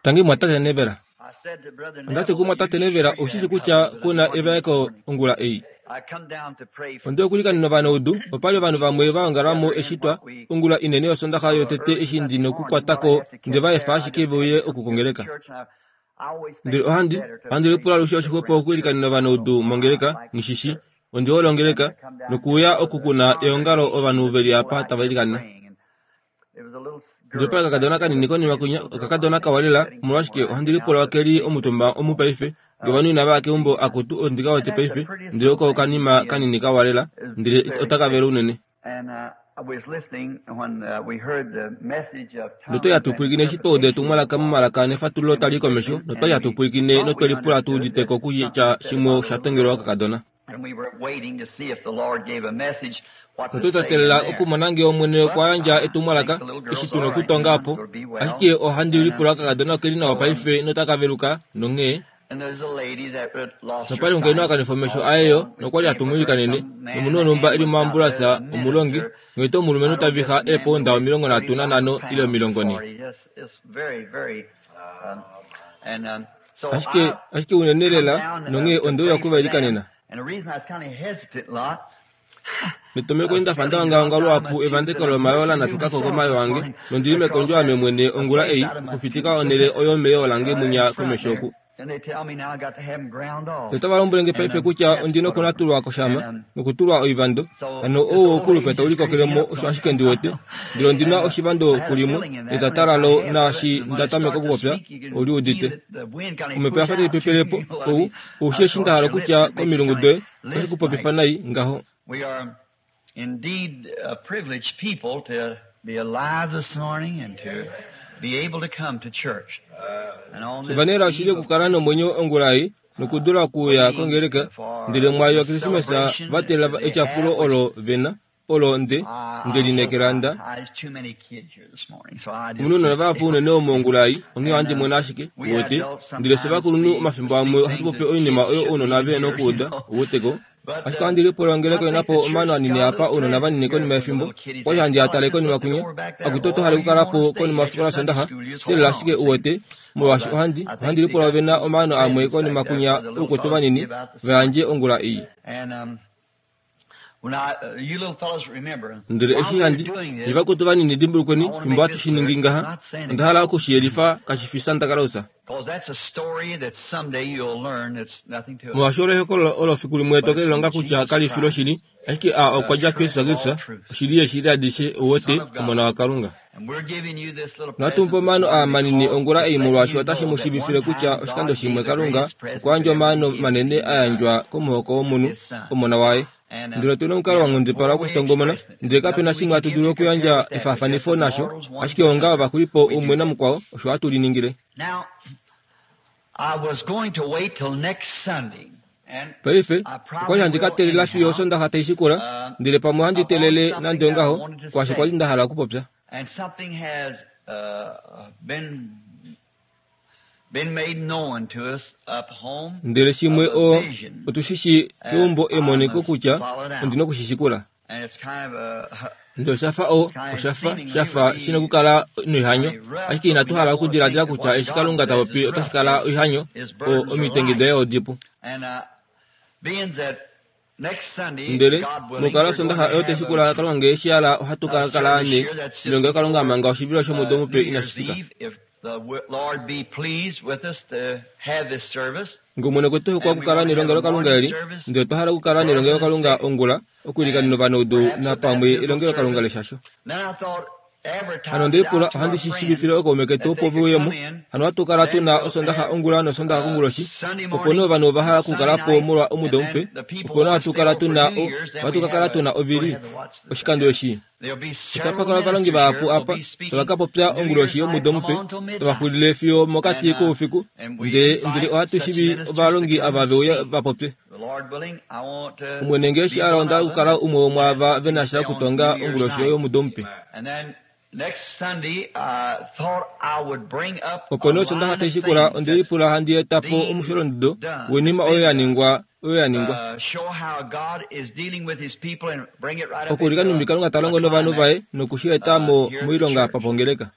Tangi mwatate Neville. Onda ti kumwatate Neville, Ou shi shi kutya ku na evaeko ongula ei. Onde okulikanena ovanaudu, opa li ovanhu vamwe va ongala mo eshi twa, ongula inene yOsondaxa yotete eshi ndi nokukwata ko nde va efa ashike ve uye oku kongeleka. Ndele ohandi, ohandi lipula alushe oshixwepo okuilikanena ovanaudu mongeleka, nghi shi shii. Ondi hole ongeleka, nokuuya oku ku na eongalo ovanhu ve li apa tava ilikana. Ndele opa li okakadona kanini konima kwinya, okakadona kawa lela, omolwashike ohandi lipula oke li omutumba omu paife, nge ovanhu inava ya keumbo, akutu, ondi ka wete paife, ndele oko okanima kanini kawa lela, ndele otaka vele unene. Notwali hatu pwilikine eshi twa uda etumwalaka momalaka nefatululo tali i komesho, notwali hatu pwilikine notwe lipula tu udite ko kutya shimwe osha tongelwa okakadona. Notwali twa teelela okumona ngee Omwene okwa yandja etumwalaka, eshi tu na okutonga opo. Ashike ohandi lipula okakadona oke li nawa paife notaka veluka, nonghee. Nopa li omukainhu a kanifa omesho aye yo, nokwa li hatu mu ilikanene, nomunhu wonhumba e li moambulasa, omulongi, nghee tuu omulumenhu ta vixa eepounda 35 ile 40. Ashike, ashike unene lela, nonghee onde uya oku va ilikanena. Metomeko nda fa nda ongaonga luhapu evandeko lomayoo la natuka ko komayoo ange, nondi li mekondjo ame mwene ongula ei, okufitika onhele oyo meyoo lange munya komesho oku. Notava lombwele nge paife kutya ondi nokunatulwa koshama, nokutulwa oivando. Hano ou oukulupe tau likokele mo, osho ashike ndi wete. Ndele ondi na oshivando kulimwe, netata lalo, naashi nda tameka okupopya, oli udite. Omhepo ya fa tai pepele po, ou, ou shii eshi nda hala okutya komilungu doye. Otashi ku popifa nai ngaho. We are indeed a privileged people to be alive this morning and to be able to come to church. And on this Shivanela oshili eve of okukala nomwenyo ongula ei nokudula okuuya kongeleka, ndele mwaayo yaKrismesa va teelela etyapulo olo ve na, olo nde, nde lineekela nda. Omu na ounona vahapu unene omu ongula ei, onghee ohandi mwene ashike, uwete. Ndele fye ovakulunhu omafimbo amwe ohatu popi oinima oyo ounona ve na okuuda, uwete ko. Ashike ohandi lipula ongeleka oi na po omaano anini apa ounona vanini konima yefimbo. Okwa li handi a tale konima kwinya. Akutu oto hale okukala po konima yofikola Sondaxa, teelela ashike, uwete, molwaashi ohandi, ohandi lipula ove na omaano amwe konima kwinya oukwetu vanini va yandje ongula ei. Ndele eshi handi nye vakwetu vanini dimbulukweni fimbo hatu shi ningi ngaha, onda hala oku shi yelifa kashi fi Santa Claus. Molwaashi olo ehokololo olo fiku limwe to ke lilonga kutya kali fi loshili, ashike a okwa dja kuJesus Kristus, oshili yeeshili adishe, ou wete, Omona waKalunga. Natu mu pe omaano aa manini ongula ei molwaashi otashi mu shiivifile kutya oshikando shimwe Kalunga okwa yandja omaano manene a yandjwa komuhoko womunhu, Omona waye. Ndele otu na omukalo wa nghundipala wokushitongomona, ndele kape na shimwe hatu dulu okuyandja efaafanifo nasho, ashike onga ovaxulipo umwe namukwao, osho hatu liningile. Paife, okwa li handi ka teelela fiyo Osondaxa tai shikula, ndele pamwe ohandi teelele nande ongaho, kwaashi kwa li nda hala okupopya. Ndele shimwe o, otu shi shii keumbo emoniko kutya ondi noku shi shikula. Ndele osha fa o, osha fa, sha fa shi nokukala noihanyo, ashike inatu hala okudiladila kutya eshi Kalunga ta popi otashi kala oihanyo, o, omitengi daye odipu. Ndele, mokukala Osondaxa oyo tai shikula Kalunga ngee eshi hala ohatu ka kala ne, nelongelokalunga manga oshivilo shomudo mupe inashi fika. Nge Omwene okwe tu hokwa okukala nelongelokalunga eli, ndele otwa hala okukala nelongelokalunga ongula, okwiilikanena ovanaudu napamwe elongelokalunga leshasho. Hano onde lipula ohandi shi shiivifile ookaume ketu opo ve uye mo. Hano ohatu kala tu na Osondaxa ongula nOsondaxa konguloshi, opo nee ovanhu ova hala okukala po molwa omudo mupe. Opo nee ohatu kala tu na o, ohatu ka kala tu na ovili oshikando eshi. Otapa kala ovalongi vahapu apa tava ka popya onguloshi yomudo mupe, tava xulile fiyo mokati koufiku, ndele, ndele ohatu shivi ovalongi ava ve uye va popye. Omwene nge eshi a londa okukala umwe womwaava ve na sha okutonga onguloshi yomudo mupe. Opo nee Osondaxa tai shikula onde lipula handi eta po omusholondodo woinima oyo ya ningwa oyo ya ningwa. Okuulika nhumbi Kalunga ta longo novanhu vaye noku shi eta mo moilonga papongeleka.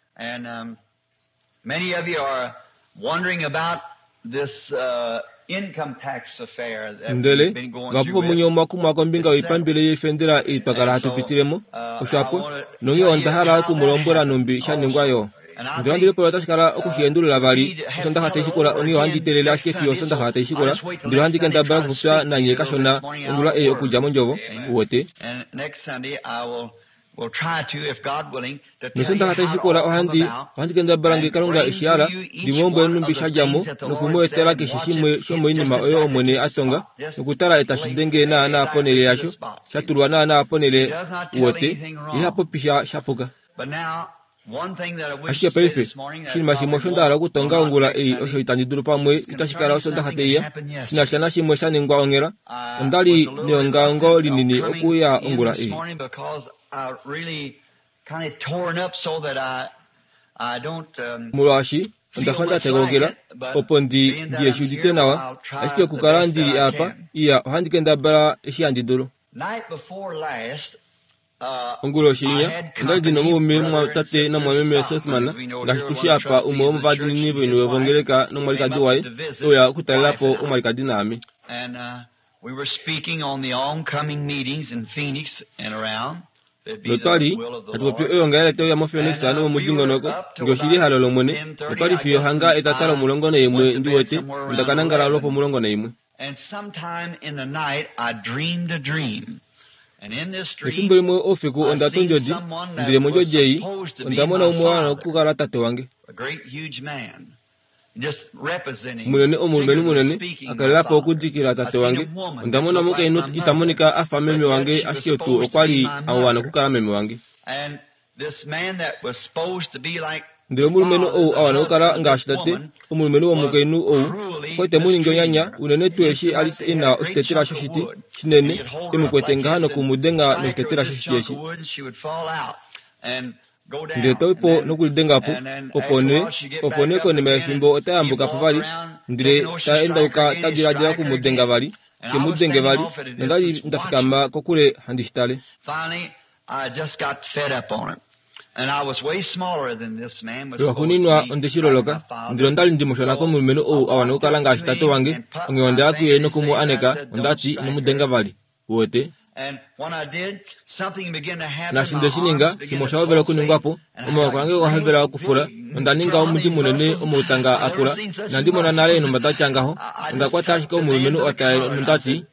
Ndele vahapu vomunye omwa kumwa kombinga yoipambele yoifendela ei twa kala hatu pitilemo, osho apo, nonghee onda hala oku mu lombwela nhumbi sha ningwa yo. Ndele ohandi lipula otashi kala oku shi endulula vali Osondaxa tai shikula, onghee ohandi teelele ashike fiyo Osondaxa tai shikula, ndele ohandi kendabala okupopya nanye kashona ongula ei okudja mOndjovo, uwete. Nosondaxa tai shikula ohandi, ohandi kendabala nge Kalunga e shi hala, ndi mu lombwele nhumbi sha dja mo, noku mu etela keshe shimwe shomoinima oyo Omwene a tonga, nokutala etashi denge naanaa ponhele yasho, sha tulwa naanaa ponhele, uwete. Ye iha popi sha shapuka. Ashike paife, oshinima shimwe osho nda hala okutonga ongula ei osho itandi dulu pamwe itashi kala Osondaxa tai ya, shi na sha nashimwe sha ningwa onghela. Onda li neongaongo linini okuuya ongula ei. Molwaashi onda fa nda tegaukila, opo ndi, ndi he shi udite nawa, ashike okukala ndi li apa, iya, ohandi kendabala eshi handi dulu. Onguloshi inya, onda li ndi na omaume mumwatate namumwameme Sothmann, ngaashi tu shi apa umwe womovadiinini voiniwe vongeleka nomwalikadi waye, e uya okutalela po omwalikadi naame. Notwa li hatu popi oyoongalele tai uya moPhoenix nomomudingonoko, nge oshi li ehalo lOmwene, notwa li fiyo hanga etata lomulongo naimwe ndi wete, onda ka nangala lwopomulongo naimwe. Efimbo limwe oufiku onda twa ondjodi, ndele mondjodi ei onda mona umwe wa wana okukala tate wange. Munene omulumenhu munene a kalela po okudikila tate wange. Onda mona omukainhu ita monika a fa meme wange ashike tuu okwa li a wana okukala meme wange. Ndele omulumenhu ou a wana okukala ngaashi tate, omulumenhu womukainhu ou, okwa li te mu ningi onyanya, unene tuu eshi a li e na oshitetela shoshiti shinene, e mu kwete ngaha noku mu denga noshitetela shoshiti eshi. Ndele ta i po nokulidenga po, opo nee, opo nee konima yefimbo ota yambuka po vali, ndele ta endauka ta diladila oku mu denga vali, te mu denge vali, nonda li nda fikama kokule handi shi tale. Lwaxuuninwa onde shi loloka, ndele onda li ndi mushona komulumenhu ou a wana okukala ngaashi tate wange, onghee onda ya kuye noku mu aneka, onda ti, Ino mu denga vali. Uwete? Naashi nde shi ninga, shimwe osha hovela okuningwa po, omaoko ange okwa hovela okufula, nonda ninga omudi munene omautanga a kula. Inandi mona nale eenhumba da tya ngaho. Onda kwata ashike omulumenhu oo ta nonda ti,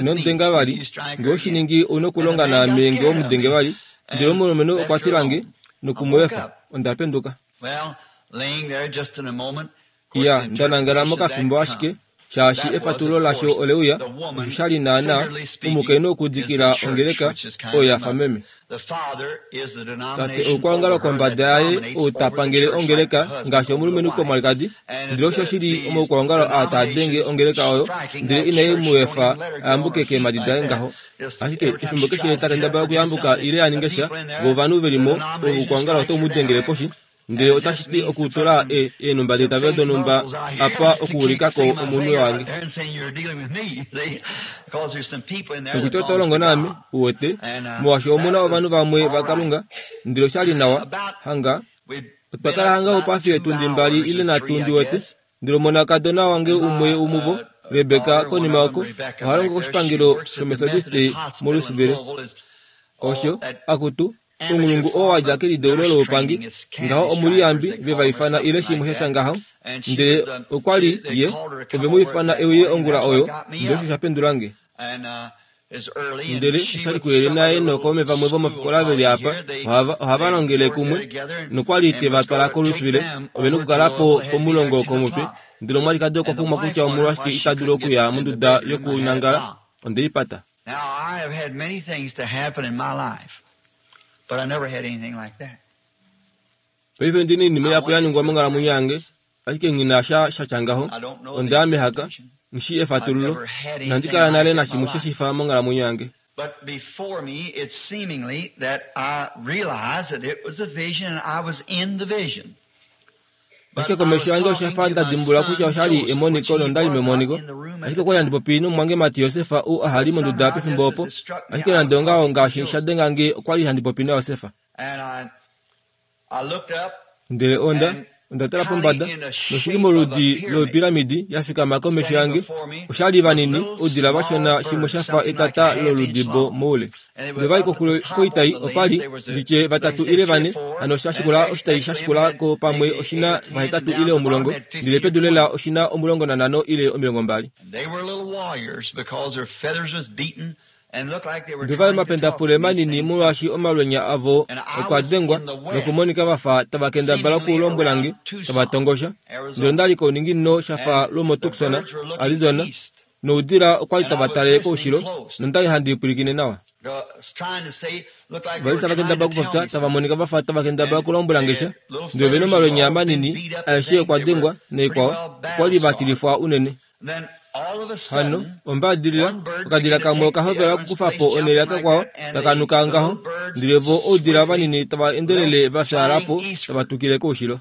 Ino mu denga vali. Nge owe shi ningi, ou na okulonga naame nge owe mu denge vali. Ndele omulumenhu okwa tila nge, noku mu efa. Onda penduka. Iya, nda nangala mokafimbo ashike, shaashi efatululo lasho ole uya, osho sha li naanaa, omukainhu okudikila ongeleka, oyo ya fa meme. Tate oukwaongalo kombada yaye ou ta pangele ongeleka ngaashi omulumenhu komwalikadi, ndele osho shi li omaukwaongalo aa taa denge ongeleka oyo, ndele inai mu efa a yambuke keemhadi daye ngaho. Ashike efimbo keshe ta kendabala okuyambuka ile a ninge sha, vo ovanhu ve li mo, oukwaongalo otau mu dengele poshi, ndele otashi ti okutula e, eenhumba deitavelo donhumba apa okuulika ko omunwe wange. Nokutya oto longo naame, uwete, molwaashi omu na ovanhu vamwe vaKalunga, ndele osha li nawa, hanga, otwa kala hanga oupafi eetundi mbali ile nhatu ndi wete, ndele omonakadona wange umwe womuvo, Rebeka, konima oko, oha longo koshipangelo shOmethodiste moLouisville. Osho, akutu, Ounghulungu oo wa dja kelideulo loupangi, ngaho omuliyambi ve va ifana ile shimwe sha tya ngaho. Ndele okwa li ye, ove mu ifana e uye ongula oyo, ndele osho sha pendula nge. Ndele osha li kuyele naye nookaume vamwe vomofikola ve li apa, ohava, ohava longele kumwe, nokwa li te va twala koLouisville, ove nokukala po pomulongo komutwe. Ndele omwalikadi okwa kumwa kutya omolwashike ita dulu okuya monduda yokunangala, onde i pata. Now, I have had many things to happen in my life, but I never had anything like that. Paife ndi na oinima ihapu ya ningwa monghalamwenyo yange, ashike nghi na sha sha tya ngaho. Onda ya mehaka, nghi shii efatululo. Inandi kala nale nashimwe she shi fa monghalamwenyo yange. But before me, it's seemingly that I realized that it was a vision and I was in the vision. Ashike komesho yange osha fa nda dimbulula kutya osha li emoniko nonda li memoniko. Ashike okwa li handi popi nomumwangemati Josef ou aha li monduda pefimbo opo. Ashike nande ongaho ngaashi sha denga nge okwa li handi popi naJosef. Ndele onda onda tala pombada, noshili moludi lopiramidi ya fikama komesho yange, osha li vanini oudila vashona shimwe sha fa etata loludibo moule. Ndele va li koxulo koitai opa li, nditye vatatu ile vane, hano sha shikula oshitai sha shikula ko pamwe oshina vahetatu ile omulongo, ndele pedu lela oshina 15 ile 20. Ndele va li omapendafule manini molwaashi omalwenya avo okwa dengwa nokumonika va fa tava kendabala okulombwela nge, tava tongosha. Ndele onda li kouninginino sha fa lwomoTucson, Arizona, noudila okwa li tava tale koushilo, nonda li handi pwilikine nawa. Ova li tava kendabala okupopya, tava monika va fa tava kendabala okulombwela nge sha. Ndele ove na omalwenya manini, aeshe okwa dengwa, naikwao, okwa li va tilifwa unene. Hano, ombaadilila, okadila kamwe oka hovela okukufa po onhele yakakwao, taka nuka ngaho, ndele vo oudila vanini tava endelele va fyaala po, tava tukile koushilo.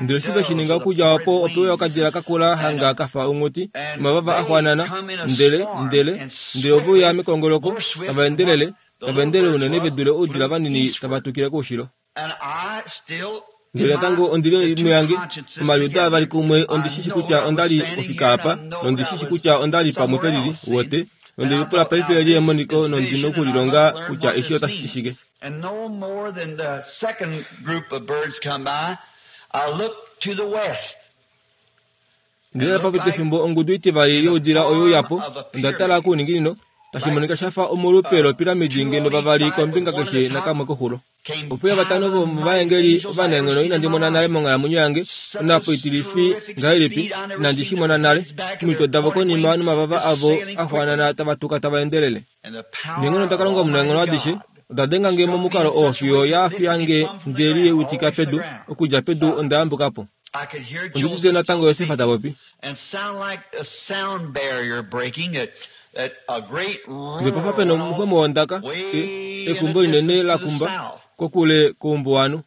Ndele eshi ve shi ninga okudja opo ope uya okadila ka kula hanga ka fa onghuti, omavava a xwanana, ndele, ndele, ndele ove uya mekongoloko, tava endelele, tava endelele unene ve dule oudila vanini tava tukile koushilo. Ndele natango ondi li muyange, omaliudo avali kumwe ondi shi shi kutya onda li ofika apa, nondi shi shi kutya onda li pamwe pelili, uwete, nonde lipula paife eli emoniko nondi nokulilonga kutya eshi otashi ti shike. Ndele pa pita efimbo ongudu itivali youdila oye uya po, onda tala kouninginino, tashi monika sha fa omolupe lopiramidi ngeno vavali kombinga keshe nakamwe koxulo. Ope uya vatano vomovaengeli ovanaenghono inandi mona nale monghalamwenyo yange, onhapo itilifi ngahelipi, inandi shi mona nale, omitwe davo konima nomavava avo a xwaanana tava tuka tava endelele. Neenghono daKalunga Omunaenghono adishe oda denga nge momukalo oo fiyo ya fiya nge nde liutika pedu, okudja pedu onda yambuka po. Ondi udite natango Josef ta popi. Ndele pa fa pe na omuxwemo wondaka, e, ekumbo linene la kumba kokule koumbuwanhu.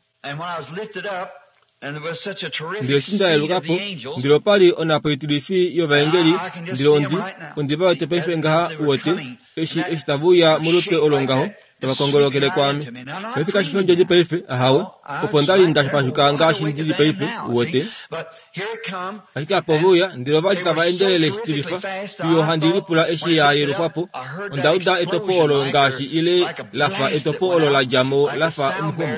Ndele eshi nda yeluka po, ndele opa li onhapo itilifi yovaengeli, ndele ondi, ondi va wete paife ngaha, uwete, eshi, eshi tave uya molupe olo ngaho, tava kongolokele kwaame. Paife kashi fi ondjodi paife, ahawe, opo nda li nda pashuka ngaashi ndi li paife, uwete. Ashike apa ove uya, ndele ova li tava endelele shitilifa, fiyo handi lipula eshi ya yelufwa po. Onda uda etopo olo ngaashi ile la fa etopo olo la dja mo la fa omuxomo.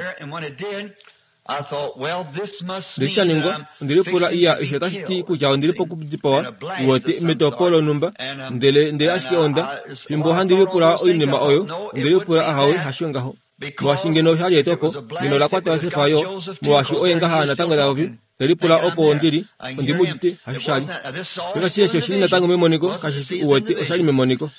Ndele eshi sha ningwa, onde lipula, Iya, eshi otashi ti kutya ondi li pokudipawa, uwete, metopo lonhumba. Ndele, ndele ashike onda, fimbo handi lipula oinima oyo, onde lipula, Ahawe, hasho ngaho. Molwaashi ngeno osha li etopo, ngeno ola kwata Josef yo, molwaashi oye ngaha natango ta popi, te lipula opo ondi li, ondi mu udite, hasho sha li. Paife eshi oshi li natango memoniko, kashi fi uwete, osha li memoniko.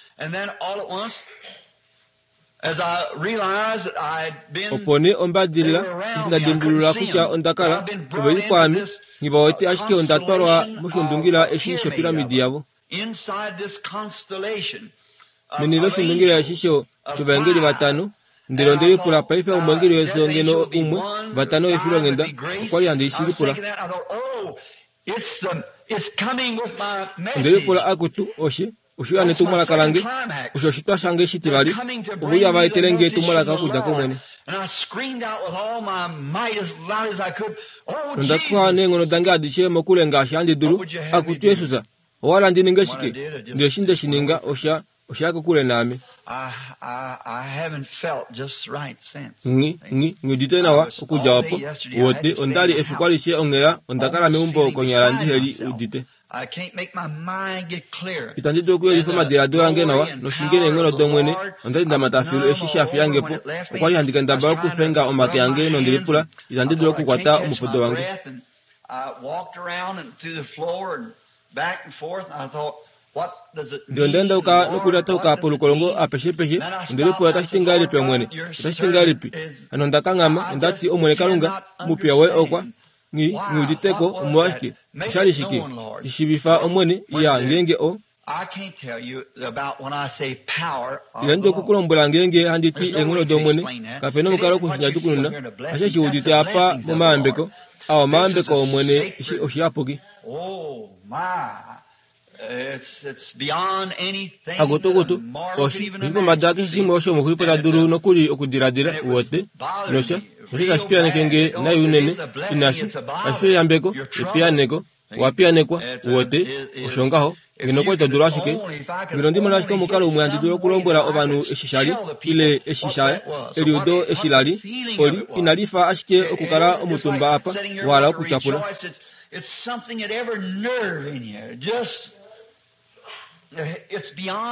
Opo nee ombadilila, eshi nda dimbulula kutya onda kala, ove li kwaame, nghi va wete ashike onda twalwa moshundungila eshi shopiramidi yavo. Meni loshindungila eshi shovaengeli vatano, ndele onde lipula paife omweengeli wefyo ngeno umwe, vatano efilonghenda, okwa li handi shi lipula. Onde lipula akutu, oshe, oshe uya netumwalaka lange, osho oshitwa shange shitivali, ove uya va etele nge etumwalaka okudja kOmwene. Nonda kuwa neenghono dange adishe mokule ngaashi handi dulu, akutu Jesus, Owa hala ndi ninge shike? Ndele eshi nde shi ninga, osha, osha ya kokule naame. Nghi, nghi, nghi udite nawa okudja opo. Uwete, onda li efiku alishe onghela, onda kala meumbo konyala ndihe li udite. Itandi dulu okuyelifa omadiladilo ange nawa, noshinge neenghono dOmwene, onda li nda mata filu eshi sha fiya nge po. Okwa li handi kendabala okufenga omake ange nonde lipula, itandi dulu okukwata omufudo wange. Ndele onda endauka nokulyatauka polukolongo apeshepeshe, onde lipula otashi ti ngahelipi Omwene? Otashi ti ngahelipi? Hano onda kanghama, onda ti, Omwene Kalunga, omupiya woye okwa, nghi, nghi udite ko, omolwashike? Osha li shike? Shi shiivifa Omwene, iya, ngeenge o. Inandi oku ku lombwela ngeenge handi ti eenghono dOmwene, kape na omukalo oku shi nyatukununa, ashe shi udite apa momayambeko, a omayambeko Omwene, eshi oshiyapuki. Akutukutu, oshi li pombada keshe shimwe osho omuxulipo ta dulu nokuli okudiladila, uwete, nosha, nosha tashi piyaneke nge nai unene, inashi, kashi fi eyambeko, epiyaneko, owa piyanekwa, uwete, osho ngaho. Ngeno okwa li to dulu ashike, ngeno ndi mona ashike omukalo umwe handi dulu okulombwela ovanhu eshi sha li, ile eshi sha, eliudo eshi la li, oli, inali fa ashike okukala omutumba apa, wa hala okutyapula.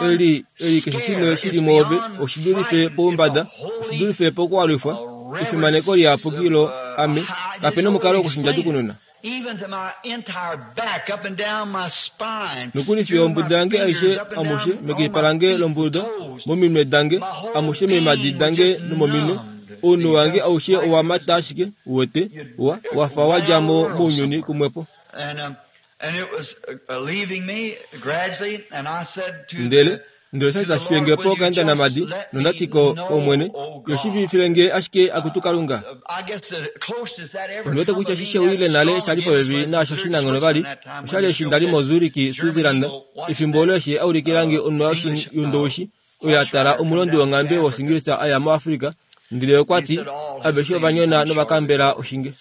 Eli, eli keshe shimwe shi li mwoove, oshi dulife poumbada, oshi dulife pokualwifwa, efimaneko liyapuki lo ame, kape nomukalo wokushindjadjukununa. Nokuli fiyo ombuda yange aishe amushe mekipa lange lombuda, mominwe dange, amushe meemhadi dange nomominwe, ounhu wange aushe owa mata ashike, uwete, wa, wa fa wa dja mo mounyuni kumwepo. Ndele, ndele osha li tashi fiye nge po okaendanamadi, nonda ti ko, kOmwene, Yo shiivifile nge ashike akutu Kalunga. Ondi wete kutya eshi she uyile nale sha li popepi naasho shi na nghono vali, osha li eshi nda li moZurich, Switzerland, efimbo olo eshi a ulikila nge onwa yondoushi oyo ya tala omulondi wonghambe wOshingilisa a ya moAfrika, ndele okwa ti, Aveshe ova nyona nova kambela oshinge.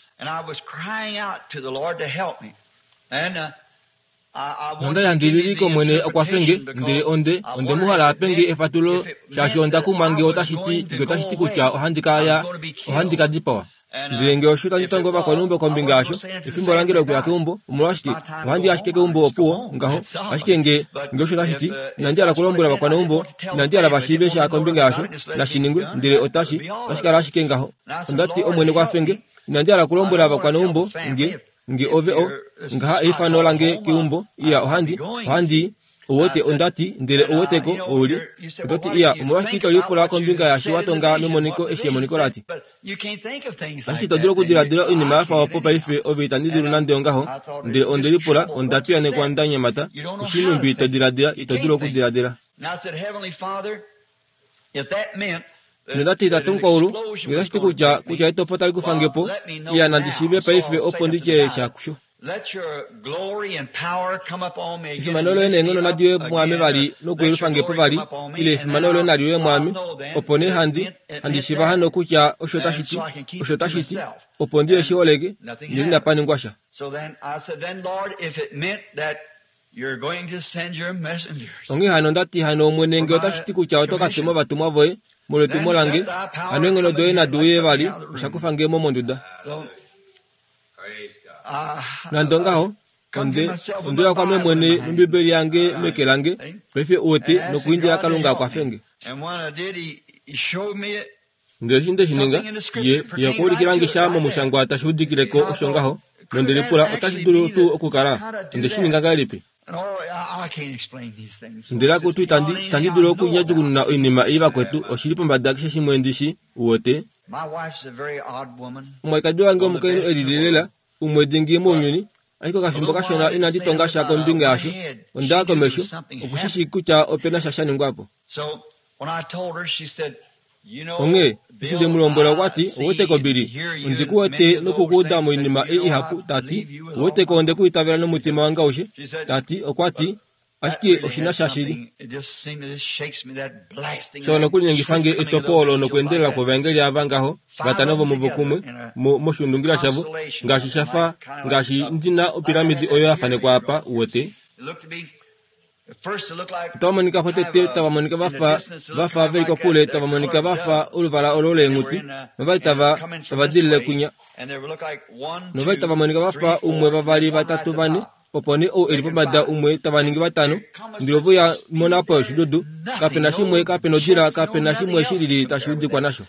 Nonda li handi lili kOmwene a kwafe nge, ndele onde, onde mu hala a pe nge efatulo, shaashi onda kumwa nge otashi ti, nge otashi ti kutya ohandi ka ya, ohandi ka dipawa. Ndele nge osho tandi tongo ovakwaneumbo kombinga yasho, efimbo lange lokuya keumbo, omolwashike, ohandi ashike keumbo opuwo, ngaho. Ashike nge, nge osho tashi ti, inandi hala kulombwela ovakwaneumbo, inandi hala va shiive sha kombinga yasho, nashi ningwe, ndele otashi, otashi kala ashike ngaho. Onda ti, Omwene kwafe nge. Inandi hala kulombwela ovakwaneumbo, nge, nge ove o, ngaha eifano lange keumbo, iya, ohandi, ohandi, Ouwete, onda ti, ndele ouweteko, ou li. Oto ti, Iya, omolwashike ito lipula kombinga yaashi wa tonga memoniko eshi emoniko la ti? Ashike ito dulu okudiladila oinima ya fa opo paife, ove itandi dulu nande ongaho. Ndele onde lipula, onda piyanekwa nda nyemata, Oshii nhumbi to diladila, ito dulu okudiladila. Nonda ti, Tate Mukwaulu, nge otashi ti kutya, kutya etopo tali kufa nge po, iya nandi shiive paife opo ndi tye sha kusho. Efimano loye neenghono nadi uye mwaame vali nokuyelufa nge po vali, ile efimano loye nali uye mwaame, opo nee handi, handi shiiva hano kutya osho tashi ti, osho tashi ti, opo ndi shi holeke, ndele inapa ningwa sha. Onghee hano onda ti hano Omwene nge otashi ti kutya oto ka tuma ovatumwa voye molwetumo lange, hano eenghono doye nadi uye vali, osha kufa nge mo monduda. Nande ongaho, onde, onde uya kwaame mwene nOmbibeli yange meke lange, paife uwete, nokuindila Kalunga a kwafe nge. Ndele eshi nde shi ninga, Ye, Ye okwa ulikila nge sha mOmushangwa tashi udikile ko osho ngaho, nonde lipula, Otashi dulu tuu okukala? Onde shi ninga ngahelipi? Ndele akutu itandi, itandi dulu okunyadjukununa oinima ei vakwetu, oshi li pombada keshe shimwe ndi shi, uwete. Omwalikadi wange omukainhu e lili lela, umwe dingi mounyuni, ashike okafimbo kashona inandi tonga sha kombinga yasho, onda ya komesho, oku shi shii kutya ope na sha sha ningwa po. Onghee, eshi nde mu lombwela okwa ti, Ouweteko Billy, ondi ku wete noku ku uda moinima ei ihapu, ta ti, Ouweteko onde ku itavela nomutima wange aushe, ta ti, okwa ti, ashike oshi na sha shili. Sha nokulinyengifa nge etopo olo nokweendelela kwovaengeli ava ngaho, vatano vomuvo kumwe, mo, moshuundungila shavo, ngaashi sha fa, ngaashi ndi na opiramidi oyo ya fanekwa apa, uwete. Otava monika fa tete tava monika va fa va fa ve li kokule tava monika va fa oluvala olo leenghuti novali tava tava dilile kwinya novali tava monika va fa umwe vavali vatatu vane opo nee ou e li pombada umwe tava ningi vatano ndele ove uya mona po yoshidudu kape na shimwe kape na odila kape na shimwe shi lili tashi udikwa nasho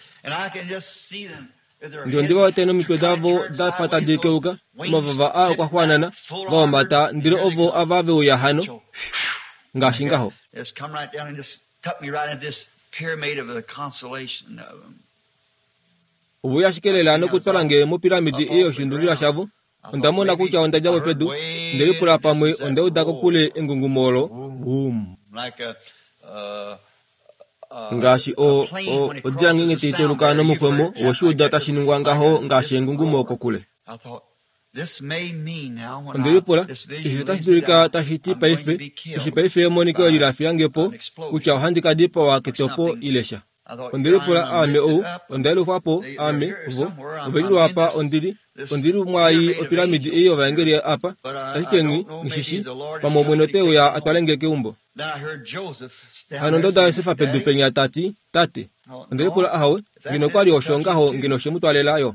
Ndele ondi va wete nomitwe davo da fa tadi keuka, omavava a okwa xwaanana, va homata, ndele ovo ava ve uya hano, ngaashi ngaho. Ove uya ashike lela nokutwala nge mopiramidi ei yoshindungila shavo. Onda mona kutya onda dja mo pedu, nde lipula pamwe onda uda kokule engungumo olo, Wum. Ngaashi o, o, odila ngeenge tai teuluka nomukwemo, owe shi uda tashi ningwa ngaho ngaashi engungumo kokule. Onde lipula, eshi otashi dulika tashi ti paife, eshi paife emoniko eli la fiya nge po, kutya ohandi ka dipawa ketopo ile sha. Onde lipula, Aame ou, onda yelufwa po, aame, vo, ove li lwaapa, ondi li, ondi li mwaai opiramidi ei yovaengeli apa, ashike nghi, nghi shi shii, pamwe Omwene ote uya a twale nge keumbo. Hano onda uda Josefa pedu penya ta ti, Tate. Onde lipula, Ahowe, ngeno okwa li osho ngaho ngeno oshe mu twaalela yo.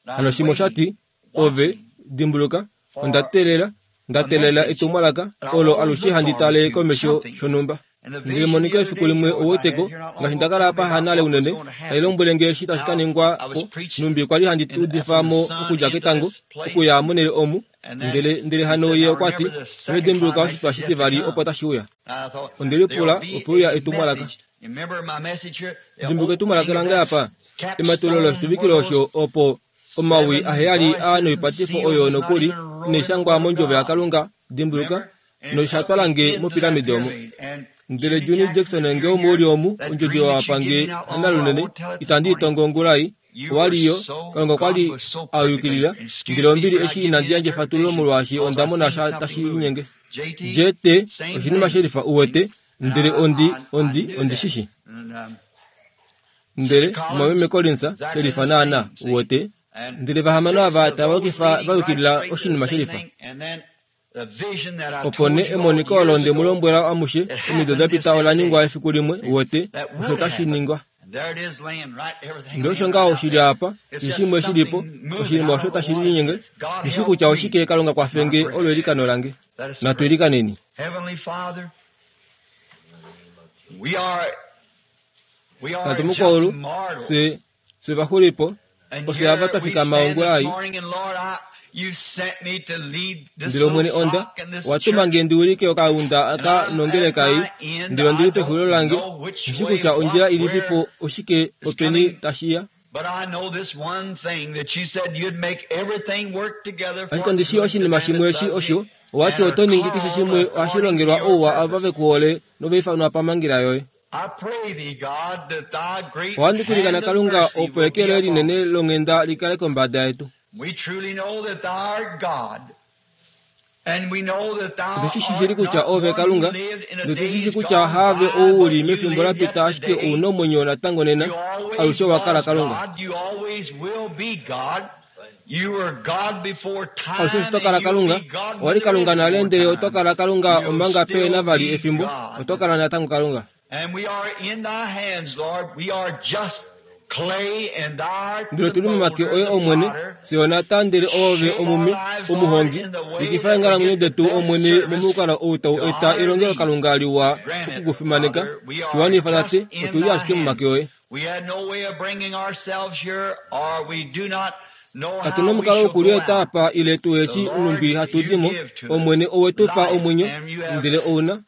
Hano shimwe osha ti, Ove, dimbuluka, onda teelela, nda teelela etumwalaka olo alushe handi tale komesho shonhumba. Ndele monika efiku limwe ouweteko, ngaashi nda kala apa hanale unene, tai lombwele nge eshi tashi ka ningwa po, nhumbi kwa li handi udifa mo okudja ketango, okuya monhele omu, ndele, ndele hano ye okwa ti, Ove dimbuluka oshitwa shitivali opo tashi uya. Onde lipula, ope uya etumwalaka. Dimbuluka etumwalaka lange apa, ematululo loshituvikilo osho opo omawi aheyali a noipatifo oyo nokuli inai shangwa mondjovo yaKalunga, dimbuluka, nosha twala nge mopiramide omo. Ndele Junie Jackson nge omo u li omu, ondjodi oyo wa pa nge hanalunene, itandi i tongo ongula ei, owa li yo, Kalunga okwa li a yukilila, ndele ombili eshi inandi yandja efatululo molwaashi onda mona sha tashi linyenge. JT, oshinima shelifa, uwete, ndele ondi, ondi, ondi shi shi. Ndele, Mumwameme Collins, shelifa naana, uwete. Ndele vahamano ava tava yukifa va yukilila oshinima shelifa. Opo nee emoniko olo nde mu lombwela amushe omido da pita ola ningwa efiku limwe, uwete, osho tashi ningwa. Ndele osho ngaho shi li apa, keshe shimwe shi li po, oshinima osho tashi linyenge, nghi shii kutya oshike, Kalunga kwafe nge, olo eilikano lange. Natu ilikaneni. Tate mukwaulu, fye, fye vaxulipo, ofye ava twa fikama ongula ei. Ndele Omwene onda, owa tuma nge ndi wilike okaunda aka nongeleka ei, ndele ondi li pexulilo lange, nghi shii kutya ondjila ilipi po, oshike, openi tashi ya. Ashike ondi shii oshinima shimwe eshi osho, owa ti oto ningi keshe shimwe ohashi longelwa ouwa ava ve ku hole nova ifanwa pamhangela yoye. Ohandi kulikana Kalunga opo eke loye linene longhenda li kale kombada yetu. Otu shi shi shili kutya oove Kalunga, notu shi shi kutya haave ou u li mefimbo la pita ashike ou na omwenyo natango nena, alushe owa kala Kalunga. Alushe eshi to kala Kalunga, owa li Kalunga nale ndele oto kala Kalunga omanga pe na vali efimbo, oto kala natango Kalunga. Ndele otu li momake oye Omwene, fye onata ndele oove omumi, omuhongi. Yukifa eenghalamwenyo detu Omwene momukalo ou tau eta elongelokalunga liwa oku ku fimaneka. Shi wanifa Tate, otu li ashike momake oye. Katu na omukalo wokulieta apa ile tu eshi nhumbi hatu di mo. Omwene owe tu pa omwenyo, ndele ou na.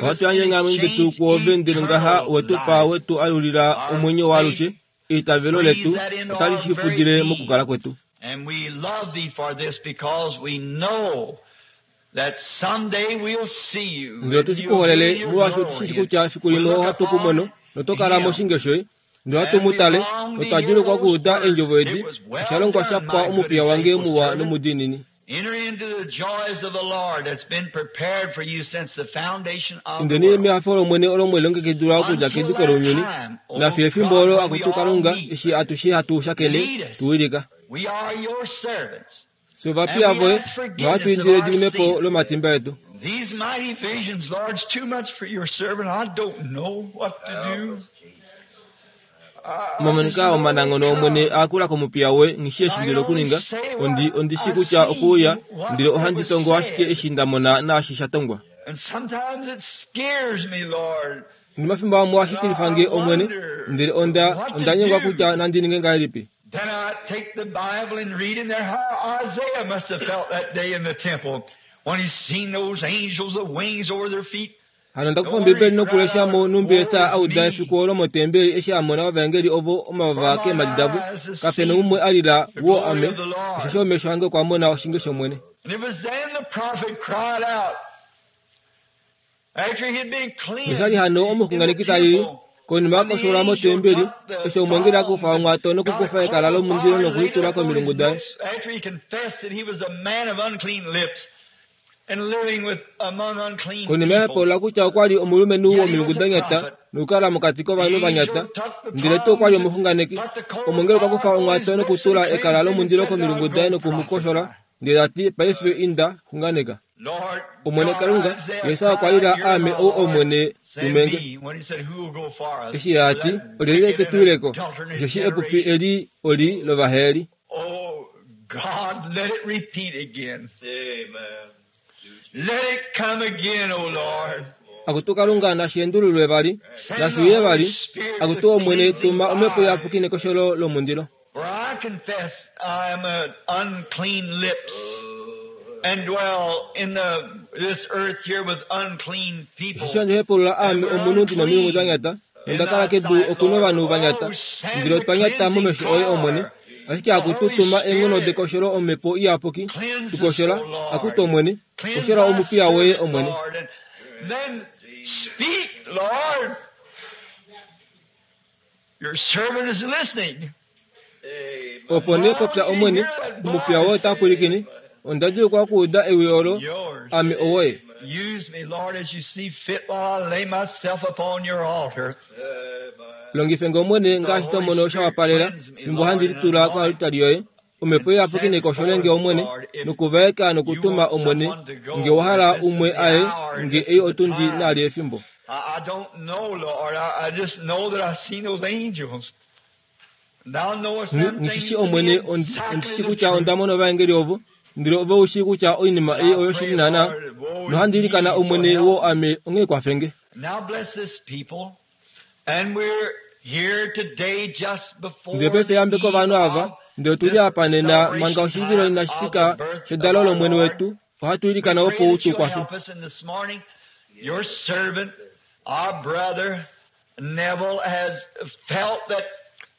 Ohatu yandje eenghalamwenyo detu kwoove ndele ngaha owe tu pa we tu alulila omwenyo waalushe. Eitavelo letu otali shi fudile mokukala kwetu. Ndele otu shi ku holele molwaashi otu shi shi kutya efiku limwe ohatu ku mono noto kala moshinge shoye. Ndele ohatu mu tale notwa djuulukwa okuuda eendjovo edi, Osha longwa sha pwa omupiya wange muwa nomudiinini. Indeni mehafo lOmwene olo mwe lilongekidilwa okudja kediko lounyuni, nafiyo efimbo olo akutu Kalunga, eshi atushe hatu shakene, tu wilika. Fye ovapiya voye, nohatu indile ediminepo lomatimba etu. Omamoniko aa omananghono Omwene a kula komupiya woye, nghi shii eshi ndi na okuninga. Ondi, ondi shii kutya okwe uya, ndele ohandi tongo ashike eshi nda mona naashi sha tongwa. Nomafimbo amwe ohashi tilifa nge, Omwene, ndele onda, onda nyengwa kutya nandi ninge ngahelipi. Then I take the Bible and read in there how Isaiah must have felt that day in the temple when he seen those angels with wings over their feet. Hano onda kufa Ombibeli nokulesha mo nhumbi Jesaja a uda efiku olo motembeli eshi a mona ovaengeli ovo omavava keemhadi davo, kape na umwe a lila, Woo ame, osheshi omesho ange okwa mona oshinge shOmwene. And it was then the prophet cried out after he had been Nosha li hano cleansed in the omuxunganeki ta lili, temple. Konima a kosholwa motembeli, eshi omwengeli a kufa omwato nokukufa ekala lomundilo noku li tula komilungu daye. Konima ya hepolola kutya okwa li omulumenhu womilungu da nyata nokukala mokati kovanhu va nyata, ndele tuu okwa li omuxunganeki, omwengeli okwa kufa omwato nokutula ekala lomundilo komilungu daye noku mu koshola, ndele ta ti, Paife inda, xunganeka. Omwene Kalunga, Jesus okwa lila aame ou Omwene tumenge. Eshi a ti, Olyelye te tu ileko? Osheshi epupi eli oli lovaheli. Oh God, let it repeat again. Amen. Let it come again, oh Lord. Akutu Kalunga nashi endululwe vali, nashi uye vali. Akutu Omwene, tuma omhepo iyapuki nekosholo lomundilo. For I confess I am an unclean lips and dwell in the, this earth here with unclean people. Osheshi handi hepulula aame omunhu ndi nomilungu da nyata, nonda kala kedu oku novanhu va nyata. Ndele otwa nyata momesho oye Omwene. Ashike akutu tuma eenghono dekosholo Omhepo Iyapuki, tu koshola, akutu Omwene, koshola omupiya woye Omwene. Then speak, Lord. Your servant is listening. Opo nee popya Omwene, omupiya woye ota pwilikine. Onda djuulukwa okuuda ewi olo, ame owoye. Use me, Lord, as you see fit while I lay myself upon your altar. Longife nge Omwene ngaashi to mono sha wapalela, fimbo handi litula koaltari yoye. Omhepo Iyapuki nekoshole nge Omwene, nokuvaeka nokutuma Omwene, nge wa hala umwe aye, nge ei otundi naali efimbo. I, I don't know, Lord. I, I just know that I've seen those angels. Thou knowest them Nghi shi things to be Omwene, ondi exactly ondi shi the kutya truth. onda mona ovaengeli ovo, ndele ove u shii kutya oinima ei I oyoshili pray, naanaa. Lord, woe is Nohandi ilikana me, so Omwene help wo ame onghee kwafe nge. Now bless this people. And we're here today just Ndele before paife the yambeka eve ovanhu ava, of ndele otu li this apa nena manga celebration oshivilo time inashi of fika the birth of shedalo our lOmwene Lord. wetu, ohatu We ilikana pray opo u that tu you'll kwafe. help us in this morning. Your servant, our brother Neville, has felt that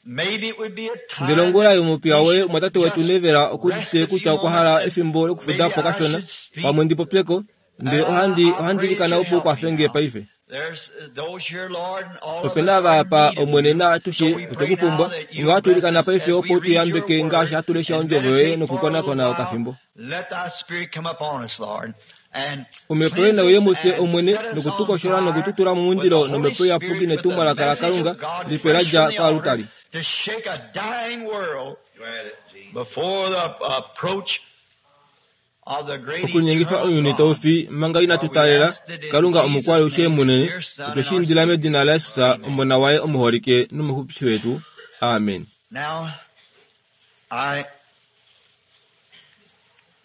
maybe it would be a Ndele time ongula that yomupiya we woye should omwatate wetu just Neville okudite rest a kutya few okwa moments hala and efimbo lokufuda maybe po I kashona, should speak. pamwe ndi popyeko, ndele And ohandi I, I ohandi pray that ilikana you'll opo u help me kwafe nge now. paife. There's those here, Lord, and all of Ope us na are in apa need of Omwene you. na atushe So we otwe pray ku now pumbwa, that onghee you'll ohatu bless ilikana us paife as we opo u tu read your yambeke ngaashi word hatu lesha and ondjovo yoye meditate for a little nokukonakona while. okafimbo. Let thy spirit come upon us, Lord, and Omhepo yoye cleanse nauye us mufye and Omwene set us on nokutukoshola fire nokututula with the momundilo Holy nomhepo iyapuki Spirit, with the netumwalaka message laKalunga of God lipe la fresh dja from the altar koalutari. to shake a dying world before the approach of the great Okunyengifa eternal ounyuni tau God. fi manga inatu For we taalela, asked it in Kalunga Jesus' omukwalushe name, munene, dear Son otwe and shi our indila Savior. medina laJesus, Amen. Omona waye omuholike nomuxupifi wetu. Amen. Now, I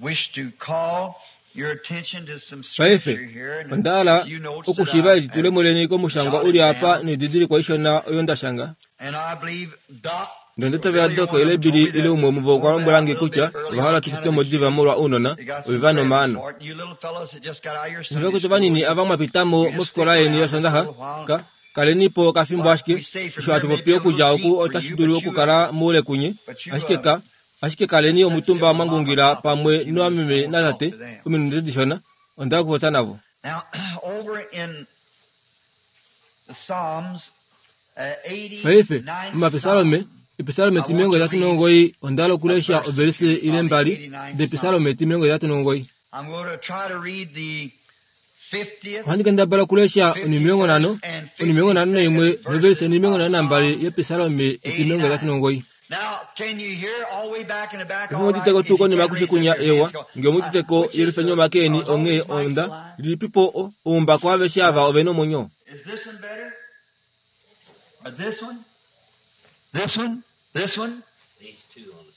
wish to call your attention to some Paife, scripture here and onda a hala few notes that okushiva I edi have tule muleni komushangwa u jotted li apa down. noididilikwa ishona oyo nda shanga. And I believe Doc Ndele or ndatavela Billy, Dok one of ile them told Billy me ile that umwe womuvo okwa won't lombwela out a nge little kutya bit early ova on hala account tu of pite the mo diva kids. molwa ounona They got ove some va presents nomaano. for it. You little fellows that just got out of your Sunday Novakwetu school, vanini you, ava mwa pitamo you just stick mofikola yeni around just a yosondaha little while. ka kalenipo okafimbo What ashike we say from osho here hatu may popi be a little okudja oku deep for otashi you, dulu but you, okukala moule kunye but you, ashike ka ashike kaleni just omutumba sensitive to mwa Mama and ngungila Papa for a pamwe few minutes. I novameme want to talk natate to them. ominute dishona onda okupopya navo. Now, over in the Psalms, Paife 89th omapisalome Psalm, episalome I want to timilongo itatu read nomugoyi onda hala a okulesha verse or ovelise two ile of the mbali 89th depisalome Psalm. timilongo itatu nomugoyi. I'm going to try to read the 50th, Ohandi kendabala okulesha onimilongo nhano 51st, and onimilongo nhano naimwe 52nd novelise verses onimilongo of nhano nambali Psalms yepisalome etimilongo itatu 89. nomugoyi. Now, can you hear all the way back in the back Efi all right? mutiteko If tuu you konima can akushe raise up kunya your ewa hands, go. nge mutiteko Which is yelufeni the, omake eni is all onghee these mics onda alive? lilipipo oumbako aveshe ava ove nomwenyo. Is this one better? Or this one? This one? This one?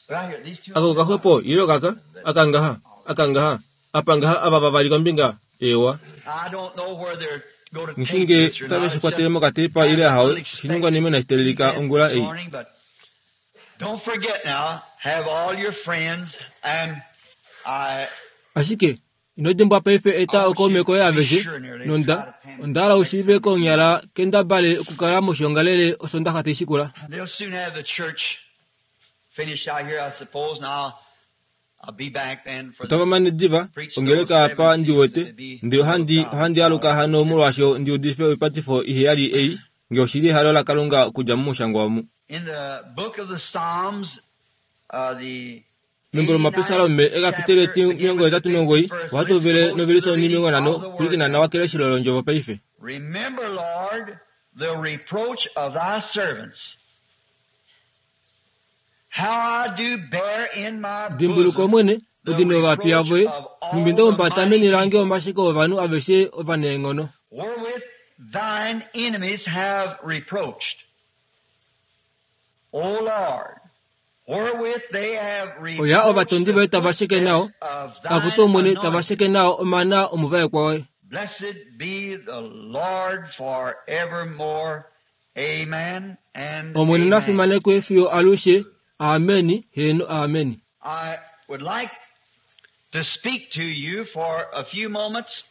Right here, these two Ako on the side. kaxwepo ile okaka akangaha akangaha apa ngaha ava vavali kombinga ewa. I don't know where they're going to tape Ngishinge this or otave not. shi It's kwatele just mokatepa kind ile of ahawe unexpected oshiningwanima inashi teelelika event ongula this ei. morning, but don't forget now, have all your friends and I Ashike ino dimbwa paife I eta want you okaume to koye be aveshe sure nearly to try nonda to pan onda hala next ushiive Sunday. konyala kendabale okukala moshiongalele osondaxa taishikula. They'll soon have the church finished out here, I suppose, and I'll I'll be back then for Otava this mane diva preach those ongeleka seven apa seals ndi wete and be ndele full of ohandi God ohandi with aluka God hano Spirit. molwaasho ndi udife oipatifo iheyali ei Nge oshili ehalo laKalunga okudja momushangwa omu. In the book of the Psalms, the Membo lOmapisalome ekapiteli eti 89, ohatu hovele novelise 50, pwilikina nawa keleshelo londjovo paife. Remember, Lord, the reproach of thy servants, how I do bear in my Dimbuluka bosom Omwene, the odino yovapiya reproach voye, of nhumbi all nda the humbata mighty meni lange people, omasheko ovanhu aveshe ovanaenghono. wherewith thine enemies have reproached. O Lord, wherewith they have Oya reproached ovatondi the voye tava sheke nao, footsteps of akutu thine Omwene tava anointed. sheke nao omana omuvaekwa woye. Blessed be the Lord forevermore. Amen and Omwene na amen. fimanekwe fiyo alushe. Ameni, heeno ameni. I would like to speak to you for a few moments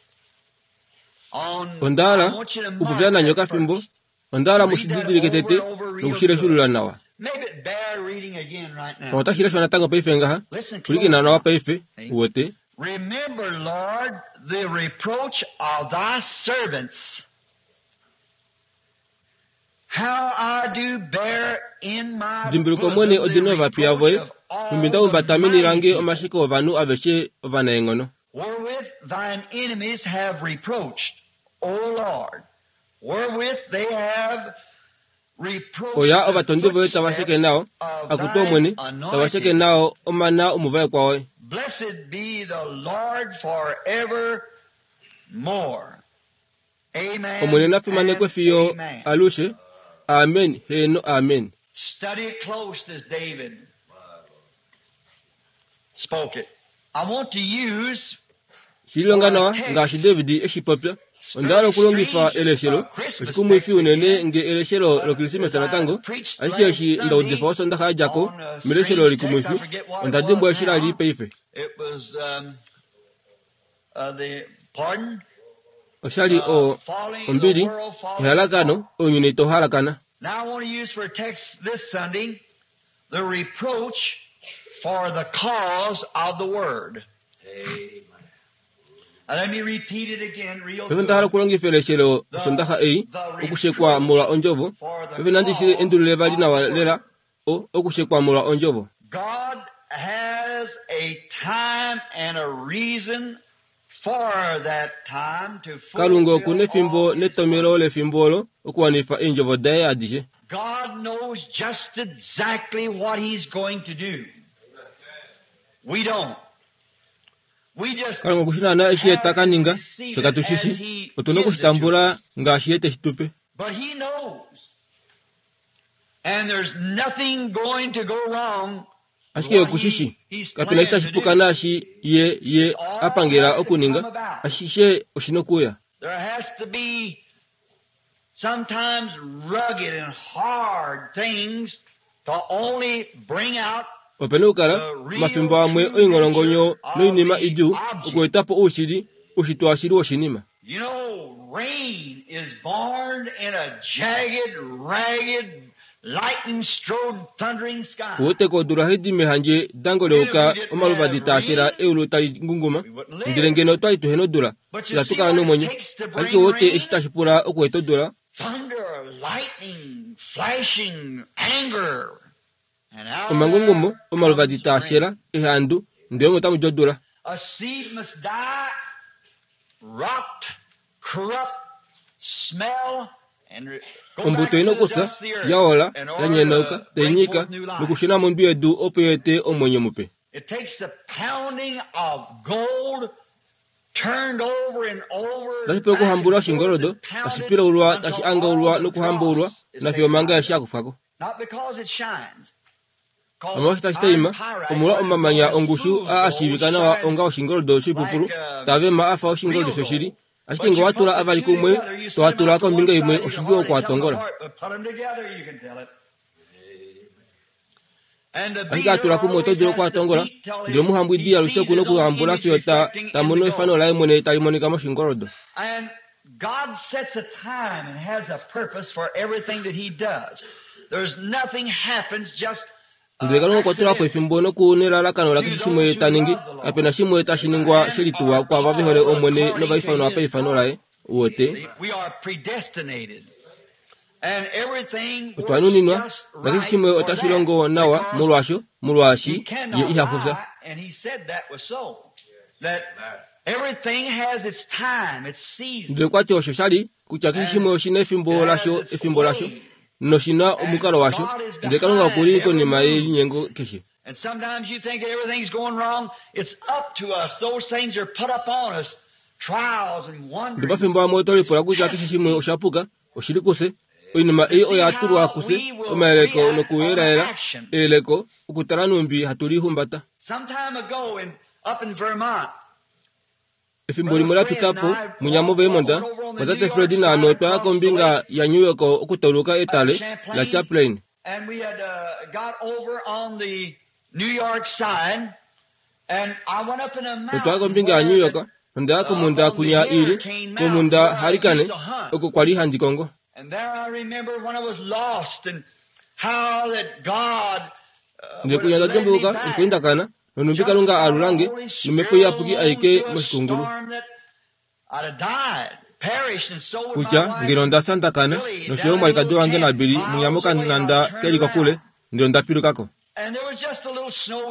on Onda I hala want you to okupopya mark nanye that okafimbo, first. onda hala Read that mushididilike over tete and over real nokushileshulula good. nawa. Maybe it bear reading again right now. Otashi leshwa natango paife ngaha. Listen Pwilikina close nawa now. paife, See? uwete. Remember, Lord, the reproach of thy servants, how I do bear in my Dimbuluka Omwene bosom the odino yovapiya reproach voye, of nhumbi all nda the humbata meni mighty lange people, omasheko ovanhu aveshe ovanaenghono. wherewith thine enemies have reproached, O Lord, wherewith they have reproached Oya the ovatondi voye tava sheke footsteps nao, of akutu thine Omwene, tava sheke anointed. nao omana omuvaekwa woye. Blessed be the Lord forevermore. Omwene Amen na fimanekwe and fiyo amen. alushe. Amen, heeno amen. Study it close as David spoke it. I want to use Shilonga for a nawa ngaashi text David eshi popya. Onda hala very okulongifa strange eleshelo, Christmas oshikumwifi text unene again, nge eleshelo but as lokrisimesa I natango, preached ashike last eshi nda udifa Sunday osondaxa ya dja ko, on a meleshelo strange text, I likumwifi, forget what it onda was dimbwa eshi la li now. paife. It was the pardon, Oshali o falling, the ombili, world falling ehalakano, apart. ounyuni tau halakana. Now I want to use for a text this Sunday the reproach for the cause of the word. Now let me repeat it again real Paife onda hala good. okulongifa eleshelo The, osondaxa ei, the okushekwa reproach molwa ondjovo. for the Paife nandi shi cause endulule vali of nawa the lela, word. o okushekwa molwa ondjovo. God has a time and a reason for that time to Kalunga oku fulfill nefimbo all His netomelo word. lefimbo olo okuwanifa eendjovo daye adishe. God knows just exactly what He's going to do. We don't. We just Kalunga oku shi naana eshi ye have ta ka to ninga, receive fye it katu shi as shi. He Otu na gives it to okushitambula us. ngaashi ye teshi tupe. But He knows. And there's nothing going to go wrong with Ashike what oku shi shi. He's Kapena eshi planned tashi to puka do. naashi ye ye It's all a pangela has to come okuninga, about. ashishe oshi nokuuya. There has to be sometimes rugged and hard things to only bring out Opena okukala the real omafimbo amwe true nature oingolongonyo of noinima the idjuu object. okuetapo oushili, oushitwe washili woshinima. You know, rain is born in a jagged, ragged, lightning strode, thundering sky. Uweteko odula haidi mehandje dango And if we leuka didn't omaluvadi have taashela rain, eulu tali ngunguma, we wouldn't ndele live. ngeno otwali tuhena odula, But you itatu see kala what it nomwenyo. takes to Ashike bring uwete rain? eshi tashi pula okueta odula, Thunder, lightning, flashing, anger. And out of omangungumo, there omaluvadi comes rain. taashela, ehandu, ndele omo otamu di odula. A seed must die, rot, corrupt, smell, and go Ombuto back ina to the okufya, dust of the earth yaola, in ya order nyenauka, to bring tainyika, forth new life. nokushuna mondwi yedu opo yeete omwenyo mupe. It takes the pounding of gold turned over and over, Tashi pula back and okuhambula forth oshingoldo, and tashi pounded pilaulwa, tashi until all angaulwa the nokuhambaulwa, dross is nafiyo taken out manga of eshi it. akufwako. Not because it shines, 'cause Omolwaashi tashi iron taima, pyrite, omolwa what is known omamanya as ongushu fool's aa gold, ashiivika nawa shines onga oshingoldo shoipupulu, like tavema afa oshingoldo real shoshili. gold. Ashike But nge you wa put tula the avali two kumwe, together, you to set them watula out to one kombinga imwe, side, you can oshidjuu hardly tell them okuatongola. apart, but put them together, you can tell it. And the Ashike beater atula kumwe oto always dulu has to okuatongola, beat till ndele omuhambwidi he alushe sees oku na his own okuhambula image fiyo ta reflecting ta in the mono efano gold. laye mwene tali monika moshingoldo. And God sets a time and has a purpose for everything that He does. There's nothing happens just Ndele Kalunga okwa tula po accidentally efimbo noku nelalakano to lakeshe shimwe those ta who ningi, love the Lord kapena shimwe tashi ningwa and shelituwa are kwaava ve hole called Omwene according to novaifanwa His paifano purpose. laye. Uwete, We are predestinated. Otwa nuninwa, nakeshe shimwe otashi longo nawa molwaasho, molwaashi ye iha fufya. Ndele okwa ti osho sha li kutya keshe shimwe oshi na efimbo lasho, efimbo lasho, noshi na omukalo washo, ndele Kalunga oku li konima yelinyengo keshe. And sometimes you think that everything's going wrong. It's up to us. Those things are put up on us. Trials and wondering. Ndele pafimbo amwe oto lipula kutya keshe shimwe osha puka, oshi li kufye. Oinima ei oya tulwa kufye, omayeleko nokuyelaela, eyeleko, okutala nhumbi hatu lihumbata. Some time ago in, up in Vermont, Efimbo limwe la pita po, munya moVermont, mwatate Fred naame otwa ya kombinga yaNew York okutauluka etale laChamplain. And we had got over on the New York side, and I went up in a Otwa ya mountain kombinga yaNew where York, nonda ya komhunda kunya i li, komhunda Hurricane, oko kwa li handi kongo. And there I remember when I was lost and how that God Ndele kunya onda dimbuluka okweendakana, nonhumbi Kalunga a alula nge, nomhepo iyapuki aike moshikungulu. Kutya, ngeno onda fya nda kana, nosho yo omwalikadi wange naBilly munya mokanhanda ke li kokule, ndele onda piluka ko.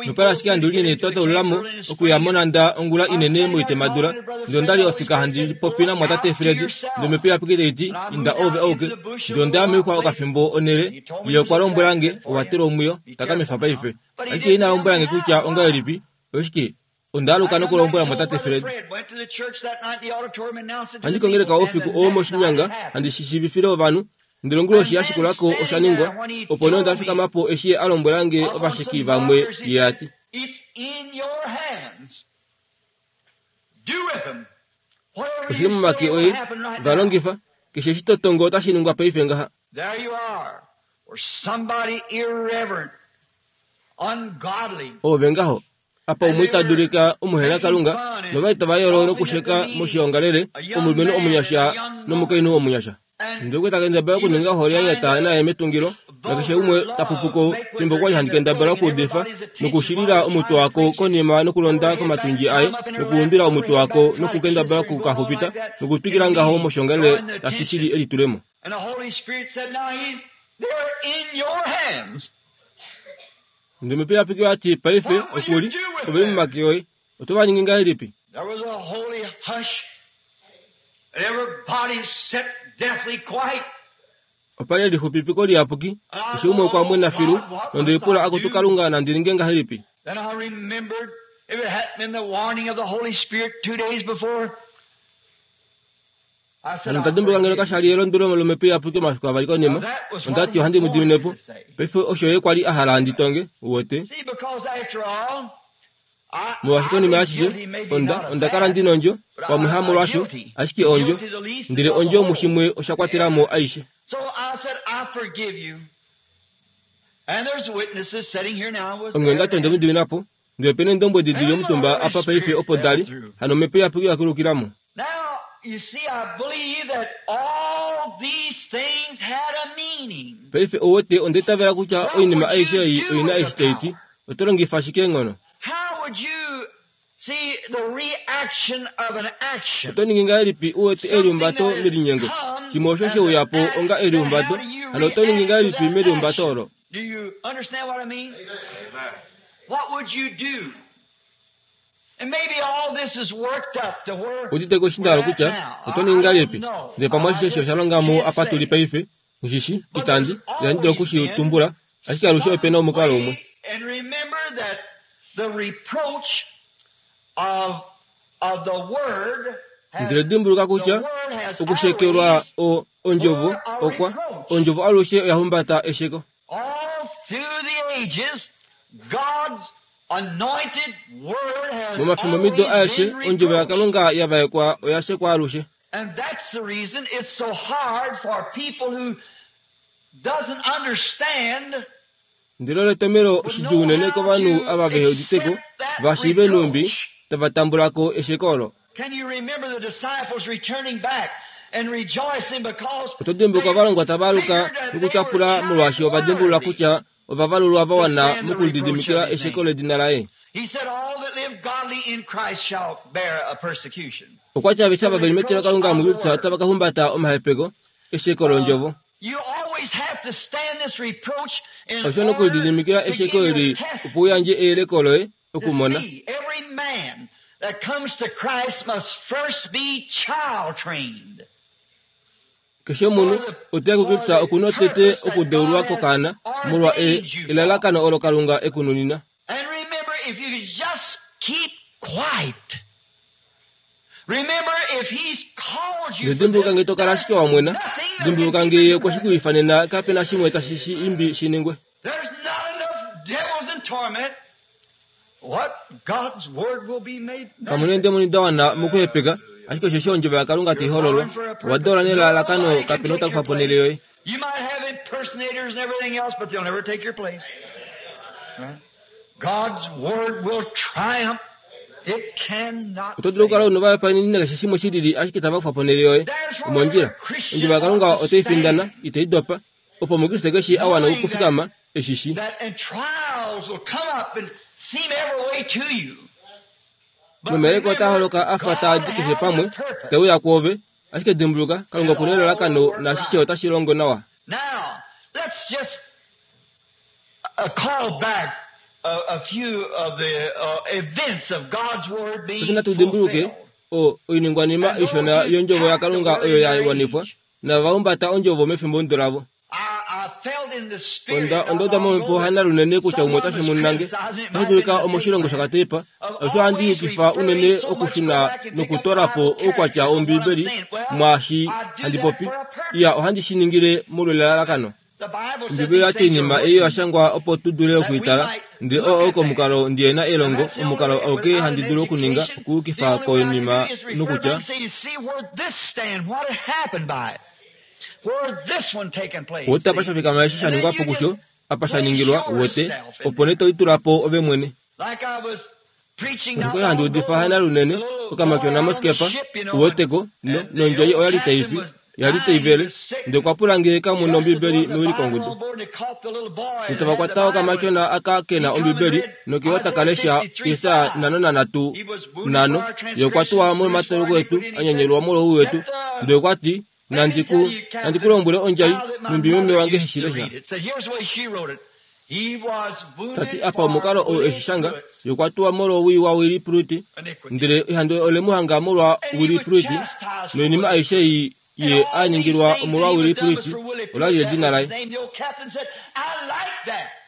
Nopala ashike handi linene twa taulula mo okuya monhanda ongula inene moitemadula, ndele onda li ofika handi popi namwatate Fred, ndele omhepo iyapuki tai ti, Inda oove auke. Ndele onda ya moixwa okafimbo onhele, ye okwa lombwela nge, Owa telwa omwiyo, takamifa paife. Ashike ye ina lombwela nge kutya ongahelipi, oshike, onda aluka nokulombwela mwatate Fred. Ohandi kongeleka oufiku oo moshinyanga handi shi shiivifile ovanhu, ndele onguloshi ya shikula ko osha ningwa. Opo nee onda fikama po eshi ye a lombwela nge ovasheki vamwe, ye a ti. Oshi li momake oye, va longifa. Keshe eshi to tongo otashi ningwa paife ngaha. Oove ngaho, apa umwe ita dulika omuhenakalunga, novali tava yolo nokusheka moshiongalele omulumenhu omunyasha nomukainhu omunyasha. Ndele okwe ta kendabala okuninga ohole ya nyata naye metungilo, nakeshe umwe ta pupu ko fimbo kwa li handi kendabala okuudifa, nokushilila omutwe wako konima nokulonda komatundji aye, nokuumbila omutwe wako nokukendabala oku ka xupita, nokutwikila ngaho moshiongalele tashi shili elitulemo. Ndele Omhepo Iyapuki oya ti, Paife, oku li, ove li momake oye. Oto va ningi ngahelipi? Opa li elixupipiko liyapuki, keshe umwe okwa mwena filu, nonde lipula, Akutu Kalunga, nandi ninge ngahelipi? Hano onda dimbuluka ngeno kasha li elondwelo lOmhepo Iyapuki omafiku avali konima, onda ti ohandi mu dimine po. Paife osho ye kwa li a hala ndi tonge, uwete. Molwaashi konima yaashishe, onda, onda kala ndi nondjo, pamwe hamolwasho, ashike ondjo. Ndele ondjo mushimwe osha kwatela mo aishe. Onghee onda ti onde mu dimina po. Ndele ope na eendombwedi di li omutumba apa paife opo da li, hano Omhepo Iyapuki oya kulukila mo. Paife ou wete onda itavela kutya oinima aishe ei oi na eshi tai ti. Oto longifa shike eenghono? Oto ningi ngahelipi u wete elihumbato melinyengo? Shimwe osho she uya po onga elihumbato, hano oto ningi ngahelipi melihumbato olo? Udite ko eshi nda hala okutya, oto ningi ngahelipi? Ndele pamwe ashishe eshi osha longa mo apa tu li paife, nghi shi, itandi, itandi dulu oku shi tumbula, ashike alushe ope na omukalo umwe. Ndele dimbuluka kutya, okushekelwa o, ondjovo, okwa, ondjovo alushe oya humbata esheko. Momafimbomido aeshe, Ondjovo yaKalunga ya vaekwa oya shekwa alushe. Ndele olo etomhelo shidjuu unene kovanhu ava vehe udite ko, va shiive nhumbi tava tambula ko esheko olo. Oto dimbuluka ovalongwa tava aluka nokutyapula molwaashi ova dimbulula kutya ova valulwa va wana mokulididimikila esheko ledina laye. Okwa ti aveshe ava ve li metilokalunga muKristus otava ka humbata omahepeko esheko londjovo. Osho nokulididimikila esheko eli opo u yandje eyeleko loye okumona. Keshe omunhu ote ya kuKristus oku na tete okudeulwa kokaana molwa e, elalakano olo Kalunga e ku nunina. Nodimbuluka nge to kala ashike wa mwena, dimbuluka nge ye okwe shi ku ifanena kape na shimwe tashi shi imbi shi ningwe. Kamu na eendemoni da wana mokuhepeka, ashike osheshi ondjovo yaKalunga tai hololwa. Owa deulwa nelalakano, kape na ou ta kufa po onhele yoye. Oto dulu okukala u na ovahopaeneni nakeshe shimwe shi lili ashike itava kufa po onhele yoye. Omondjila. Ondjovo yaKalunga otai findana, itai dopa. Opo Omukriste keshe a wana okufikama e shi shii. Nomayeleko otaa holoka a fa taa di keshe pamwe, te uya kwoove, ashike dimbuluka, Kalunga oku na elalakano naashishe otashi longo nawa. Paife natu dimbuluke o, oiningwanima ishona yOndjovo yaKalunga oyo ya wanifwa, nava humbata Ondjovo mefimbomudo lavo. Onda, onda uda momhepo hana lunene kutya umwe otashi munange. Otashi dulika omoshilongo shakatepa. Osho ohandi yukifa unene okushuna nokutola po oukwatya wOmbiibeli mwaashi handi popi. Iya, ohandi shi ningile molwelelalakano. Ombibeli oya ti oinima ei oya shangwa opo tu dule oku i tala, ndele oo oko omukalo ndi na elongo, omukalo auke handi dulu okuninga, okuyukifa koinima nokutya, Wete apa sha fikama eshi sha ningwa po kusho, apa sha ningilwa, wete, opo nee to litula po ove mwene. Oshikolo handi udifa hana lunene, okamatyona mosikepa, uweteko, no, nondjai oya li tai fi, ya li tai vele. Ndele okwa pula nge kamu na Ombibeli mewilikongudu. Ndele tava kwata okamatyona aka ke na Ombibeli, noke taka lesha Jesaja 53:5, Ye okwa tuwa molwomatoloko etu, a nyanyelwa molwouwi wetu. Ndele okwa ti, Nandi ku, nandi ku lombwele ondjai, nhumbi meme wange he shi lesha. Ta ti apa omukalo ou e shi shanga, ye okwa tuwa molwowii waWillie Pruitt, ndele ehandu ole mu hanga molwa Willie Pruitt, noinima aishe ei ye a ningilwa omolwa Willie Pruitt, ola li edina laye.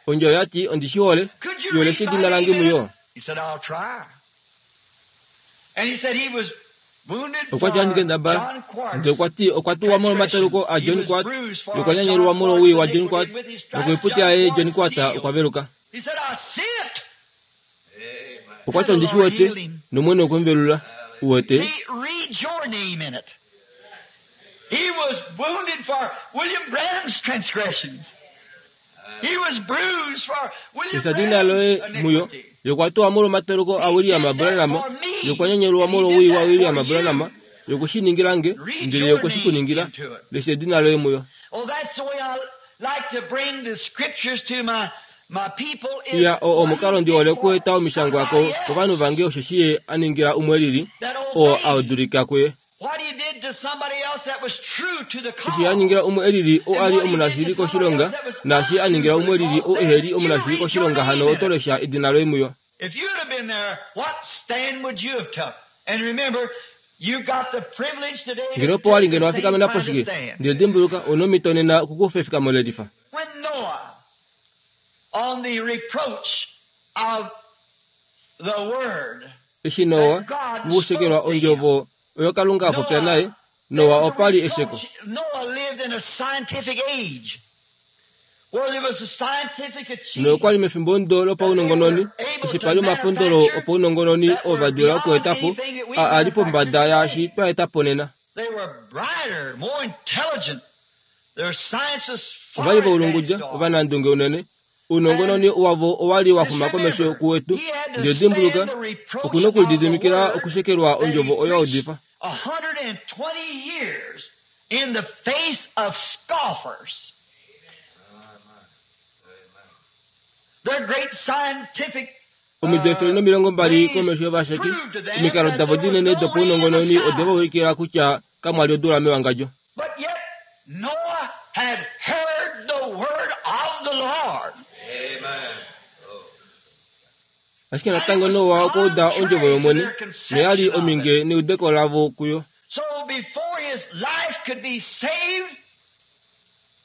Ondjai oya ti, Ondi shi hole. Yo lesha edina lange muyo. Okwa ti handi kendabala. Ndele okwa ti okwa tuwa molwomataluko aJohn Quart nokwa nyanyelwa molwowii waJohn Quart nokoiputi yaye John Quart okwa veluka. Okwa ti ondi shi wete, nOmwene okwe mu velula. Uwete? Esadina loye muyo yokwa tuwa molwomatoloko aWilliam Branham, yokwa nyanyelwa molwowii waWilliam Branham, yokwe shi ningila nge, ndele ye okwe shi ku ningila. Lesha edina loye muyo. Iya, oo omukalo ndi hole okueta omishangwa ko, kovanhu vange osheshi ye a ningila umwe lili, oo a dulika kuye. Eshi a ningila umwe e lili oo a li omunashili koshilonga, naashi a ningila umwe e lili oo ehe li omunashili koshilonga hano oto lesha edina loye muyo. Ngeno opo wa li ngeno wa fikamena po shike? Ndele dimbuluka, ou na omhito nena okukufa efikamo le lifa. Eshi Noa muushekelwa ondjovo oyo Kalunga a popya naye, Noa opa li esheko. Noa okwa li mefimbo ndo lopaunongononi, eshi pa li omapondolo opaunongononi oo va dula okueta po, a a li pombada yaashi twa eta po nena. Ova li voulungudja, ovanandunge unene, Ounongononi wavo owa li wa xuma komesho kuwetu. Ndele dimbuluka, oku na okulididimikila okushekelwa ondjovo oyo a udifa. Omido 120 komesho yovasheki, omikalo davo dinene dopaunongononi ode va ulikila kutya kamwa li odula mewangadjo. But yet Noah had heard. Ashike natango Noa okwa uda ondjovo yOmwene, noya li ominge neudeko lavo kuyo. So before his life could be saved,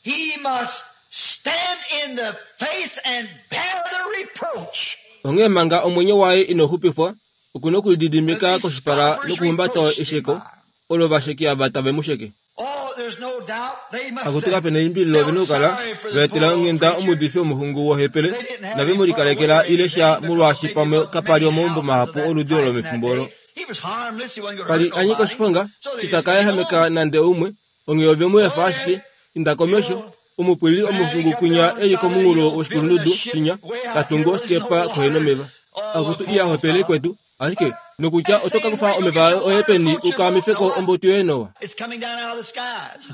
he must stand in the face and bear the reproach. Onghee manga omwenyo waye ino xupifwa, oku na okulididimika koshipala nokuhumbata esheko olo ovasheki ava tave mu sheke. Oh, there's no doubt they must Akutu have kape na elimbililo ove na felt okukala sorry for va the etela poor old onghenda creature. omuudifi womuxungu wohepele They didn't have nave any mu put away likalekela or ile anything sha because molwaashi maybe there pamwe wasn't kapa li many omaumbo houses of mahapu that oludi type olo in that mefimbo olo. day. He was harmless. He wasn't going to Kali hurt a nyika nobody. oshiponga, So they ita just ka let him ehameka alone. nande umwe, onghee ove mu efa ashike, inda komesho, omupwilili omuxungu kwinya e li komunghulo woshikulundudu shinya, ta tungu osikepa kohenomeva. Akutu iya hopele kwetu, ashike nokutya oto ka kufa omeva oye peni u ka amifeko ombuto yoye Noa. It's coming down out of the skies.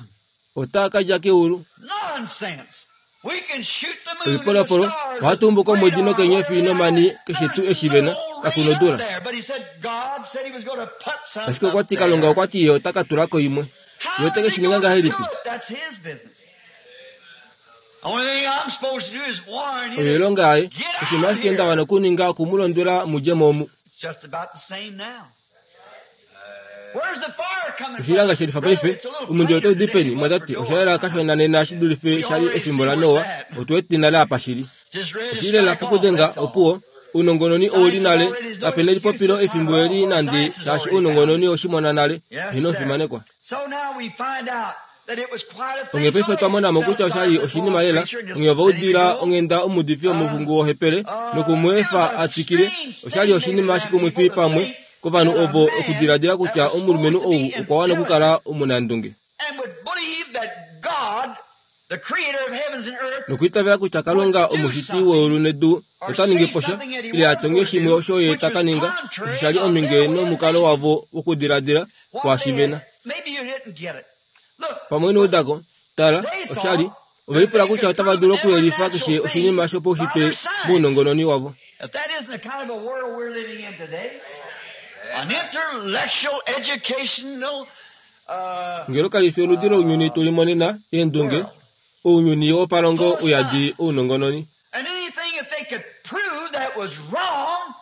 Otaa ka dja keulu. Nonsense. We can shoot the moon and the Oipolopolo, stars ohatu with umbu komwedi radar, nokenyofi whatever nomani they keshe got. tuu There's eshi ve na, no rain kaku up nodula. there, but he said God said he was going to put some Ashike up okwa ti Kalunga there. okwa ti ye ota ka tula ko imwe. Ye How ote is ke he shi ninga going to do ngahelipi? it? That's his business. Only thing I'm supposed to do is warn you Oyo to oilonga yaye, get out oshinima of ashike nda here. wana okuninga oku mu londwela mu dje mo omu. It's just about the same now. Where's the fire coming from? Oshilonga shelifa Brother, paife, it's a little omundilo plainer otau di today peni, than it was mwa for tati Noah's osha yela time. kashona nena shi dulife We sha li already efimbo see la where it's Noa, at. otu wete nale apa shili. Just ready to Oshilela strike off, pokudenga that's all. opuwo, ounongononi ouli Science nale, already is no kape na excuse elipopilo this time efimbo at eli all. nande Science has shaashi already found it. ounongononi oshimona nale, Yes, heno sir. fimanekwa. So now we find out that it was quite a Onghee thing. So paife otwa they mona mo felt kutya osha sorry li for the poor oshinima old lela, preacher and just onghee ova let him udila go. onghenda omuudifi womuxungu wohepele noku mu It efa was a a twikile, strange osha li thing maybe oshinima to them shikumwifi people to pamwe think kovanhu that a ovo man okudiladila that kutya was omulumenhu supposed to ou be okwa wana okukala intelligent omunandunge. and would believe that God, the creator of heavens and earth, Nokwiitavela kutya would Kalunga do omushiti something weulu nedu or ota ningi say po sha something that he ile a was tonge going to shimwe do, osho ye which ta was ka ninga osho contrary sha li of ominge their way of nomukalo thinking. wavo wokudiladila What kwaashi they ve na. had, maybe you didn't get it. Look, Pamwe inoudako, tala, they osha li thought ove that lipula they kutya could otava prove dulu every okuyelifa natural keshe thing oshinima by shopaushitwe their science. mounongononi wavo. If that isn't the kind of a world we're living in today, an intellectual, educational Ngelo kali fi oludi lounyuni tuli monena, eendunge, world ounyuni wopalongo full of uyadi science. ounongononi. And anything if they could prove that was wrong,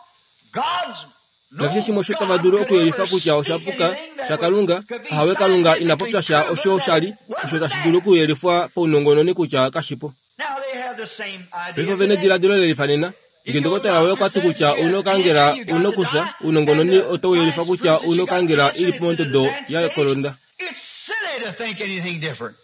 God's Nakeshe no shimwe osho tava God dulu could okuyelifa ever kutya osha speak puka anything that was shaKalunga, could be ahawe Kalunga ina scientifically popya sha proven osho that sha it li, osho wasn't tashi there. dulu okuyelifwa paunongononi kutya kashipo. Now they have the same Paife idea ove na today. ediladilo lelifa nena. If Ngee your ndokotola woye doctor okwa ti says that kutya you ouna have okangela, cancer, you ouna got to okufya, die, and ounongononi the otau yelifa science kutya proves that ouna you got okangela cancer ili and it's in an pondodo advanced ya stage, kolonda. it's silly to think anything different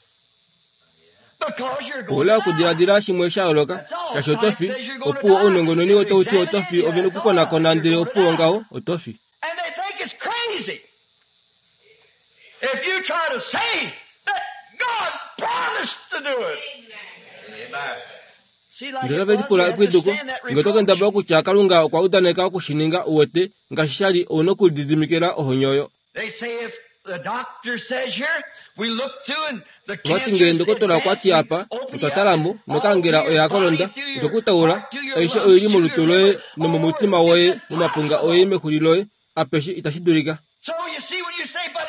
because you're going Oula to die. okudiladila shimwe sha yooloka, That's all. shaashi oto Science fi, says you're going to opuwo die. ounongononi They've otau ti examined oto fi, you, ove na that's all. okukonakona You're ndele going to opuwo die. ngaho oto fi. And they think it's crazy if you try to say that God promised to do it. See, like Ndele it ove was, lipula you have to epwiduko, stand that ngee oto reproach. kendabala kutya Kalunga okwa udaneka okushininga uwete, ngaashi sha li ouna okulididimikila ohonyo oyo. They say if the doctor says here, we look to and the Ovati cancer ngee is ndokotola okwa advanced ti and apa, open otwa you up, tala mo, it's all nokangela through your oya body, kolonda, through your otokutaula, heart, through your aishe lungs, oili through your molutu loye liver, all over. nomomutima It's woye, momapunga oye, impossible. mexuli loye, apeshe itashi dulika. So you see, when you say, but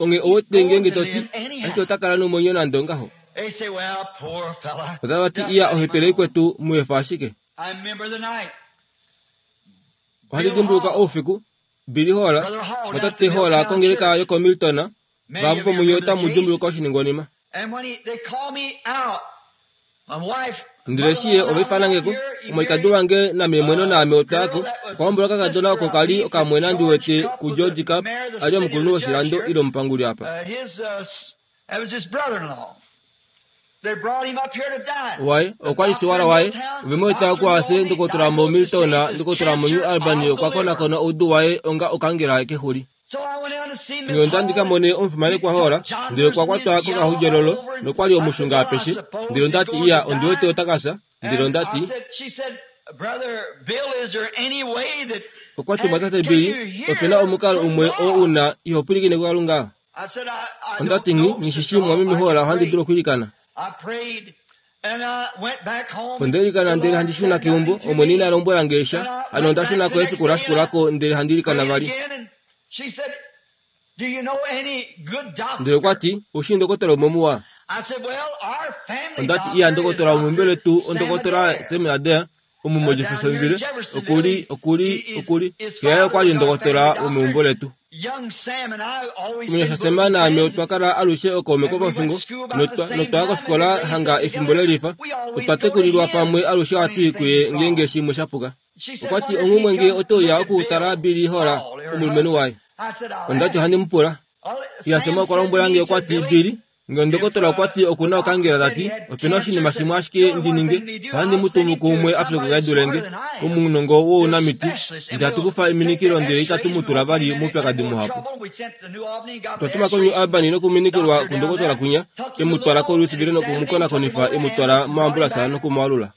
Onghee he's owete going ngeenge to to ti, live ashike anyhow. ota kala nomwenyo nande ongaho. They say, well, poor fella, Otava ti just iya let him ohepele alone. ikwetu mu efa ashike. I remember the night Ohandi Bill dimbuluka Hall, oufiku, Billy Hall, Brother Hall down at the motate Hall Milltown kongeleka Church. yokoMilton, Many vahapu of you pomunye remember the otamu case. dimbuluka oshiningwanima. And when they called me out, my wife, Ndele eshi ye mother-in-law, ova and I ifana went nge ko, here, he omwalikadi married wange namemweno a naame girl otwaya ko, that was okwa the hombola okakadona sister, oko I kali believe, to okamwena ndi George wete Cup, ku was the George Cup, mayor of the ali city of omukulunhu the judge woshilando here. ile omupanguli apa. That was his brother-in-law. They brought him up here to die. Waye The okwa li doctor siwala in waye, Milltown, ove mu eta doctor okuase Nomi ndokotola mo diagnosed his Milton, case as ndokotola mo New cancer Albany of the okwa liver. konakona oudu waye onga okangela kexuli. So I went down to see Nge Miss onda ndi Hall ka mone and omufimanekwa we Hall, took John ndele okwa Person kwatwa is yellow all kokaxudyololo over and nokwa li I said, omushunga Well, I apeshe, suppose ndele he's onda ti going iya to ondi wete die. ota ka fya, ndele And onda I ti said, she said, Brother Bill, is there any way that okwa ti have, mwatate can Billy, you ope na hear omukalo from umwe oo God? una iho pwilikine kuKalunga? I said, I Onda don't ti nghi, know, nghi Sister shishi Hall. mwameme I Hall can ohandi pray. dulu okwiilikana. I prayed and I went back home Onda and the ilikana ndele Lord handi shuna said keumbo, nothing to Omwene me. ina lombwela nge And sha, I hano went onda back shuna the ko next efiku day la and I shikulako ndele handi ilikana prayed vali. again and she said, Do you know any good Ndele okwa doctor? ti, oushi ndokotola umwe muwa. I said, Well, our family Onda ti iya doctor is ndokotola Dr. womumbeletu Sam ondokotola Adair. Sam Adair, Omu moJeffersonville, oku li, oku li, oku li, xe yaye okwa li ndokotola womeumbo letu. Omunyasha Sam naame otwa kala alushe okaume kopofingo, notwa, notwa ya kofikola hanga efimbo lelifa. Otwa tekulilwa pamwe alushe ohatu i kuye ngeenge shimwe sha puka. Okwa ti, Onghumwe nge oto uya okutala Billy Hall, omulumenhu waye. Onda ti, Ohandi mu pula. Iya, Sam okwa lombwela nge, okwa ti, Billy, Nge ndokotola okwa ti oku na okangela ta ti, Ope na oshinima shimwe ashike ndi ninge, ohandi mu tumu kuumwe a pyokoka e dule nge, omunongo wounamiti, ndele hatu kufa eminikilo ndele itatu mu tula vali moupyakadi muhapu. Otwa tuma koNew Albany nokuminikilwa kundokotola kwinya, e mu twala koLouisville noku mu konakonifa, e mu twala moambulasa noku mu alula.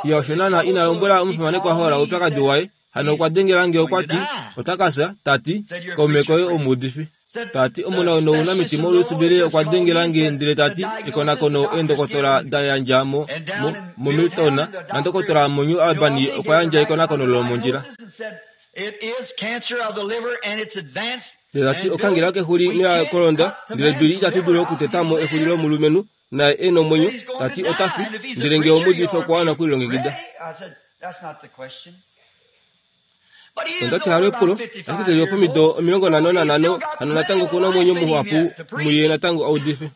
Ye osho naana ina lombwela omufimanekwa Hall oupyakadi waye, Hano okwa dengela nge okwa ti, Ota ka fya, ta ti, kaume koye omuudifi. Ta ti, Omunawino wounamiti moLouisville okwa dengela nge ndele ta ti, Ekonakono eendokotola da yandja mo, mo, moMilton, nandokotola moNew Albany okwa yandja ekonakono lomondjila. Ndele ta ti, Okangela kexuli noya kolonda, ndele Billy itatu dulu okuteta mo exuli lomulumenhu, naye e nomwenyo, ta ti ota fi, ndele nge omuudifi okwa wana okulilongekida. Onda ti halo epulo, ashike ke li opomido 55, hano natango oku na omwenyo muhapu muye natango a udife.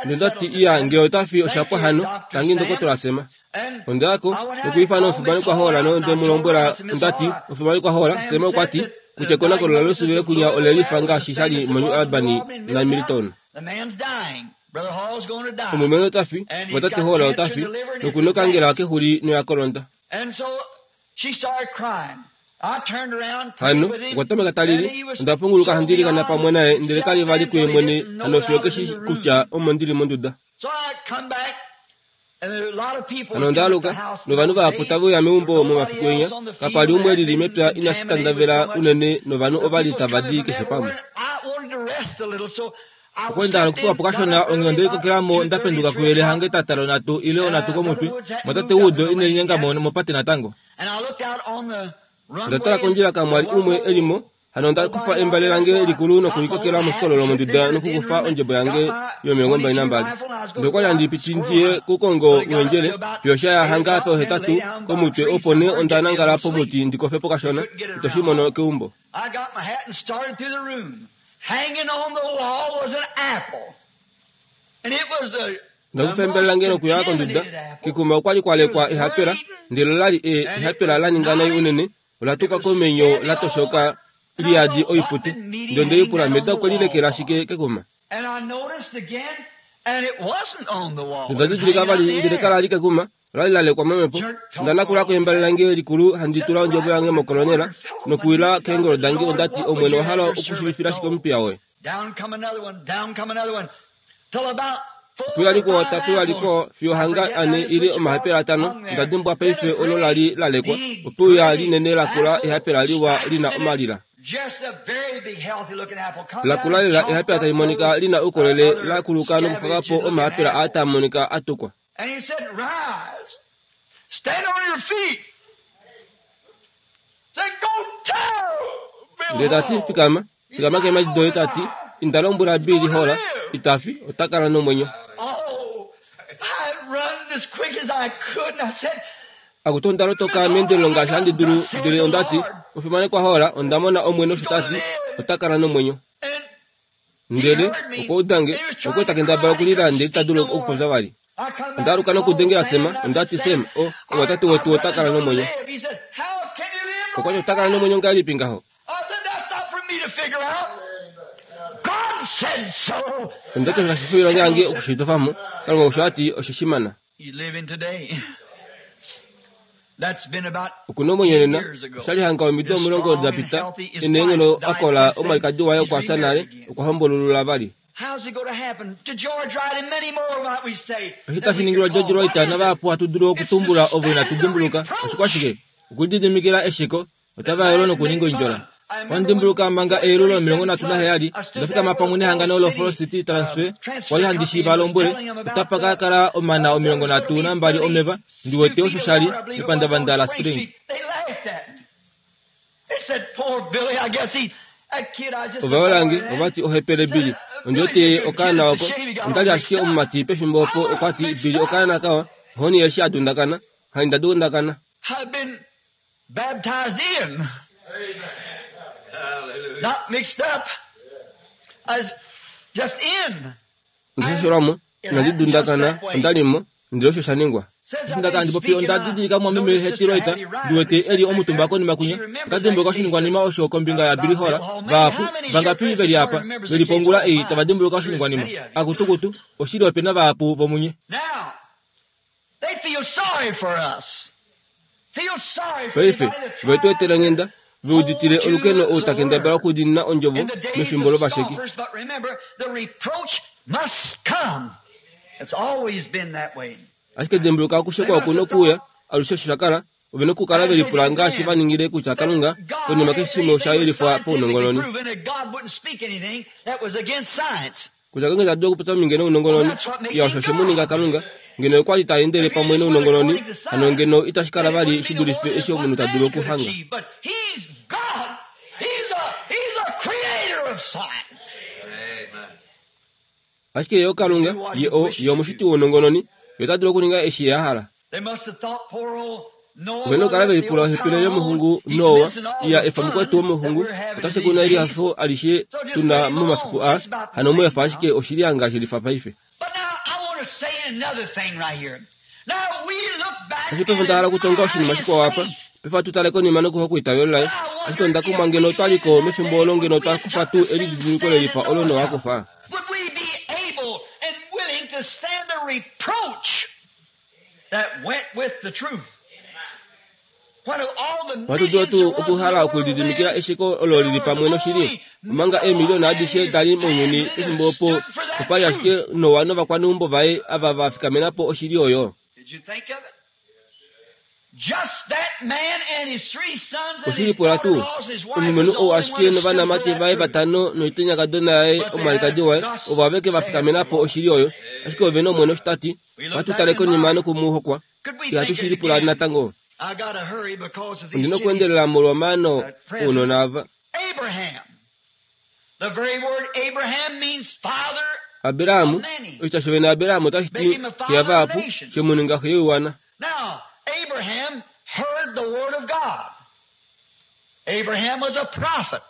Nonda ti, Iya, nge ota fi osha pwa hano, tangi Ndokotola Sema. Onda ya ko, nokwiifana omufimanekwa Hall nonde mu lombwela, onda ti, Omufimanekwa Hall, Sema okwa ti, kutya ekonakono laLouisville kwinya ole lifa ngaashi sha li moNew Albany naMilton. Omulumenhu ota fi, mwatate Hall ota fi, noku nokangela kexuli noya kolonda. Hano okwa tameka ta lili. Onda punguluka handi ilikana pamwe naye, ndele ka li vali kuye mwene hano fiyo ke shi kutya omo ndi li monduda. Hano onda aluka, novanhu vahapu tave uya meumbo momafiku enya. Kapa li umwe e lili mepya inashi tandavela unene novanhu ova li tava di keshe pamwe. Okwa li nda hala okufuwa po kashona, onghee onde likokela mo nda penduka kuyele hange tata lonhatu ile onhatu komutwe. Mwatate Wood ine linyenga mo mopate natango. Onda tala kondjila kamwa li umwe e li mo, hano onda kufa embale lange likulu nokulikokela moshikololo monduda nokukufa ondjebo yange yo22. Ndele okwa li handi piti ndi ye kukongo uendjele fiyo sha ya hanga pohetatu komutwe opo nee onda nangala pomuti ndi kofe po kashona. Ito shi mono keumbo. Onda kufa embale lange nokuya konduda. Kekuma okwa li kwa lekwa ehapela, ndele ola li e, ehapela la ninga nai unene, ola tuka komenyo la toshoka li yadi oipute. Ndele onde lipula, Meda okwe lilekela shike kekuma? Nonda didilika vali, ndele kala li kekuma, ola li la lekwa momhepo. Onda nakula ko embale lange likulu, handi tula ondjebo yange mokolonela, nokuwila keengolo dange onda ti, Omwene, owa hala okushivifila shike omupiya woye? Ope wa likwao tape wa likwao fiyo hanga ane ile omahapela atano, onda dimbwa paife olo la li la lekwa. Ope uya linene lakula ehapela liwa li na omalila. Lakula lela ehapela tali monika li na oukolele la kuluka nokuxwaka po omahapela aa taa monika a tukwa. Ndele ta ti, Fikama, fikama keemhadi doye, ta ti, Inda lombwela Billy Hall, ita fi, ota kala nomwenyo. Akutu, onda lotoka meendelelo ngaashi handi dulu, ndele onda ti, Omufimanekwa Hall, onda mona Omwene osho ta ti, ota kala nomwenyo. Ndele okwa uda nge, okwa ta kendabala okulila ndele ita dulu okupopya vali. Onda aluka nokudengela Sam, onda ti, Sam, o, omwatate wetu ota kala nomwenyo. Okwa ti, Ota kala nomwenyo ngahelipi ngaho? Onda ti, Osho kashi fi oilonga yange okushitofa mo. Kalunga osho a ti, oshe shi mana. Oku na omwenyo nena. Osha li hanga omido 10 da pita, e neenghono a kola, omwalikadi waye okwa fya nale, okwa hombolulula vali. Osho tashi ningilwa George Wright navahapu hatu dulu okutumbula ovo inatu dimbuluka. Oshikwashike? Okulididimikila esheko Otava yolo nokuninga oindjola. Ohandi dimbuluka manga eyelu lo 37, onda fikama pamwe nehangano lo Falls City Transfer, kwa li handi shi va lombwele, otapa ka kala omana 32 omeva, ndi wete osho sha li, mepandavanda la Spring. Ovayolange ovati ohepele Billy. Ondi wete ye okaana oko. Onda li ashike omumati pefimbo opo okwa ti Billy okaana kawa, ohoni eshi a dundakana. Handi nda dundakana. I've been baptized in. Not mixed up. I was just in. Ndashashelwa mo, inandi dundakana, onda li mo, ndele osho sha ningwa. Eshi nda kala ndi popi onda didilika mumwameme Hattie Reuter, ndi wete e li omutumba konima kwinya. Ota dimbuluka oshiningwanima osho kombinga yaBilly Hall. Vahapu, vangapi ve li apa, ve li po ongula ei tava dimbuluka oshiningwanima? Akutukutu, oshili ope na vahapu vomunye. Now, they feel sorry for us. Feel sorry for Paife, anybody that ve tu tries etela onghenda, to ve uditile hold olukeno to ou the ta kendabala word. okudiinina ondjovo In the days mefimbo of lovasheki. scoffers, but remember, the reproach must come. It's always been that way. Ashike dimbuluka okushekwa oku nokuuya, alushe osho sha kala, ove na okukala ve lipula ngaashi va ningile kutya Kalunga, God konima had keshe shimwe osha anything was yelifwa scientifically paunongononi. proven that God wouldn't speak anything that was against science. Kutya Kalunga ita dulu okupopya omhinge nounongononi, iya osho oshe mu ninga Kalunga. Ngeno okwa li ta endele If he pamwe just went nounongononi, according to hano science, ngeno itashi kala then it vali wouldn't shi be no more dulife than eshi what omunhu ta dulu man could okuhanga. achieve. But he's God. He's a he's a creator of science. Ashike ye oKalunga, Do what ye he o, wishes ye to omushiti do. wounongononi, ye ota dulu okuninga eshi ye a hala. They must have thought poor old Noah Ove na brother okukala ve at the lipula old ohepele town hall, yomuxungu he's Noa, missing all iya the efa mukwetu fun that womuxungu, we're having ota in these shekuna days. elihafo alishe So just tu na let him momafiku alone. aa, It's about the hano mu same efa ashike now. oshili ngaashi lifa paife. But now I want to say another thing right here. Now we look back Ashike paife and onda hala okutonga admire oshinima his shikwao apa, faith. paife ohatu tale konima nokuhokwa eitavelo laye. But I Ashike wonder onda if kumwa we ngeno otwa lived liko in that mefimbo day, olo would ngeno we otwa have kufa took tuu the same elididiliko stand lelifa that olo Noah Noa a took? kufa? Would we be able and willing to stand the reproach that went with the truth? When of all the Ohatu dulu millions there tuu was in the okuhala world okulididimikila then, esheko olo there lili was pamwe noshili? only Omanga Noah eemiliyona and adishe his da li mounyuni family that pefimbo opo, stood for that opa li ashike truth. Noa novakwaneumbo vaye ava va fikamena po oshili oyo. Did you think of it? Just that man and his three sons and Oshili his pula tuu, daughter-in-laws and his wife was omulumenhu the ou only one ashike that stood for novanamati that vaye truth. vatano noitenyakadona yaye But they omwalikadi had waye thus ovo aveke va saith fikamena the po Lord. oshili oyo. Ashike ove na Omwene osho ta ti, We look ohatu back tale and konima marvel. noku mu hokwa. Could we Ihatu think shi it lipula again? natango. I gotta hurry because of Ondina these kiddies okuendelela molwomaano at present. ounona ava. Abraham. The very word Abraham means father of Abrahamu, many. oshitya shovene Abrahamu otashi Make ti him a xe father of yavahapu, nations. she mu ninga xe yoiwana. Now, Abraham heard the word of God. Abraham was a prophet,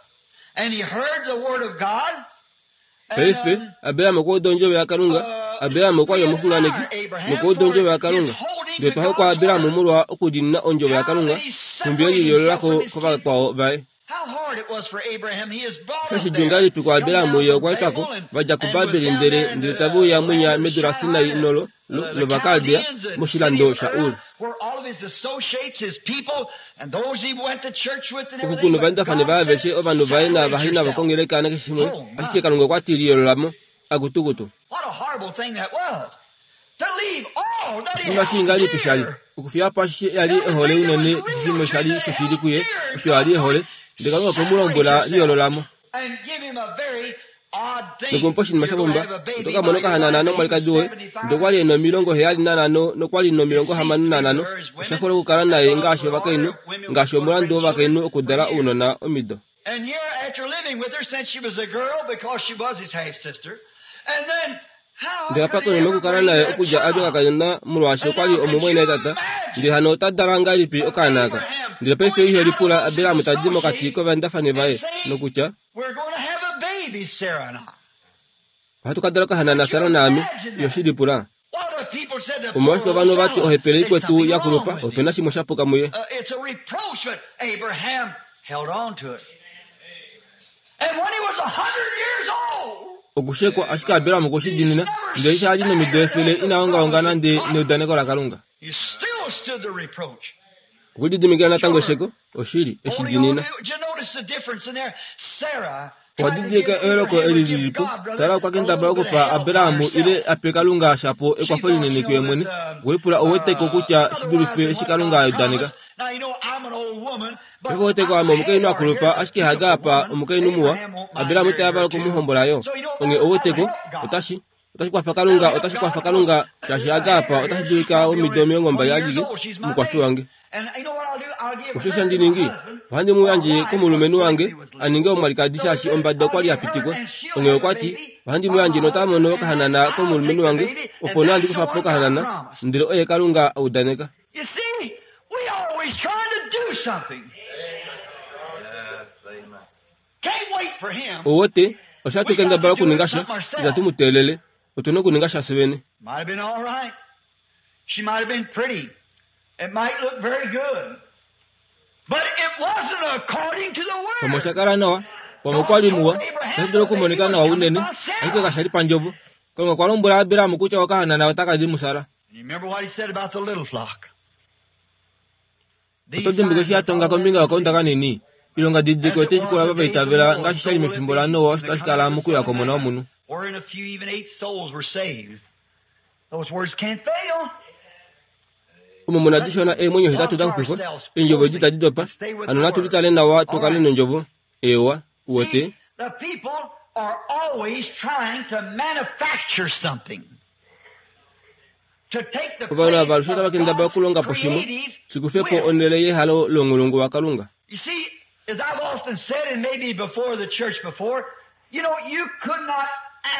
and he heard the word of God. And Paife, Abraham okwa uda ondjovo yaKalunga. Abraham okwa li we omuxunganeki admire Abraham nokwa uda for ondjovo his yaKalunga. holding Ndele to twa hokwa God's Abraham word. molwa okudiinina ondjovo How yaKalunga, that he nhumbi e separated himself lilolelako from his kin. kovakwao vaye. How hard it was for Abraham. He is brought Osha up shidjuu there, ngahelipi come kuAbraham down ye from okwa etwako, Babel and, va dja and was kuBabeli down ndele there in ndele the tave uya land mwinya of medu Shinar laSinai and nolo the lOvakaldea Chaldeans and city moshilando of sha Ur, Ur. where all of his associates, his people, and those he went to church with and Oku everything. kuna But ovaendafani God vaye said, aveshe ovanhu vaye separate naavahi navo yourself. kongeleka nakeshe shimwe, Oh ashike my. Kalunga okwa ti liyololamo. Akutukutu. What a horrible thing that was. To leave all that he Oshinima shii held ngahelipi sha li dear. okufiya po ashishe a li ehole Everything that was unene keshe real shimwe to sha him li that he shoshili held kuye dear. And osho a God li told ehole him, ndele Kalunga okwe mu separate lombwela yourself. liyololamo. And give him a very odd thing. Nokumupa oshinima You're sha going to pumba, have a oto baby ka mona by your okahanana wife, and he was nomwalikadi woye, 75 ndele okwa li e na 75 nokwa li He ceased to be with 65. her as Osha women, hole okukala and naye God ngaashi put order ovakainhu, of women was ngaashi going to omulandu bring children wovakainhu for okudala years. ounona omido. And here, after living with her since she was a girl, because she was his half sister, and then how Ndele apa could he konima ever okukala bring naye that okudja a li child? okakadona molwaashi And okwa li now could omumwaina you tata, imagine ndele hano ota dala ngahelipi of okaana aka? Abraham Ndele paife going ihe out lipula amongst his Abraham tadi mokati associates kovaendafani and vaye saying, nokutya, We're going to have a baby, Sarah and I. ohatu ka dala okahanana Could you Sara naame, imagine iyo that? shi lipula. Well, the people said the poor Omolwashike old ovanhu vati fellow, ohepele there's ikwetu something ya wrong kulupa, with ope na him. shimwe sha puka muye. It's a reproach, but Abraham held on to it. And when he was 100 years old, Okushekwa ashike Abraham okwe shi he diinina, never ndele eshi a li nomido staggered 100 at the ina ongaonga promise of nande God. neudaneko laKalunga. He still stood the reproach. Okulididimikila natango Sure. esheko, oshili, eshi Holding on diinina. to, did you notice the difference in there? Sarah Owa tried to didilika give eyooloko Abraham eli or give lili po. God, Sara brother, okwa a kendabala little bit of okupa help by Abraham ile herself. ape Kalunga shapo She ekwafo thought, you linene know, kuye that mwene. Okulipula oweteko kutya shi otherwise dulife than eshi what Kalunga a God udaneka. promised. Now, you know, I'm an old woman, but Paife oweteko ame omukainhu Hagar a here kulupa is a ashike Hagar beautiful apa woman. omukainhu muwa, Abraham won't mind Abraham ita marrying yavala her too. okumuhombola yo. So, you know, Onge that'll, that'll oweteko help God. otashi otashi kwafa That'll Kalunga, help otashi God kwafa because Kalunga shaashi Hagar apa Hagar otashi here, she's dulika probably omido only 20 20 years adike old. She's my omukwafi age. wange. Osho sha ndi ningi, ohandi mu yandje komulumenhu wange a ninge omwalikadi shaashi ombada okwa li ya pitikwa. Onghee okwa ti, ohandi mu yandje nota mono okahanana komulumenhu wange, opo nee handi kufa po okahanana, ndele oye Kalunga a udaneka. Ouwete, osha tu kendabala okuninga sha, itatu mu teelele. Otu na okuninga sha fyevene. She might have been pretty. It might look very good. But it wasn't according to the word. Pamwe osha kala nawa, pamwe okwa li muwa, otashi dulu okumonika nawa unene, ashike kasha li pandjovo. Kalunga okwa lombwela Abraham kutya okahanana otaka di muSara. You remember what he said about the little flock? Oto dimbuka eshi a tonga kombinga yokaunda kanini? Oilonga didiliko otai shikula ava va itavela ngaashi sha li mefimbo laNoa osho tashi kala mokuya kwOmona wOmunhu. Wherein a few, even eight souls were saved. Those words can't fail. Omo mu na dishona eemwenyo hetatu da xupifwa, eendjovo edi itadi dopa. Hano natu litale nawa tu kale nondjovo. Eewa, uwete. See, the people are always trying to manufacture something. To take the Ovanhu place ava alushe otava of kendabala God's okulonga po shimwe, creative shi kufe po will. onhele yehalo lounghulungu waKalunga. You see, as I've often said, and maybe before the church before, you know, you could not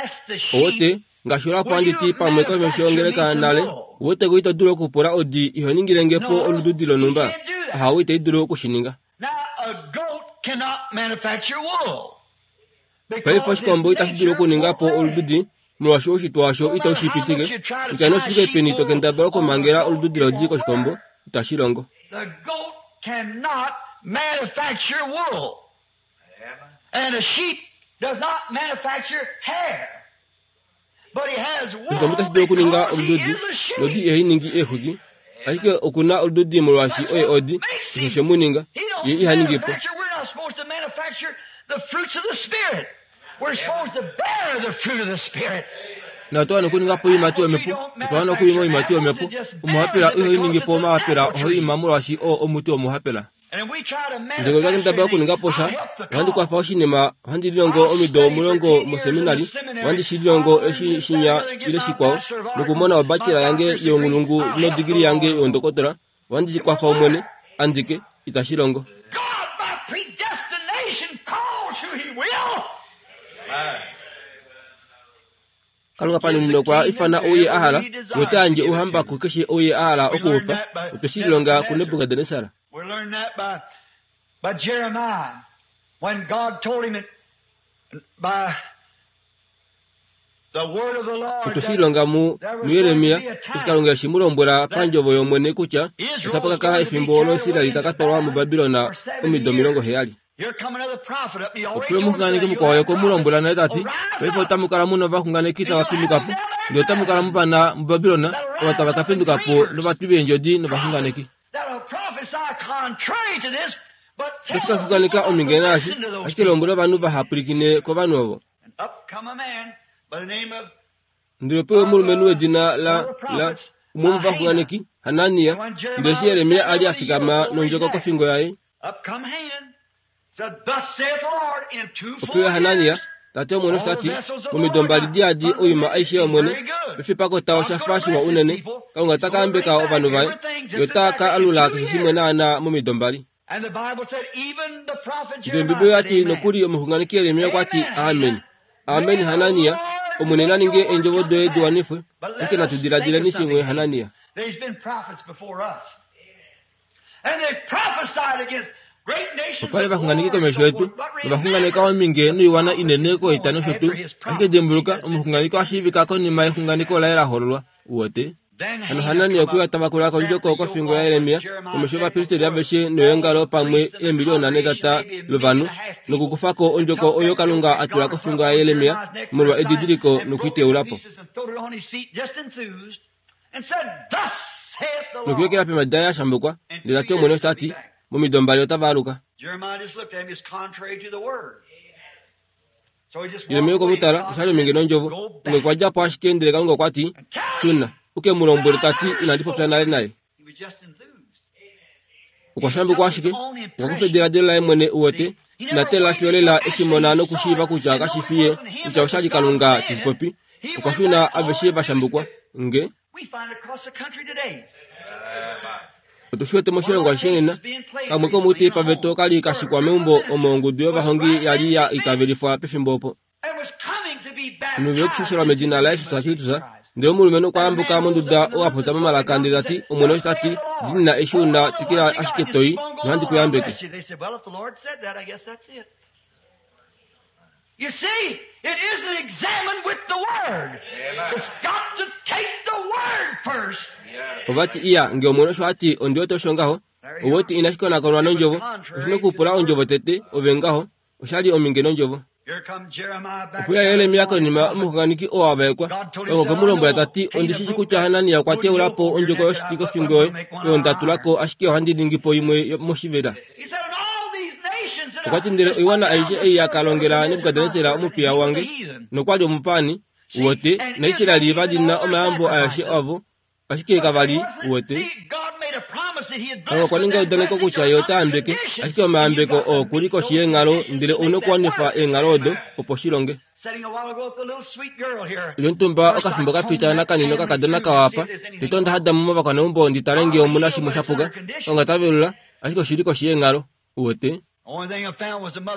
ask the sheep, Owote, ngaashi olapo will handi you ti pamwe komesho manufacture me yongeleka some nale, wool? wote ko ito dulu okupula odi iho ningile nge po No, olududi he lonhumba. can't do that. Ahawe itai dulu oku shi ninga. Now, a goat cannot manufacture wool Paife because its oshikombo itashi dulu nature okuninga won't po let it. olududi molwaashi oushitwe washo No itau matter shi how much pitike. you try to Kutya tie noshike sheep peni to wool kendabala on a okumangela goat, olududi it lodi won't koshikombo, work. itashi longo. The goat cannot manufacture wool. And a sheep does not manufacture hair. But he has Oshikombo wool itashi dulu okuninga because he olududi, is a sheep. nodi ihai ningi eexwiki. Ashike oku na olududi molwaashi That's oye what odi, makes osho she him. mu ninga. He Ye don't iha ningi po. manufacture. We're not supposed to manufacture the fruits of the Spirit. We're supposed to bear the fruit of the Spirit. Na otwa wana okuninga po oiimati Apple tree yomhepo, don't otwa wana okuima manufacture oiimati apples, yomhepo. it just bears Omuhapela it ihoi because ningi it's po an omahapela, apple ohoi tree. ima molwaashi oo omuti womuhapela. And if we try to Ndele otwa manufacture kendabala anything, okuninga po I'll sha, help the ohandi kwafa cause. oshinima, ohandi lilongo I'll omido study for omulongo 10 years in the moseminari, seminary. ohandi shi I'll lilongo learn eshi this, that, shinya and the other, get ile my shikwao, Bachelor of Arts, nokumona my obachelor yange doctor's degree. younghulungu I'll help the nodigili yange Lord. youndokotola, ohandi shi It won't kwafa Omwene, work. andike, itashi longo. God, by predestination, calls who He will. Kalunga Gives the panuno okwa kingdom ifana to ou ye a every hala, he nota desires to yandje give it ouhamba to. kukeshe ou ye a hala We oku u learned pa. that by Otwe shi lilonga Nebuchadnezzar. kuNebukadnesar. We learned that by, by Jeremiah when God told him it, by the word of the Lord Otwe shi that lilonga mu there was going to muJeremia be a eshi time Kalunga eshi mu lombwela that pandjovo yOmwene kutya Israel otapa was ka kala going to be efimbo olo carried away Israel into ta ka twalwa Babylon muBabilon for seven omido years. omilongo heyali. Here come another prophet up. He already Opuyo told us omuxunganeki that you'll mukwao have okwe mu prophets. lombwela nale ta ti, Arise Paife up. otamu kala mu na ovaxunganeki And tava you'll have penduka them po, down there ndele in otamu kala Babylon mu vana muBabilon that'll ova rise tava ka up and penduka po dreamers, novatwi veendjodi prophets novaxunganeki. that'll prophesy contrary to this, but Otashi tell ka the xunganeka people not to ominge naashi, listen to those ashike people. lombwela ovanhu vaha pwilikine kovanhu ovo. And up come a man by the name of Ndele ope omulumenhu wedina one la of the la prophets, umwe uh, Hannah. womovaxunganeki, Hanania, And when ndele Jeremiah eshi was Jeremia a standing li a with the fikama yoke over his nondjoko neck, kofingo yaye, up come Hanan, said, Thus saith the Lord, in two opewe full Hanania, years, tate Omwene osho all ta the ti, vessels of the momido Lord mbali are diadi oima aishe unlimited and yOmwene, very good. pefipako tao God's sha going fa to shiwa bless his unene, people. Kalunga He's ta ka going to bring yambeka back ovanhu vaye, everything ye just ota ka exactly in alula 2 keshe shimwe years. naanaa momido mbali. And the Bible said, even the prophet Ndele Ombibeli Jeremiah oya said, ti Amen. nokuli omuxunganeki Jeremia okwa ti, Amen, Amen. Hannah. Amen May the Hanania, Lord Omwene na make ninge your words eendjovo come to doye di pass. wanifwe, But ashike let natu us think of diladileni shimwe something, Hanania. Hannah. There's been prophets before us. And they prophesied against great nations Opa li of vaxunganeki war and komesho so yetu, forth. But novaxunganeka remember, ominge the noiwana prophet inene is known koita nosho after tuu. his Ashike prophecy dimbuluka, has been omuxunganeki oha shiivika konima yexunganeko laye la hololwa. Uwete? Then Hano Hannah Hanania come okwe up, uya tavakula snapped kondjoko the yoke kofingo off of yaJeremia Jeremiah's komesho neck yovapristeli before aveshe all noyeongalo the pamwe priests and the eemiliyona congregation, netata maybe a million lovanhu, and a half people, nokukufako and ondjoko took oyo that yoke Kalunga a that tula God had put kofingo on yaJeremia Jeremiah's neck for molwa a sign edidiliko and broke it to nokuiteula po. pieces and threw it on his feet, just enthused, and said, Thus saith the Lord. Nokuyekela peemhadi daye a shambukwa, In ndele 2 ta ti years Omwene osho ta they'll be ti, back. momido mbali otava aluka. Jeremiah just looked at him, it's contrary to the word. So he just Jeremia walked okwe away. mu tala, God osha li said, ominge nondjovo. Go Onghee okwa back dja po ashike ndele Kalunga okwa ti, and tell him Shuna, u ke mu lombwele that ta I ti inandi popya never nale spoke to naye. him. He was just enthused. Okwa He shambukwa took his ashike, own okwa kufa impression. ediladilo laye mwene uwete, See, he ina never tela fiyo waited lela till eshi actually mona he saw nokushiiva it kutya and kashi know it fi ye, wasn't him kutya that osha was li God Kalunga saying te shi it. popi. He Okwa went shuna back all aveshe va enthused. shambukwa. Nge We find it across the country today. Otu shi wete moshilongo ashishe nena. Kamwe komoutei paveta oka li ka shikwa meumbo omo ongudu yovahongi ya li ya itavelifwa pefimbo opo. Omunhu okushoshela medina laJesus Kristus. Ndele omulumenhu okwa yambuka monduda oo a popya momalaka ndele ta ti, Omwene osho ta ti, Diinina eshi u na, twikila ashike to i, nohandi ku yambeke. You see, it isn't examined with the Word. It's got to take the Word first. Ova ti, Iya, nge Omwene osho a ti, ondi wete osho ngaho. Ou wete inashi konakonwa nondjovo. Oshi nokupula ondjovo tete, ove ngaho. Osha li ominge nondjovo. Here come Jeremiah back. Okwe ya Jeremia konima omuxunganeki oo a vaekwa. Kalunga okwe mu lombwela ta ti, Ondi shi shi kutya Hanania okwa teula po ondjoko yoshiti kofingo yoye, oyo nda tula ko, ashike ohandi ningi po imwe moshivela. He said, And all these nations that Okwa ti, Ndele oiwana aishe ei ya ka longela Nebukadnesar omupiya wange, nokwa li omupaani, uwete, naIsrael va li na omayambo aeshe avo, ashike kava li, uwete. Kalunga okwa ninga eudaneko kutya ye ota yambeke, ashike omayambeko oo oku li koshi yeenghalo, ndele ou na okuwanifa eenghalo odo opo shi longe. Lyontumba okafimbo ka pita nakanini okakadona kawa apa, tete onda hada mo movakwaneumbo ndi tale nge omu na shimwe sha puka. Kalunga ta velula, ashike oshi li koshi yeenghalo, uwete.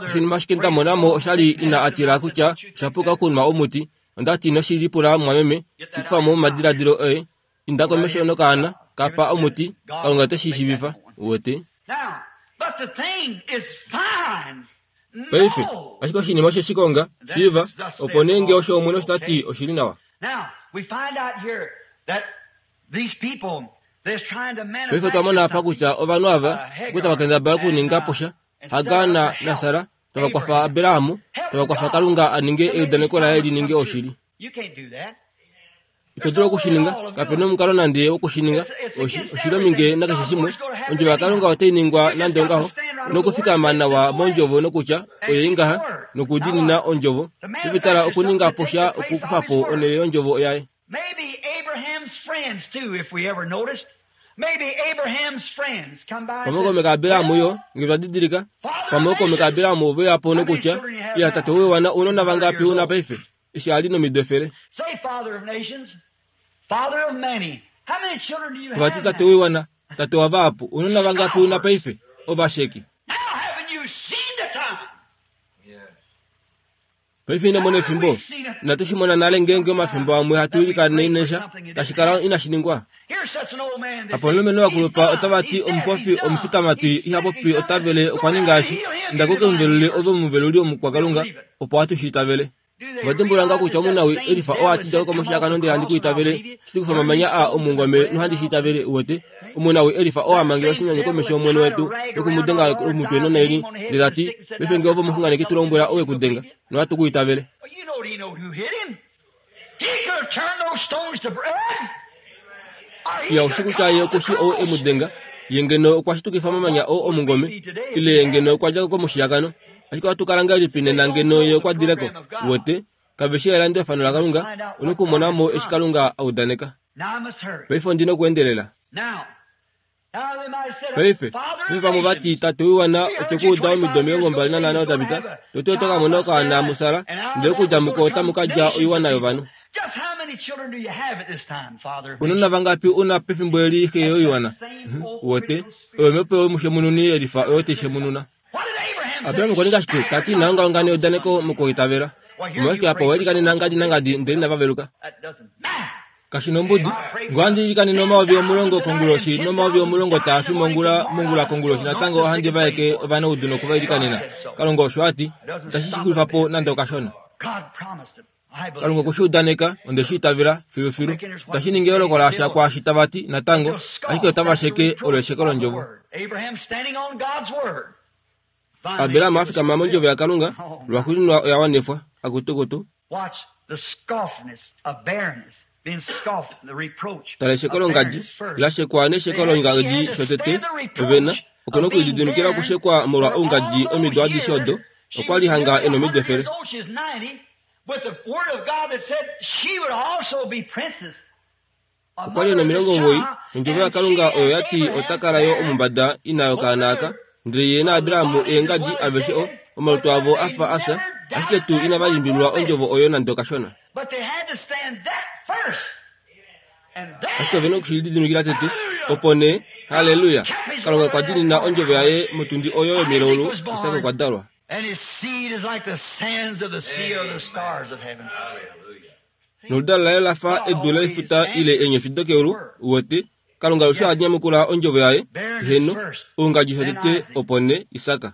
Oshinima ashike nda mona mo osha li ina a tila kutya osha puka okunwa omuti. Onda ti noshi lipula mumwameme, shi kufa mo momadiladilo oye. Inda komesho nokaana, ka pa omuti, Kalunga ote shi shiivifa. Uwete? Paife, ashike oshinima oshe shi konga, shiiva, opo nee nge osho Omwene osho ta ti oshi li nawa. Paife otwa mona apa kutya ovanhu ava okwa tava kendabala okuninga po sha, Hagar naSara, tava kwafa Abraham, tava kwafa Kalunga a ninge eudaneko laye li ninge oshili. Ito dulu oku shi ninga, kape na omukalo nande woku shi ninga. Oshi li ominge nakeshe shimwe. Ondjovo yaKalunga otai ningwa nande ongaho. Nokufikama nawa mondjovo nokutya oye ngaha, nokudiinina ondjovo. Paife tala okuninga po sha okukufa po onhele yondjovo yaye. Maybe Abraham's friends too, if we ever noticed. Maybe Abraham's friends come by. Pamwe ookaume kaAbraham yo, nge twa didilika, pamwe ookaume kaAbraham ove uya po nokutya, Iya, tate woiwana, ounona vangapi u na paife? Eshi a li nomido efele. Say, Father of nations, Father of many, how many children do you Tava ti, have Tate now? woiwana, tate wavahapu, ounona vangapi u na paife? Ovasheki. Now haven't you seen the time? Paife ino mona efimbo? Inatu shi mona nale ngeenge omafimbo amwe hatu ilikanene sha, tashi kala inashi ningwa. Apa omulumenhu wakulupa otava ti omupofi omufitamatwi iha popi ota vele okwa ninga eshi, inda ko ke mu velule ove omuveluli omukwakalunga, opo hatu shi itavele. Ova dimbulula nga kutya omunawi Elifa oo a ti dja ko komushiyakano ndele handi ku itavele, Shitukufa omamanya aa omungome nohandi shi itavele, uwete. Omunawi Elifa oo a mangela oshinyanyu komesho yOmwene wetu noku mu denga omutwe nonaili, ndele ta ti, Paife nge ove omuxunganeki tu lombwela ou e ku denga, nohatu ku itavele. Iya, ou shi kutya ye oku shi ou e mu denga. Ye ngeno okwa shitukifa omamanya oo omungome, ile ye ngeno okwa dja ko komushiyakano. Ashike ohatu kala ngahelipi nena ngeno ye okwa dile ko? Uwete? Kave shi elandulafano laKalunga, u na okumona mo eshi Kalunga a udaneka. Paife ondi na okuendelela. Paife, paife vamwe ova ti, Tate woiwana, otwe ku uda omido 25 da pita, to ti oto ka mona okaana muSara, ndele okudja muko otamu ka dja oiwana yovanhu. Ounona vangapi u na pefimbo eli xe yoiwana? Uwete, oyo omhepo yomushemununi yelifa oyo tai shemununa. Abraham okwa ninga shike? Ta ti, Ina ongaonga neudaneko mokwiitavela. Omolwashike apa owe likanena ngadi nangadi ndele inava veluka? Kashi nombudi. Nge ohandi ilikanene 10,000 konguloshi nomayovi 10 taa fi mongula, mongula konguloshi natango ohandi vaeke ovanaudu noku va ilikanena. Kalunga osho a ti. Itashi shi xulifa po nande okashona. Kalunga okwe shi udaneka, onde shi itavela filufilu. Itashi ningi eyooloko lasha kwaashi tava ti, natango, ashike otava sheke olo esheko londjovo. Abraham a fikama mondjovo yaKalunga, lwaxuuninwa oya wanifwa. Akutukutu. Tala esheko longadji, la shekwa nesheko longadji shotete, ove na, oku nokulididimikila okushekwa molwa oungadji omido adishe odo, Okwa li hanga e nomido efele. Okwa li e nomilongo 90, nondjovo yaKalunga oyo ya ti ota kala yo omumbada ina yokaana aka. Ndele ye naAbraham eengadi aveshe o, omalutu avo a fa a fya, ashike tuu inava limbililwa ondjovo oyo nande okashona. Ashike ove na oku shi lididimikila tete, opo nee. Halleluya! Kalunga okwa diinina ondjovo yaye motundi oyo yomilaulu, Isak okwa dalwa. Noludalo laye la fa edu lefuta ile eenyofi dokeulu, uwete, Kalunga alushe oha nyamukula ondjovo yaye, heeno, oungadji shotete opo nee Isak.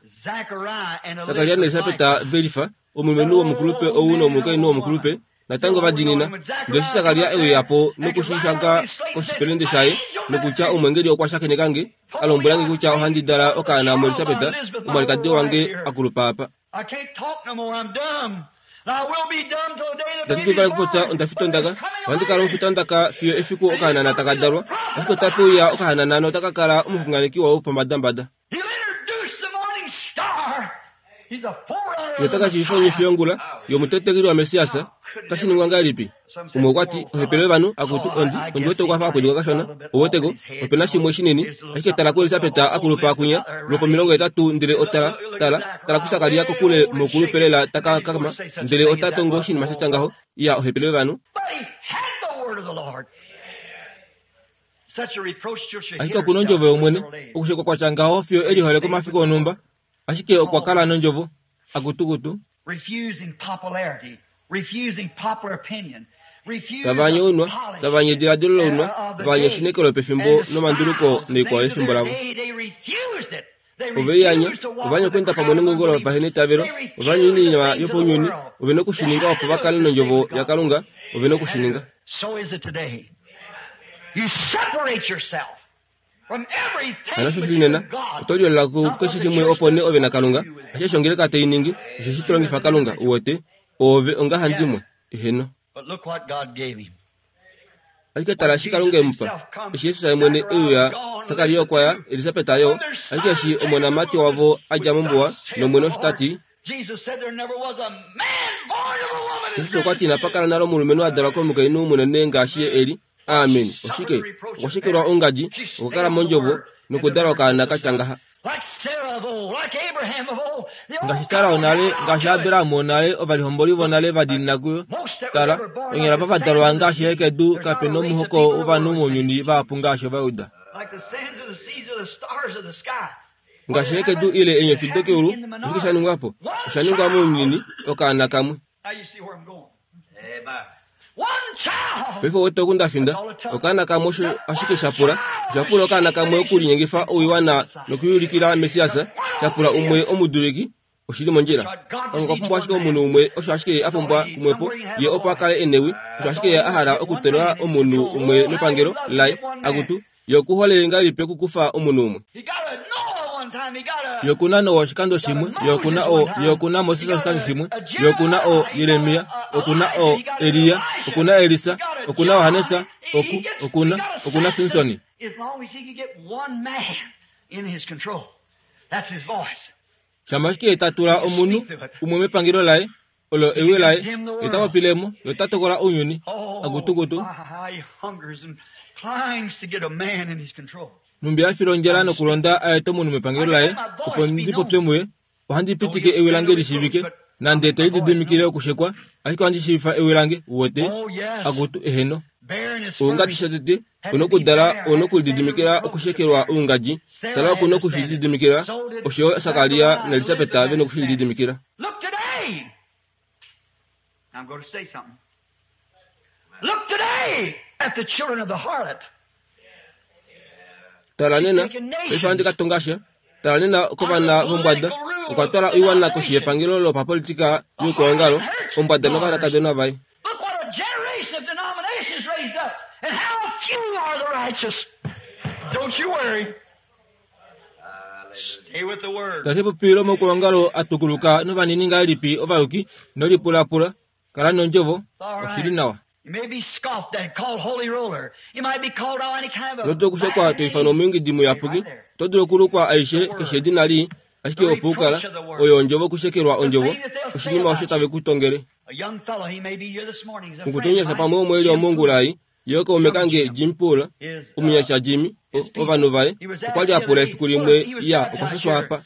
Sakaria naElisabet ve lifa, omulumenhu womukulupe ou nomukainhu womukulupe, natango va diinina. Ndele eshi Sakaria e uya po noku shi shanga koshipelende shaye, nokutya omwengeli okwa shakeneka nge, a lombwela nge kutya ohandi dala okaana muElisabet, omwalikadi wange a kulupa apa. Itandi dulu vali okupopya onda fita ondaka. Ohandi kala omufita wondaka fiyo efiku okahanana taka dalwa. Ashike otape uya okahanana nota ka kala omuxunganeki wopombadambada. Ye ota ka shiivifa onyofi yongula yomutetekeli waMessias. Otashi ningwa ngahelipi? Umwe okwa ti, Ohepele yovanhu, akutu, ondi, ondi wete okwa fa a pwiduka kashona. Ou weteko, ope na shimwe shinini. Ashike tala kuElisabet a kulupa kwinya, lwopomilongohetatu, ndele otala, tala, tala kuSakaria kokule moukulupe lela ta ka kakama, ndele ota tongo oshinima sha tya ngaho. Iya, ohepele yovanhu. Ashike oku nondjovo yOmwene, okushekwa kwa tya ngaho fiyo e lihole komafiku onhumba. Ashike okwa kala nondjovo. Akutukutu. Tava anye ounwa, tava anye ediladilo lounwa, tava anye eshineko lopefimbo nomanduluko noikwao yefimbo lavo. Ove i anya, ova anya okweenda pamwe nengungo lovaheneitavelo, ova anya oinima yopaunyuni, ove na oku shi ninga opo va kale nOndjovo yaKalunga, ove na oku shi ninga. Hano osho shi li nena, oto lyoolola kukeshe shimwe opo nee ove naKalunga, ashishe osho ongeleka tai ningi, osheshi to longifa Kalunga, uwete, oove ongahandimwe. Eheno. Ashike tala eshi Kalunga e mu pa. Eshi Jesus ye mwene e uya, Sakaria okwa ya, Elisabet yo, ashike eshi omonamati wavo a dja mombuwa, nOmwene osho ta ti, Jesus okwa ti inapa kala nale omulumenhu a dalwa komukainhu munene ngaashi ye e li. Amen. Oshike? Okwa shekelwa ongadji, okwa kala mondjovo, nokudala okaana ka tya ngaha. Ngaashi Sara wonale, ngaashi Abraham wonale, ovalihomboli vonale va diinina kuyo. Tala, onyala ava va dalwa ngaashi hekedu, kape nomuhoko wovanhu mounyuni vahapu ngaashi Ovajuda. Ngaashi hekedu ile eenyofi dokeulu, oshike sha ningwa po? Osha ningwa mounyuni, okaana kamwe. Paife owete oku nda finda. Okaana kamwe osho ashike sha pula. Osha pula okaana kamwe okulinyengifa oiwana nokuyulikila Messias. Sha pula umwe omuduliki. Oshi li mondjila. Kalunga okwa pumbwa ashike omunhu umwe, osho ashike Ye a pumbwa kumwepo, Ye opo a kale e newi. Osho ashike Ye a hala okutula omunhu umwe mepangelo Laye. Akutu, Ye oku hole ngahelipi okukufa omunhu umwe? Ye oku na Noa oshikando shimwe, Ye oku na o, Ye oku na Moses oshikando shimwe, Ye oku na o Jeremia, oku na o Elia, oku na Elisa, oku na Johannes, oku, oku na, oku na Simsoni. Shama ashike Ye ta tula omunhu umwe mepangelo laye, olo ewi laye, ye ta popile mo, ye ota tokola ounyuni. Akutukutu. Nhumbi a fila ondjala nokulonda a ete omunhu mepangelo laye, opo ndi popye muye, ohandi pitike ewi lange li shiivike, nande te lididimikile okushekwa, ashike ohandi shiivifa ewi lange, uwete. Akutu, eheno. Oungadji shotete, u nokudala, u nokulididimikila okushekelwa oungadji. Sara oku noku shi lididimikila, osho yo Sakaria naElisabet ve noku shi lididimikila. Look today! I'm going to say something. Look today at the children of the harlot. Tala nena, paife ohandi ka tonga sha. Tala nena kovana vombwada, okwa twala oiwana koshi yepangelo lopapolitika youkwaongalo, ombwada novanakadona vaye. Look what a generation of denominations raised up, and how few are the righteous. Don't you worry. Stay with the word. Tashi popi lomaukwaongalo a tukuluka novanini ngahelipi ovayuki, nolipulapula, kala nondjovo, oshi li nawa. You may be scoffed at, called holy roller. You might be called all any kind of Oto dulu okushekwa to ifanwa omuyungidi muyapuki, oto dulu okulukwa aishe keshe edina lii, ashike opo u kala, oyo ondjovo okushekelwa ondjovo, oshinima osho tave ku tongele. Mukutunyasha pamwe umwe eli omongula ei, ye okaume kange Jim Poole, omunyasha Jimmy, ovanhu vaye, okwa li a pula efiku limwe, ya, okwa shashwa apa.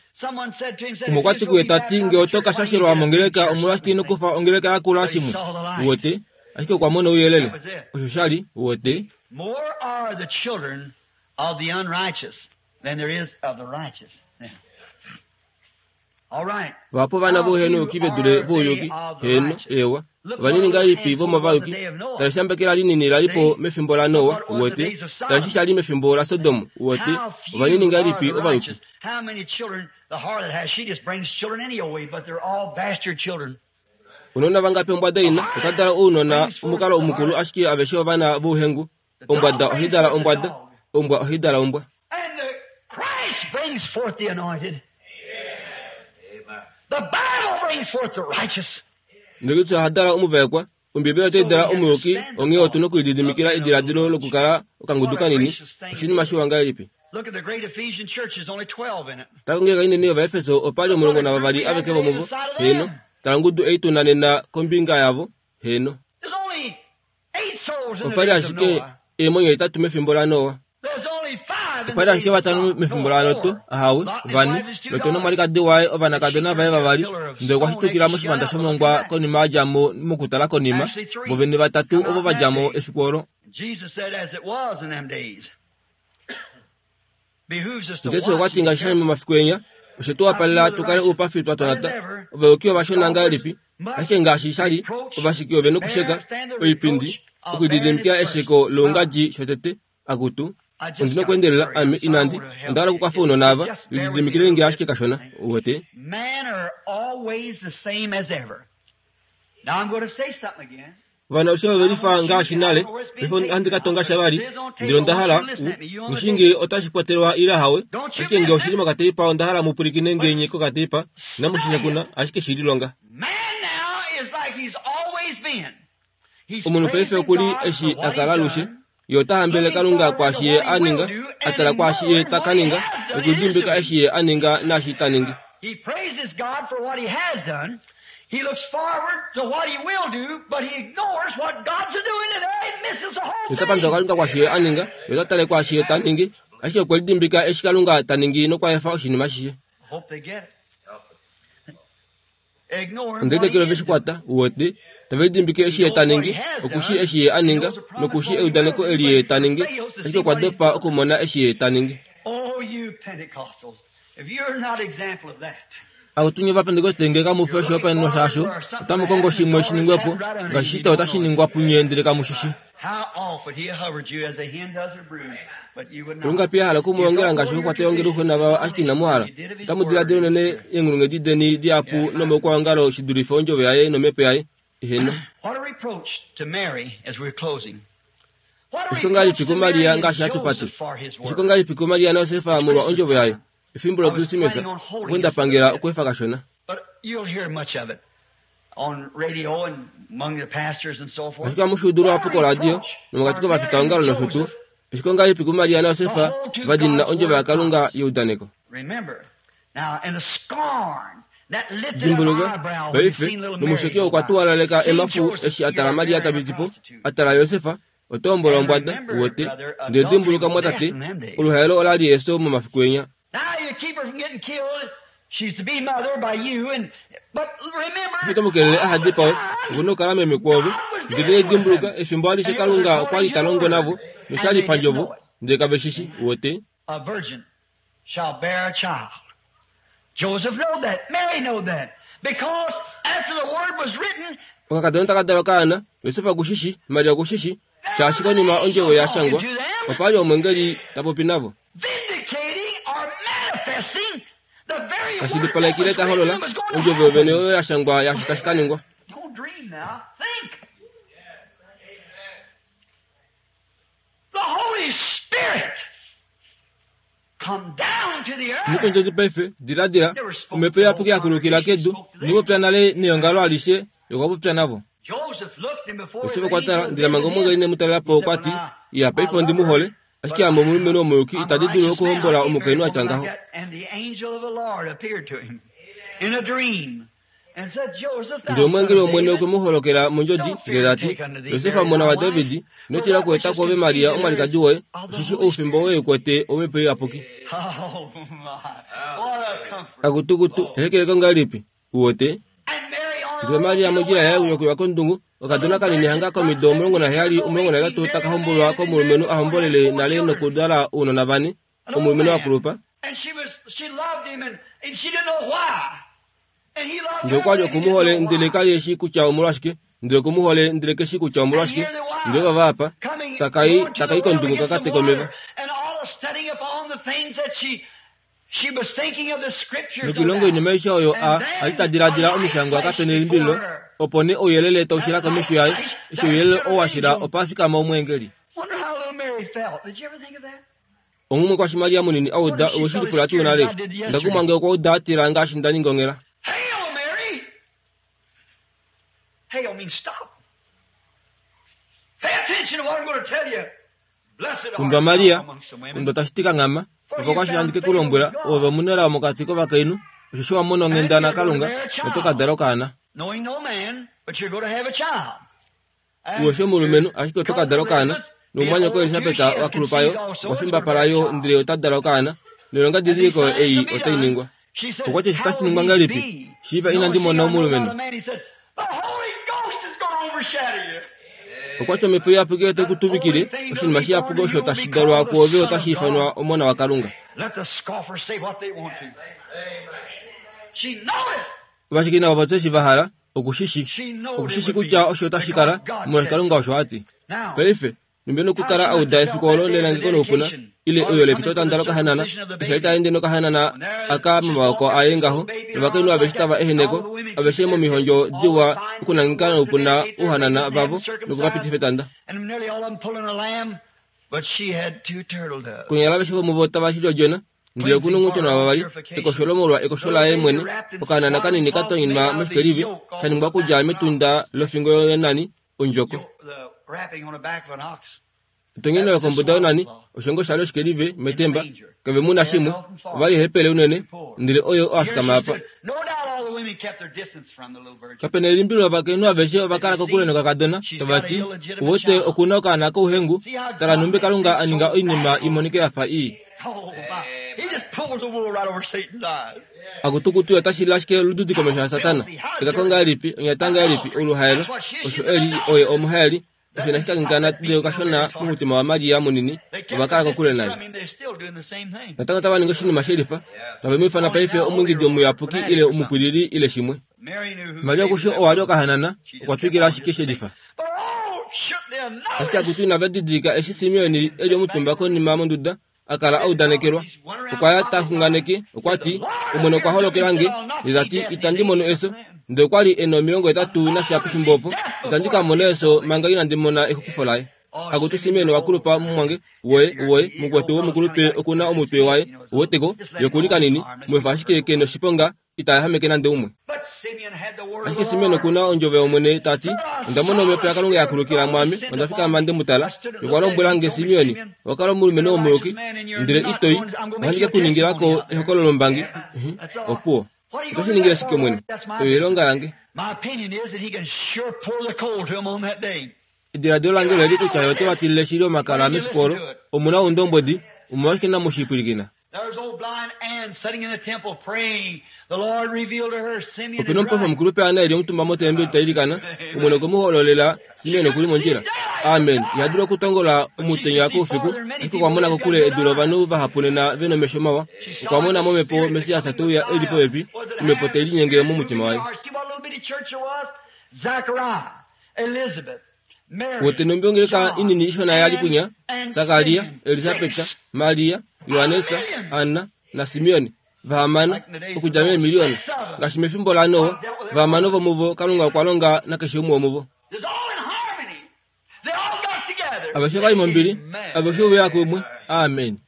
Umwe okwa ti kuye ta ti, Nge oto ka shashelwa mongeleka, omolwashike ino kufa ongeleka yakula shimwe? Uwete? Ashike okwa mona ouyelele. Osho sha li, uwete. of the unrighteous than there is of the righteous. Yeah. All right. Vahapu ovana vouhenoyuki ve dule vouyuki. Heeno, eewa. Ovanini ngahelipi vomovayuki? Tala eshambekela linini la li po mefimbo laNoa, uwete. Tala eshi sha li mefimbo laSodom, uwete. Ovanini ngahelipi ovayuki? How many children the harlot has? She just brings children anyway, but they're all bastard children. Ounona vangapi ombwada ina? Ota dala ounona omukalo mukulu ashike aveshe ovana vouhengu. Ombwada ohai dala ombwada, ombwa ohai dala ombwa. And the Christ brings forth the anointed. The Bible brings forth the righteous. Ndele oha dala omuvaekwa, Ombibeli otai dala omuyuki, onghee otu nokulididimikila ediladilo lokukala okangudu kanini. Oshinima shiwa ngahelipi! Look at the great Ephesian church, there's only 12 in it. Tala kongeleka inene yOvaefeso, opa li 12 aveke vomuvo. Heeno. Tala ongudu ei tu na nena kombinga yavo. Heeno. There's only 8 souls in the Opa li days of ashike Noah. eemwenyo hetatu mefimbo laNoa. There's only 5 in Opa the li ashike days of vatano Lot. mefimbo No, laLot, 4. ahawe, Lot and his vane, wife and his two Lot daughters. nomwalikadi waye, ovanakadona vaye vavali, ndele okwa shitukila moshivanda shomongwa konima a dja mo mokutala konima, Actually, 3 vo vene vatatu come ovo out va that dja mo day. efiku olo. Jesus said, as it was in them days. Behooves us to Jesus okwa watch ti and be ngaashi sha li careful. momafiku enya, oshe tu wapalela tu kale oupafi twa tonata. Ovayuki ovashona ngahelipi? Ashike ngaashi sha li, ovashiki ove nokusheka oipindi, okulididimikila esheko loungadji shotete. Akutu, I just ondi got to nokweendelela hurry. ame So I inandi want to onda help hala you. okukwafa ounona ava, Just bear with me a lididimikile little nge bit. ashike kashona. Uwete? Men are always the same as ever. Now I'm going to say something again. Ovanhu aveshe ove lifa ngaashi nale. Paife ohandi ka tonga sha vali, ndele onda hala u mushinge otashi kwatelwa ile hawe, Don't you ashike nge miss oshi li it. mokateipa onda hala mu pwilikine But ngenye kokateipa, inamu shi study it. nyakuna, ashike shi lilonga. Man now is like he's always been. He's Omunhu paife praising oku li God for eshi what a he's kala alushe, done, ye ota hambelele looking Kalunga forward to kwaashi ye what a he will ninga, do, a and tala kwaashi ye ignoring ta ka what he ninga, has done and is nokudimbika doing. eshi ye a ninga naashi ta ningi. He praises God for what he has done. He looks forward to what he will do, but he ignores what God's doing today and misses the whole Ye ota pandula thing. Kalunga kwaashi ye a ninga, ye ota tale kwaashi ye ta ningi, ashike okwe lidimbika eshi Kalunga ta ningi nokwa efa oshinima ashishe. Hope they get it. Ignoring Onde what he lineekela ove is shi doing. kwata, uwete, tave lidimbike He eshi ye knows ta what he ningi, has okushi done. eshi ye a He ninga, knows the promise nokushi what he will eudaneko do, eli but ye he ta ningi, fails to ashike see okwa what he's dopa doing. okumona eshi ye ta ningi. Oh, you Pentecostals, if you're not example of that, Akutu nye Ovapentekoste nge kamu fi you're looking oshihopaenenwa forward shaasho, for something to otamu kongo happen that's shimwe shi already ningwe po, happened right under ngaashi you. You shito don't otashi know it. ningwa punye ndele kamu shi shi. How often he hovered you as a hen does her brood, but you would not. Lungapi a hala You okumulongela don't ngaashi know your okukwata ongeluxo tradition nava ashike inamu hala. you did of his Otamu word diladila and his unene spirit. eenghulunghedi deni dihapu Yes. nomoukwaongalo shi dulife ondjovo yaye nomhepo yaye. Eheno. What a reproach to Mary as we're closing. What a Ashike reproach ongahelipi to kuMaria Mary and ngaashi hatu pate? Joseph for his Ashike word. ongahelipi kuMaria naJosefa It's molwa Christmas ondjovo yaye? time. Efimbo I was loKrismesa, planning on holding okwe nda this a little pangela bit, okweefa kashona. but you'll hear much of it on radio and among the pastors and so forth. Ashike ohamu shi udu What a luhapu koradio reproach nomokati for Mary and kovafitaongalo nosho tuu. Joseph Ashike ongahelipi kuMaria to naJosefa hold to va diinina God's ondjovo word yaKalunga promise. yeudaneko? Remember, now, and the scorn that lifted up Dimbuluka, eyebrow when he paife, seen little Mary nomusheki go okwa by, tuwalaleka seen emafu Joseph, eshi a you tala are Maria marrying ta a piti po, prostitute. a tala Josefa, oto hombola And ombwada, remember, uwete, brother, ndele adultery dimbuluka was death mwatate, in them days. oluhaelo ola li efyo momafiku enya. Now you keep her from getting killed. She's to be mother by you, and but remember, Eshi to mu kelele aha all the dipawe, time okuna okukala meme kwoove. God was Ndele dealing with dimbuluka, them, efimbo alishe and it was Kalunga okwa according li to ta the longo word, navo, nosha and li they didn't pandjovo, know it. ndele kave shi shi, uwete. A virgin shall bear a child. Joseph knew that. Mary knew that. Because after the word was written, Okakadona taka dala okaana, Josef oku shi shi, Maria oku shi shi, there shaashi was an konima angel ondjovo ya talking shangwa, to them, opa li omwengeli ta popi navo. vindicating or manifesting the very word that Tashilipaleke ile was ta written holola and was going to ondjovo yovene happen. oyo ya shangwa yaashi tashi ka ningwa. Don't dream now. Think. The Holy Spirit come down to the earth. Omutondjodi paife, diladila, Never spoke omhepo to the whole iyapuki ya kulukila congregation, kedu, spoke to them. inopopya nale neongalo alishe, okwa popya navo. Joseph looked and before Josef the okwa tala, angel ndele manga visited omwengeli him, ne mu talela he po said, okwa Well, ti, now, iya I paife ondi love mu hole, her, ashike but ame omulumenhu omuyuki I'm a itandi dulu righteous man. I okuhombola can't marry a omukainhu a woman tya like ngaho. that. And the angel of the Lord appeared to him in a dream and said, Joseph, Ndele thou son omwengeli of wOmwene okwe David, mu holokela mondjodi, don't ndele fear ta to ti, take unto thee Josef Mary omona thy waDavid, wife, ino for tila that oku which eta is kwoove conceived Maria in her is omwalikadi woye, of the osheshi Holy oufimbo Spirit. woye kwete omhepo iyapuki. Oh my, what a comfort. Akutukutu, ehekeleko ngahelipi? Uwete? And Mary on Ndele Maria mondjila yaye yokuya kondungu, okadona kanini hanga komido 17, 18 taka hombolwa komulumenhu a hombolele nale nokudala ounona vane, omulumenhu a kulupa. Ndele okwa li oku mu hole ndele ka li e shii kutya omolwashike, ndele oku mu hole ndele ke shii kutya omolwashike. Ndele ovava apa, taka i, taka i kondungu ka ka teke omeva. Nokoilonga oinima aishe oyo a a li ta diladila omishangwa kape nelimbililo, opo nee ouyelele tau shila komesho yaye. Eshi ouyelele oo wa shila, opa fikama omweengeli. Onghumwe kwashi Maria munini a uda owe shi lipula tuu nale? Onda kumwa nge okwa uda a tila ngaashi nda ninga onghela. Kundwa Maria, kundwa tashi ti kanghama, opo kwashi handi ke ku lombwela, oove omunelao mokati kovakainhu, osheshi wa mona onghenda naKalunga, noto ka dala okaana. Uwe omulumenhu, ashike oto ka dala okaana, nomumwanyoko Elisabet wa kulupa yo, okwa fimbapala yo, ndele ota dala okaana, noilongadidiliko ei otai ningwa. Okwa ti eshi otashi ningwa ngahelipi, shiiva inandi mona omulumenhu? Okwa ti Omhepo Iyapuki otai ku tuvikile, oshinima shiyapuki osho tashi dalwa kwoove otashi ifanwa Omona waKalunga. Ovasheki navo va tye eshi va hala, oku shi shi. Oku shi shi kutya osho tashi kala, molwaashi Kalunga osho a ti. Paife, numbi nokukala a uda efiku olo lelangeko noupuna, ile oyo lepitotanda lokahanana, eshi a li ta ende nokahanana aka momaoko aye ngaho, novakainhu aveshe tava ehene ko, aveshe momihondjo diwa okunangeka noupuna ouhanana vavo noku va pitifa etanda. Konyala aveshe vomuvo tava shili odjona, Ndele oku nonghutyona wavavali, ekosholo molwa ekosho laye mwene, okahanana kanini ka tonyinwa moshikelivi, sha ningwa okudja metunda lofingo yonani, ondjoko. Etonyeno lokombuda yonani, osho ngoo sha li oshikelive metemba, kave mu na shimwe, ova li eehepele unene, ndele oye oo a fikama apa. Kape na elimbililo ovakainhu aveshe ova kala kokule nokakadona, tava ti, Uwete, oku na okaana kouhengu, tala nhumbi Kalunga a ninga oinima i monike ya fa ii. Akutukutu otashi li ashike olududi komesho yaSatana. Ekako ngahelipi, onyata ngahelipi, oluhaelo, osho e li, oye omuhaeli. Osho inashi kangekana nande okashona momutima waMaria munini, ova kala kokule naye. Natango otava ningi oshinima she lifa, tave mu ifana paife omwiingidi omuyapuki ile omupwilili ile shimwe. Maria oku shi owa li okahanana, okwa twikila ashike she lifa. Ashike akutu inava didilika eshi Simeon e li omutumba konima monduda a kala a udanekelwa. Okwa ya ta xunganeke, okwa ti, Omwene okwa holokela nge, ndele ta ti, Itandi mono efyo. Ndele okwa li e na 80 nasha pefimbo opo. Itandi ka mona efyo manga inandi mona exupifo laye. Akutu Simeon wa kulupa mumwange, woye, woye, mukwetu womukulupe oku na omutwe waye, uweteko, ye oku li kanini, mu efa ashike ke noshiponga, ita yahameke nande umwe. Ashike Simeon oku na ondjovo yOmwene ta ti, Onda mona omhepo yaKalunga ya kulukila mwaame, onda fikama nde mu tala. Okwa lombwela nge, Simeon, owa kala omulumenhu womuyuki, ndele ito i, ohandi ke ku ningila ko ehokololombangi. Opuwo. Oto shi ningile shike, Omwene? Oyo oilonga yange. Ediladilo lange ole li kutya ye ote va tilile shili omakala mefiku olo. Omu na oundombwedi, omolwashike inamu shi pwilikina? Ope na omupofi omukulupe Anna e li omutumba motembeli ta ilikana. Omwene okwe mu hololela Simeon oku li mondjila. Amen. Iha dulu okutongola omutenya koufiku, ashike okwa mona kokule edu lovanhu vahapu nena ve nomesho mawa. Okwa mona momhepo Messias te uya e li popepi, omhepo tai linyenge momutima waye. Wote nombi ongeleka inini ishona ya li kwinya, Sakaria, Elisabeta, Maria, Johannes, Anna naSimeon, vahamano, okudja meemiliona. Ngaashi mefimbo laNoa, vahamano vomuvo Kalunga okwa longa nakeshe umwe womuvo. Aveshe ova li mombili, aveshe ove ya kumwe. Amen.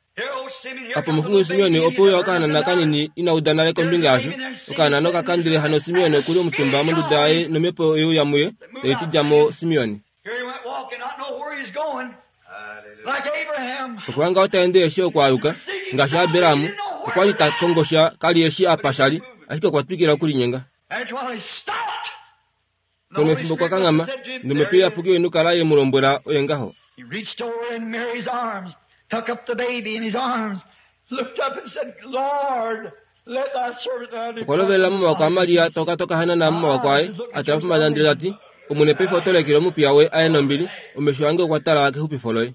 Apa omuxungu Simeon ope uya okahanana kanini ina uda nale kombinga yasho. Okahanana oka kandile hano Simeon okuli omutumba monduda yaye nomhepo ye uya muye, tai ti dja mo Simeon. Okwa hanga ota ende eshi okwa aluka, ngaashi Abraham, okwa li ta kongo sha, ka li eshi apa sha li, ashike okwa twikila okulinyenga. Konima efimbo okwa kanghama, nomhepo iyapuki oye nokukala ye mu lombwela oye ngaho. Okwa lovelela momawako aMaria toka toka hanana momawako aye, a tala pombada ndele ta ti, Omwene paife oto lekele omupiya woye a ye nombili, omesho ange okwa tala kexupifo loye.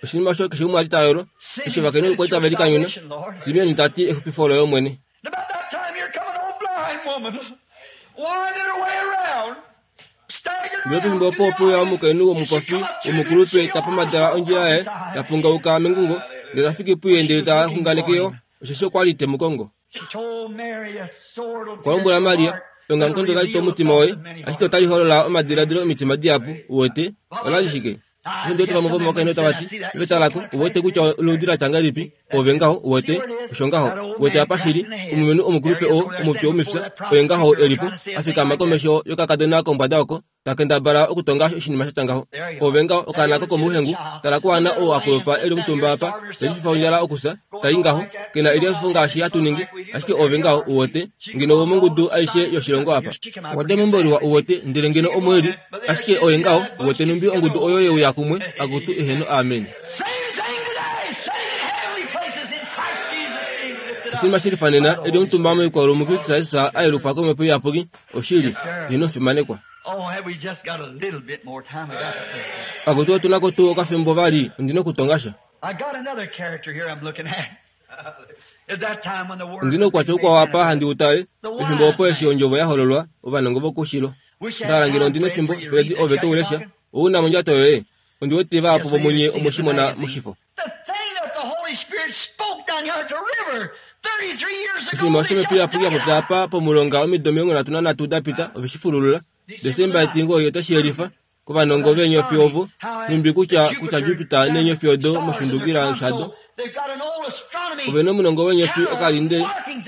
Oshinima osho keshe umwe a li ta yolo, eshi ovakainhu okwa li tave likanyuna, Simeon ta ti, Exupifo loye, Omwene. Ndele pefimbo opo ope uya omukainhu womupofi womukulupe ta pomadala ondjila yaye, ta pungauka mengungo, ndele ta fiki puye ndele ta xunganeke yo, osheshi okwa li te mu kongo. Okwa lombwela Maria, Eongamukonda otali tu omutima woye, ashike otali holola omadiladilo omitima dihapu. Uwete? Ola li shike? Ondi wete vamwe vomovakainhu tava ti, Ove tala ko, uwete kutya oludi la tya ngahelipi, ove ngaho, uwete, osho ngaho. Uwete apa shi li, omulumenhu omukulupe oo, omutwe womifya, oye ngaho e li po, a fikama komesho yokakadona kombwada oko, ta kendabala okutonga oshinima sha tya ngaho. Ove ngaho, okaana kokomouhengu, tala kuAnna oo a kulupa e li omutumba apa, te lififa ondjala okusa, ta i ngaho, ke na elihafifo ngaashi hatu ningi, ashike ove ngaho, uwete, ngeno womongudu aishe yoshilongo apa. Okwa dja meumbo liwa, uwete, ndele ngeno omo e li, ashike oye ngaho, uwete numbi ongudu oyo ye uya kumwe, akutu, eheno, amen. Oshinima shi lifa nena, e li omutumba moikwaulu muKristus Jesus a yelufwa kOmhepo Iyapuki, oshili, ino fimanekwa. Akutu otu na ko tuu okafimbo vali, ondi na okutonga sha. Ondi na oukwatya ukwao apa handi u tale, pefimbo opo eshi ondjovo ya hololwa, ovanongo vokoushilo. Nda hala ngeno ondi nefimbo, Fred, ove to u lesha. Ou na mondjato yoye? Ondi wete vahapu vomunye omwe shi mona moshifo. Oshinima osho Omhepo Iyapuki ya popya apa pomulonga omido 33 da pita, ove shi fululula. Desemba 9 otashi yelifa, kovanongo veenyofi ovo, nhumbi kutya, kutya Jupiter neenyofi odo moshundukila shado. Ove na omunongo weenyofi okalinde,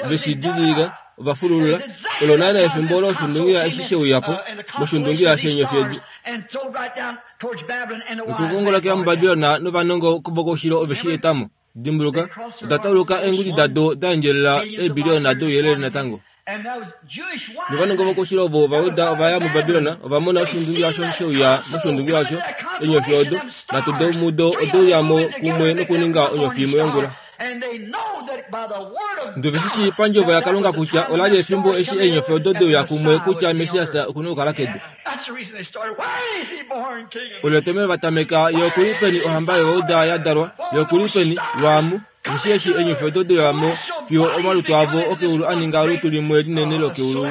ve shi didilika, ova fululula. Olo naana efimbo olo oshundungila eshi she uya po, moshundungila sheenyofi edi. Nokukongolokela muBabilon novanongo vokoushilo ove shi eta mo. Dimbuluka, oda tauluka eengudi dado da endjelela eebiliona douyelele natango. Novanongo vokoushilo ovo Ovajuda ova ya muBabilon, ova mona oshiundungila osho she uya moshiundungila osho, eenyofi odo, nhatu domudo ode uya mo kumwe nokuninga onyofi imwe yongula. Ndele ove shi shii pandjovo yaKalunga kutya ola li efimbo eshi eenyofi odo de uya kumwe kutya Messias oku na okukala kedu. Olo etomheno va tameka, Ye oku li peni ohamba yOvauda ya dalwa? Ye oku li peni? Lwaamu, osheshi eshi eenyofi odo de uya mo, fiyo omalutu avo okeulu a ninga olutu limwe linene lokeulu, oku.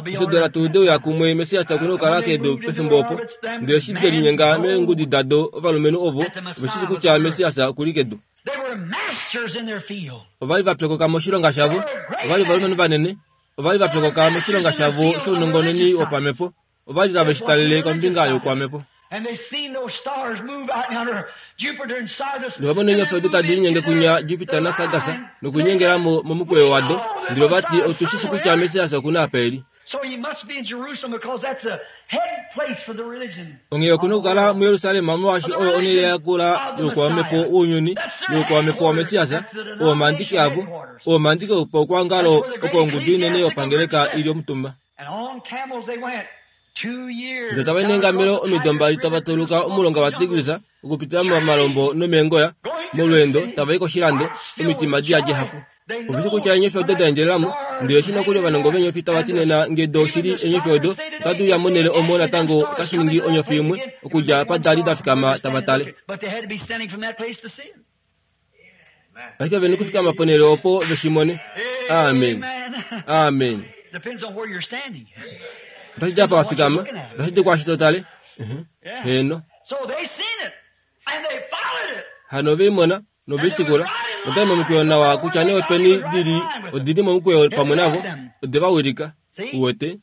Eshi dola tuu de uya kumwe, Messias oku na okukala kedu pefimbo opo. Ndele eshi de linyenga meengudi dado, ovalumenhu ovo ove shi shii kutya Messias oku li kedu. Ova li va pyokoka moshilonga shavo, ova li ovalumenhu vanene, ova li va pyokoka moshilonga shavo shounongononi wopamhepo, ova li tave shi talele kombinga youkwamhepo. Nova mona eenyofi odo tadi linyenge kunya Jupiter naSargas nokulinyengela mo momukweyo wado, ndele ova ti, Otu shi shi kutya Messias oku na apa e li. Onghee oku na okukala muJerusalem molwaashi oyo onhele ya kula youkwamhepo wounyuni youkwamhepo waMessias, oo omandiki avo, oo omandiki opaukwaongalo oko ongudu inene yopangeleka i li omutumba. Ndele tava i neengamelo omido mbali tava tauluka omulonga waTigris okupitila momalombo nomeengoya, molweendo tava i koshilando, omitima di yadi ehafo. Ove shi kutya eenyofi odo da endjelela mo, ndele eshi nokuli ovanongo veenyofi tava ti nena nge do shili eenyofi odo otadi uya monhele omo natango otashi ningi onyofi imwe okudja apa da li da fikama tava tale. Ashike ve nokufikama ponhele opo ve shi mone. Amen. Amen. Otashi di apa wa fikama, otashi di kwaashi to tale. Heeno. Hano ove i mona nove i shikula. Otai momukweyo nawa kutya nee openi di li, odi li momukweyo pamwe navo, ode va wilika. Uwete?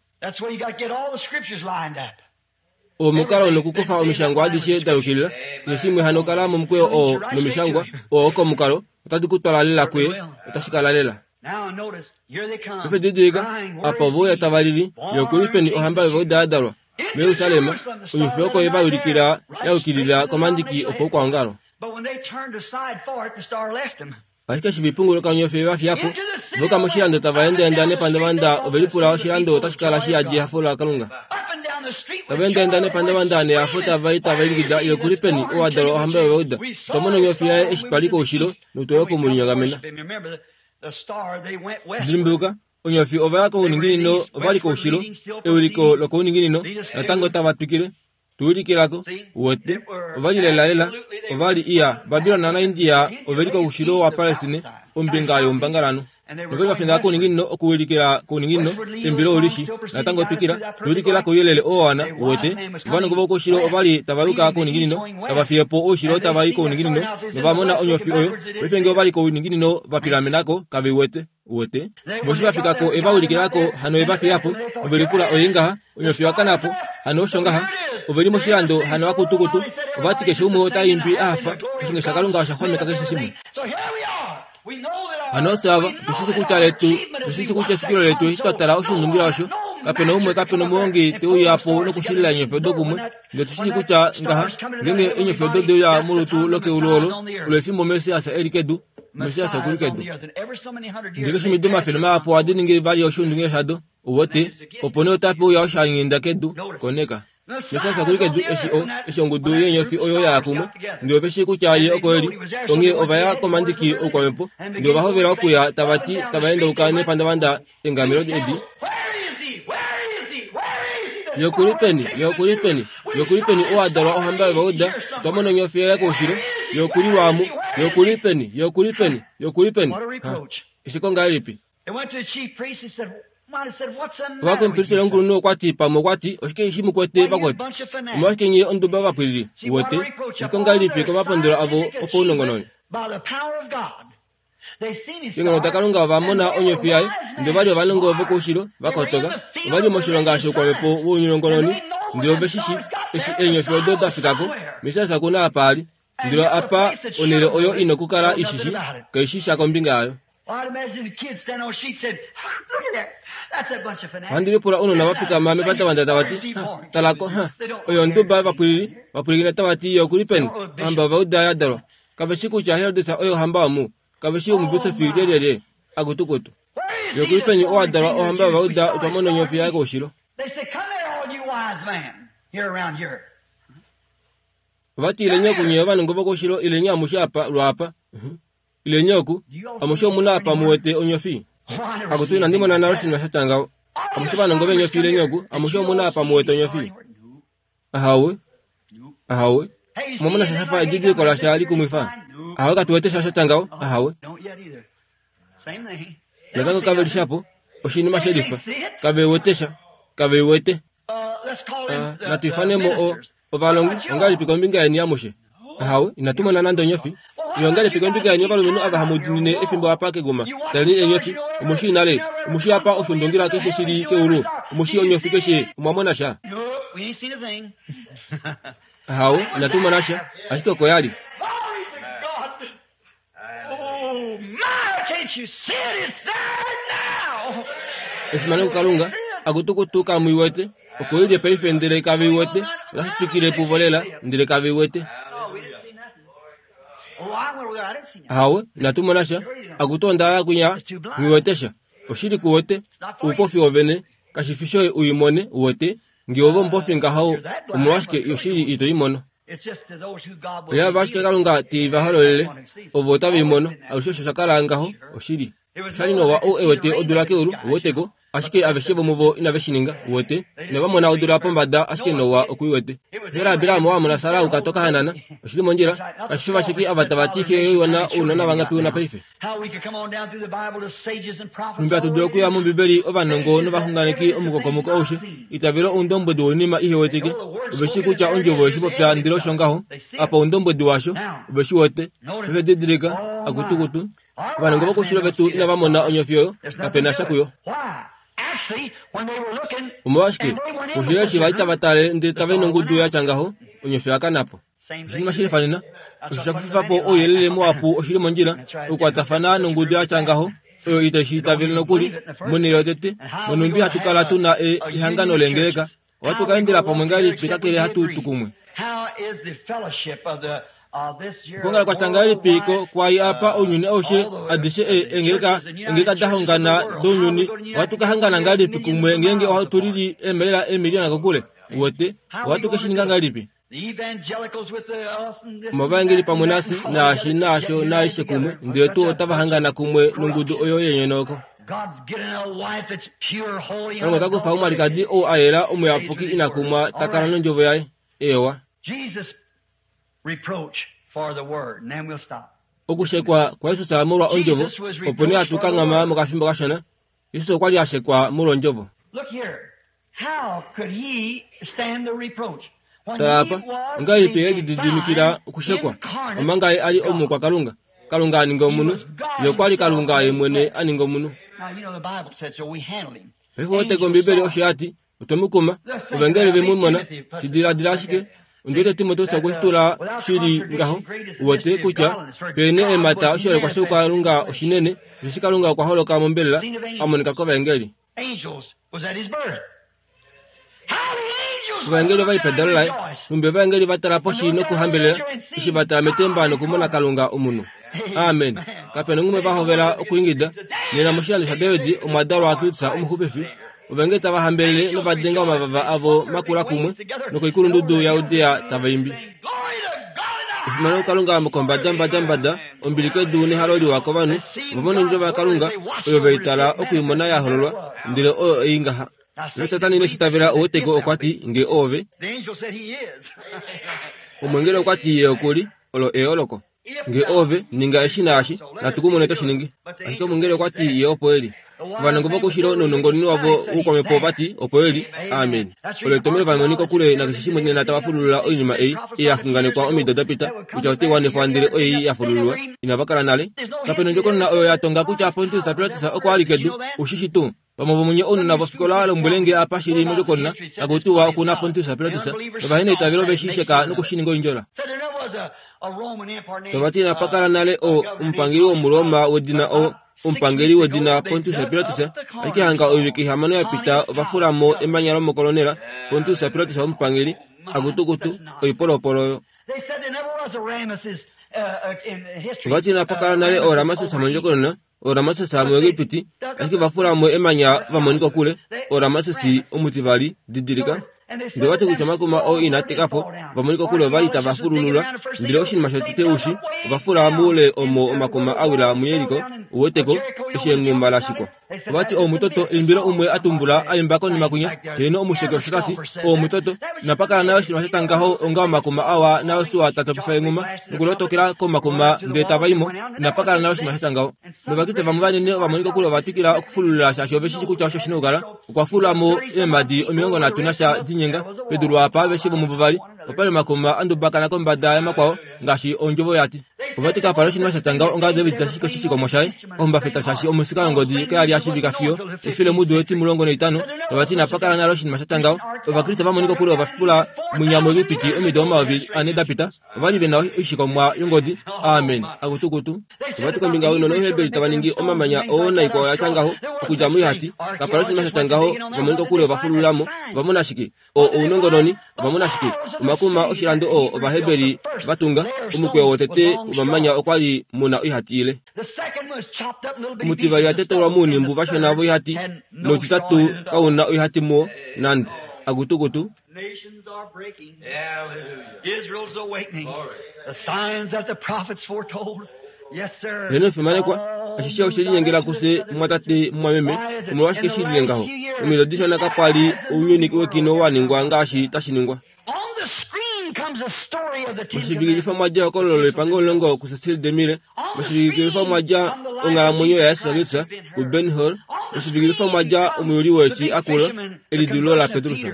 Oo omukalo nokukufa omishangwa adishe da yukilila. Keshe shimwe hano kala momukweyo oo nomishangwa, oo oko omukalo, otadi ku twala lela kuye, otashi kala lela. Paife didilika, apa ove uya tava lili, Ye oku li peni ohamba yOvauda ya dalwa? MuJerusalem, onyofi oko ye va ulikila ya yukilila komandiki opaukwaongalo. Ashike eshi va ipunguluka onyofi ye va fiya po, ova yuka moshilando tava endaenda nepandavanda ove lipula oshilando otashi kala shi yadi ehafo laKalunga. Tava endaenda nepandavanda nehafo tava i tava ingida, Ye oku li peni, ou a dalwa ohamba yOvayuda? Otwa mona onyofi yaye eshi twa li koushilo, notwe uya oku mu linyongamena. Dimbuluka, onyofi ova ya kouninginino, ova li koushilo, ewiliko lokouninginino, natango tava twikile. Tu ulikilako, uwete, ova li lelalela, ova li iya, Babilon naIndia ove li koushilo waPalestine, ombinga youmbangalanhu. Nove va finda kouninginino okuwilikila kouninginino, embilo olishi, natango twikila, tu ulikila kouyelele oo wana, uwete. Ovanongo vokoushilo ova li tava yuka kouninginino, tava fiye po oushilo tava i kouninginino, nova mona onyofi oyo. Paife nge ova li kouninginino va pilamena ko, kave i wete. Uwete? Voshi va fika ko, e va ulikila ko, hano e va fiya po. Ove lipula, Oye ngaha, onyofi oya kana po. Hano osho ngaha. Ove li moshilando, hano akutukutu. Ova ti keshe umwe ota imbi a hafa, oshinge shaKalunga osha xwameka keshe shimwe. Hano ofye ava, otu shi shii kutya letu, otu shi shii kutya efikilo letu eshi twa tala oshiundungila osho, kape na umwe, kape na omuhongi te uya po nokushilila eenyofi odo kumwe. Ndele otu shi shii kutya ngaha, ngeenge eenyofi odo de uya molutu lokeulu olo, olo efimbo Messias e li kedu, Messias oku li kedu. Ndele keshe omido omafele mahapu ohadi ningi vali oshiundungila shado, uwete, opo nee otape uya oshaanginda kedu, koneka. Messias oku li kedu eshi o, eshi ongudu yeenyofi oyo ya ya kumwe, ndele ove shii kutya ye oko e li. Onghee ova ya komandiki oukwamhepo, ndele ova hovela okuya tava ti, tava endauka nepandavanda eengamelo edi. Ye oku li peni? Ye oku li peni? Ye oku li peni ou a dalwa ohamba yOvauda? Otwa mona onyofi yaye koushilo. Ye oku li lwaamu. Ye oku li peni? Ye oku li peni? Ye oku li peni? Ha, esheko ngahelipi? Ovakwamupilisteli omukulunhu okwa ti, pamwe okwa ti, Oshike eshi mu kwete vakwetu? Omolwashike nye onduba vapwilili? Uwete? Esheko ngahelipi komapondolo avo opaunongononi? Keenghono daKalunga ova mona onyofi yaye, ndele ova li ovanongo vokoushilo, va kotoka. Ova li moshilonga shoukwamhepo wounongononi, ndele ove shi shii, eshi eenyofi odo da fika ko, Messias oku na apa a li. Ndele apa onhele oyo i nokukala i shi shii, kai shi sha kombinga yayo. Ohandi lipula ounona va fikama mepandavanda tava ti, Ha, tala ko, ha, oyo onduba yovapwilili, va pwilikina tava ti, Ye oku li peni? Ohamba yOvayuda ya dalwa. Kave shi kutya Herodes oye ohamba omu. Kave shii omubisofi lyelyelye. Akutukutu. Ye oku li peni oo a dalwa ohamba yOvayuda? Otwa mona onyofi yaye koushilo. Ova ti, Ileni oku nye ovanongo vokoushilo, ileni amushe apa, lwaapa. Uh-huh. Ileni oku, amushe omu na apa mu wete onyofi. Akutu, inandi mona nale oshinima sha tya ngaho. Amushe ovanongo veenyofi ileni oku, amushe omu na apa mu wete onyofi. Ahawe. Ahawe. Omwa mona sha sha fa edidiliko lasha likumwifa? Ahawe, katu wete sha sha tya ngaho. Ahawe. Natango kave li shapo, oshinima she lifa. Kave wete sha. Kave wete. Ah, natu ifane mo o, ovalongi, ongahelipi kombinga yeni amushe? Ahawe, inatu mona nande onyofi. Ile ongahelipi kombinga yeni ovalumenhu ava hamu dinine efimbo apa keguma? Taleni eenyofi, omu shii nale, omu shii apa oshundungila keshe shi li keulu, omu shii onyofi keshe, omwa mona sha? Ahawe, inatu mona sha, ashike oko ya li. Efimano kuKalunga, akutukutu kamu i wete, oko i li paife ndele kave i wete, otashi twikile puvo lela ndele kave i wete. Ahawe, inatu mona sha, akutu onda ya kwinya, nghi wete sha. Oshili ku wete, oupofi wovene, kashi fi shoye u i mone, u wete, nge ove omupofi ngaho, omolwashike oshili ito i mono? Oya ashike Kalunga te va hololele, ovo otave i mono. Alushe osho sha kala ngaho, oshili. Osha li Noa ou e wete odula keulu, uwete ko, ashike aveshe vomuvo inave shi ninga, uwete. Inava mona odula pombada, ashike Noa oku i wete. Mbela Abraham owa mona Sara uka toka hanana? Oshi li mondjila. Kashi fi vasheki ava tava ti xe yoiwana ounona vangapi u na paife? Nhumbi hatu dulu okuya mOmbibeli ovanongo novaxunganeki omukokomoko aushe, itavela oundombwedi woinima ihe wetike. Ove shii kutya Ondjovo oye shi popya ndele osho ngaho. Apa oundombwedi washo, ove shi wete. Paife didilika, akutukutu. Ovanongo vokoushilo vetu inava mona onyofi oyo, kape na sha kuyo. Omolwashike, koushilo eshi va li tava tale ndele tava i nongudu ya tya ngaho, onyofi oya kana po. Oshinima shi lifanena, osho sha kufifa po ouyelele muhapu oshi li mondjila okukwatafana nongudu ya tya ngaho oyo itai shi itavele nokuli. Monhele yotete, monhumbi hatu kala tu na ehangano leengeleka, ohatu ka endela pamwe ngahelipi kakele hatu tu kumwe? Okwoongala kwa tya ngahelipi ko kwai apa ounyuni aushe adishe eengeleka eengeleka da hongana dounyuni ohatu ka hangana ngahelipi kumwe ngeenge ohatu lili eemaila eemiliyona kokule? Uwete, ohatu ke shi ninga ngahelipi? Omavaengeli pamwe nafye, naashi, naasho, naaishe kumwe, ndele tuu otava hangana kumwe nongudu oyo yenyonauko. Kalunga ota kufa omwalikadi ou a yela omuyapuki ina kumwa ta kala nOndjovo Yaye. Eewa. Okushekwa kwaJesus molwa Ondjovo, opo nee hatu kanghama mokafimbo kashona. Jesus okwa li a shekwa molwa Ondjovo. Tala apa, ongahelipi ye lididimikila okushekwa omanga ye a li omukwakalunga? Kalunga a ninga omunhu. Ye okwa li Kalunga ye mwene a ninga omunhu. Paife oteke Ombibeli osho ya ti, otwe mu kuma. Ovengeli ve mu mona. Shi diladila ashike. Ondi wete Timoteus okwe shi tula shi li ngaho, uwete, kutya pe na eemhata oshiholekwa shoukalunga oshinene, osheshi Kalunga okwa holoka mombelela, a monika kovaengeli. Ovaengeli ova li pedalo laye, nhumbi ovaengeli va tala poshi nokuhambelela, eshi va tala metemba nokumona Kalunga omunhu. Amen. Kape na ngumwe va hovela okuingida. Nena moshilando shaDavid omwa dalwa Kristus Omuxupifi. Ovaengeli tava hambelele nova denga omavava avo makula kumwe, nokoikulundudu yaJudea tava imbi. Efimano kuKalunga mokombadambadambada, ombili kedu nehalo liwa kovanhu, ovo va mona ondjovo yaKalunga, oyo ve i tala oku i mona ya hololwa, ndele oyo ei ngaha. Ndele Satana ine shi itavela, ouweteko, okwa ti, Nge oove. Omweengeli okwa ti, Ye oku li. Olo eyooloko. Nge oove, ninga eshi naashi, natu ku mone to shi ningi. Ashike omweengeli okwa ti, Ye opo e li. Ovanongo vokoushilo nounongononi wavo woukwamhepo ova ti, Opo e li. Amen. Olo etomhelo vamwe kokule nakeshe shimwe nena tava fululula oinima ei ei ya xunganekwa omido da pita kutya otai wanifwa ndele oei ya fulululwa. Inava kala nale. Kape na ondjokonona oyo ya tonga kutya Pontius Pilatus okwa li kedu. Ou shi shi tuu? Vamwe vomunye ounona vofikola lombwele nge apa shi li mondjokonona taku tiwa oku na Pontius Pilatus novaheneitavelo ve shi sheka noku shi ninga oindjola. Tava ti inapa kala nale o, omupangeli wOmuroma wedina o, omupangeli wedina Pontius Pilatus, ashike hanga oivike ihamano ya pita ova fula mo emanya lomokolonela, Pontius Pilatus omupangeli, akutukutu, oipolopolo oyo. Ova ti inapa kala nale ooRamases mondjokonona, ooRamases muEgipiti, ashike ova fula mo emanya va monika kokule, ooRamases omutivali, didilika. Ndele ova ti kutya omakuma oo inaa teka po, va monika kokule ova li tava fululula. Ndele oshinima shotete u shi, ova fula moule omo omakuma a wila muJeriko, u wete ko, eshi enghuma la shikwa. Ova ti, Omutoto, eimbilo umwe a tumbula a imba konima kwinya, heeno omusheki osho ta ti, Omutoto, inapa kala nale oshinima sha tya ngaho onga omakuma awa naJosua ta topifa enghuma nokulotokela komakuma ndele tava i mo. Inapa kala nale oshinima sha tya ngaho. NOvakriste vamwe vanene ova monika kokule ova twikila okufululula shaashi ove shi shii kutya osho shi na okukala. Okwa fula mo eemhadi 31 dinyenga pedu lwaapa aveshe vomuvo va li. Opa li omakuma a ndubakana kombada yamakwao ngaashi ondjovo ya ti. Ova ti kapa li oshinima sha tya ngaho onga David ta shiki oshishikomwa shaye ohumbafeta shaashi omusika yongodi kaya li ya shiivika fiyo efilemudo etimulongo naitano. Ova ti inapa kala nale oshinima sha tya ngaho. Ovakriste va monika kokule ova fula mwinya muEgipiti omido 4000 da pita. Ova li ve na oishikomwa yongodi. Amen. Akutukutu. Ova ti kombinga younona Ouheberi tava ningi omamanya oo naikwao ya tya ngaho, okudja moihati, kapa li oshinima sha tya ngaho, va monika kokule ova fululula mo. Ova mona shike? Oo ounongononi. Ova mona shike? Omakuma oshilando oo Ovaheberi va tunga, omukweyo wotete womamanya okwa li mu na oihati ile. Omutivali owa tetaulwa mounhimbu vashona voihati, nomutitatu kau na oihati muo nande. Akutukutu. Nations are breaking. Israel's awakening. The signs that the prophets foretold. Yes, sir. Heno efimanekwa, ashishe oshe linyengela kufye mumwatate mumwameme, omolwashike shi lile ngaho? Omido dishona kapa li ounyuni wekino wa ningwa ngaashi tashi ningwa. On the screen comes a story of the Ten Moshivilikilifa Commandments. mwa dja ehokololo lepango omulongo kuCecil DeMille, moshivilikilifa mwa dja onghalamwenyo yaJesus Kristus kuBen Hur, moshivilikilifa mwa dja omuyuli weeshi akula, elidilululo laPetrus.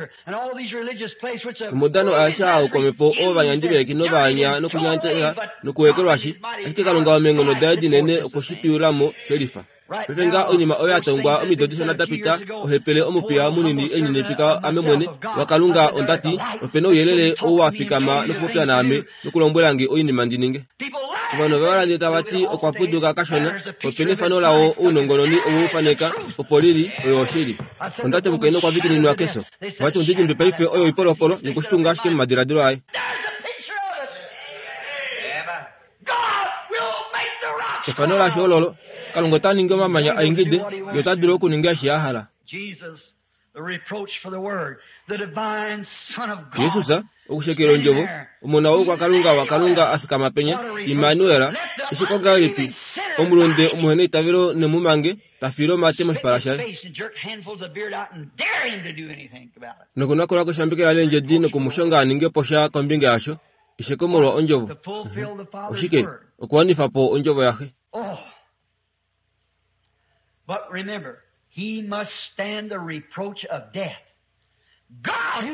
Omudano aeshe aa oukwamepo oo ovanyandi veeki novaanya nokunyateka nokuekelwashi, ashike Kalunga omeenghono daye dinene okwe shi twiyula mo shelifa. Paife ngaha oinima oyo ya tongwa omido dishona da pita, ohepele omupiya munini e lininipika ame mwene, waKalunga, onda ti, Ope na ouyelele ou wa fikama nokupopya naame nokulombwela nge oinima ndi ninge. Ovanhu ove va landele tava ti okwa puduka kashona, ope na efano lawo ounongononi owe u faneka, opo li li, oyo oshili. Onda ti omukainhu okwa vikininwa kefyo. Ova ti ondidimbi paife oyo oipolopolo nokushitunga ashike momadiladilo aye. Efano lasho ololo, Kalunga ota ningi omamanya a ingide, Ye ota dulu okuninga eshi a hala. Jesus, okushekela ondjovo, Omona woukwakalunga waKalunga a fikama penya, Immanuel, esheko ngahelipi omulunde omuheneitavelo nemumange ta fiile omate moshipala shaye. Nokunakula koshambekela leendjedi noku mu shonga a ninge po sha kombinga yasho, esheko molwa ondjovo. Oshike? Okuwanifa po ondjovo yaXe. Oh. But remember, he must stand the reproach of death.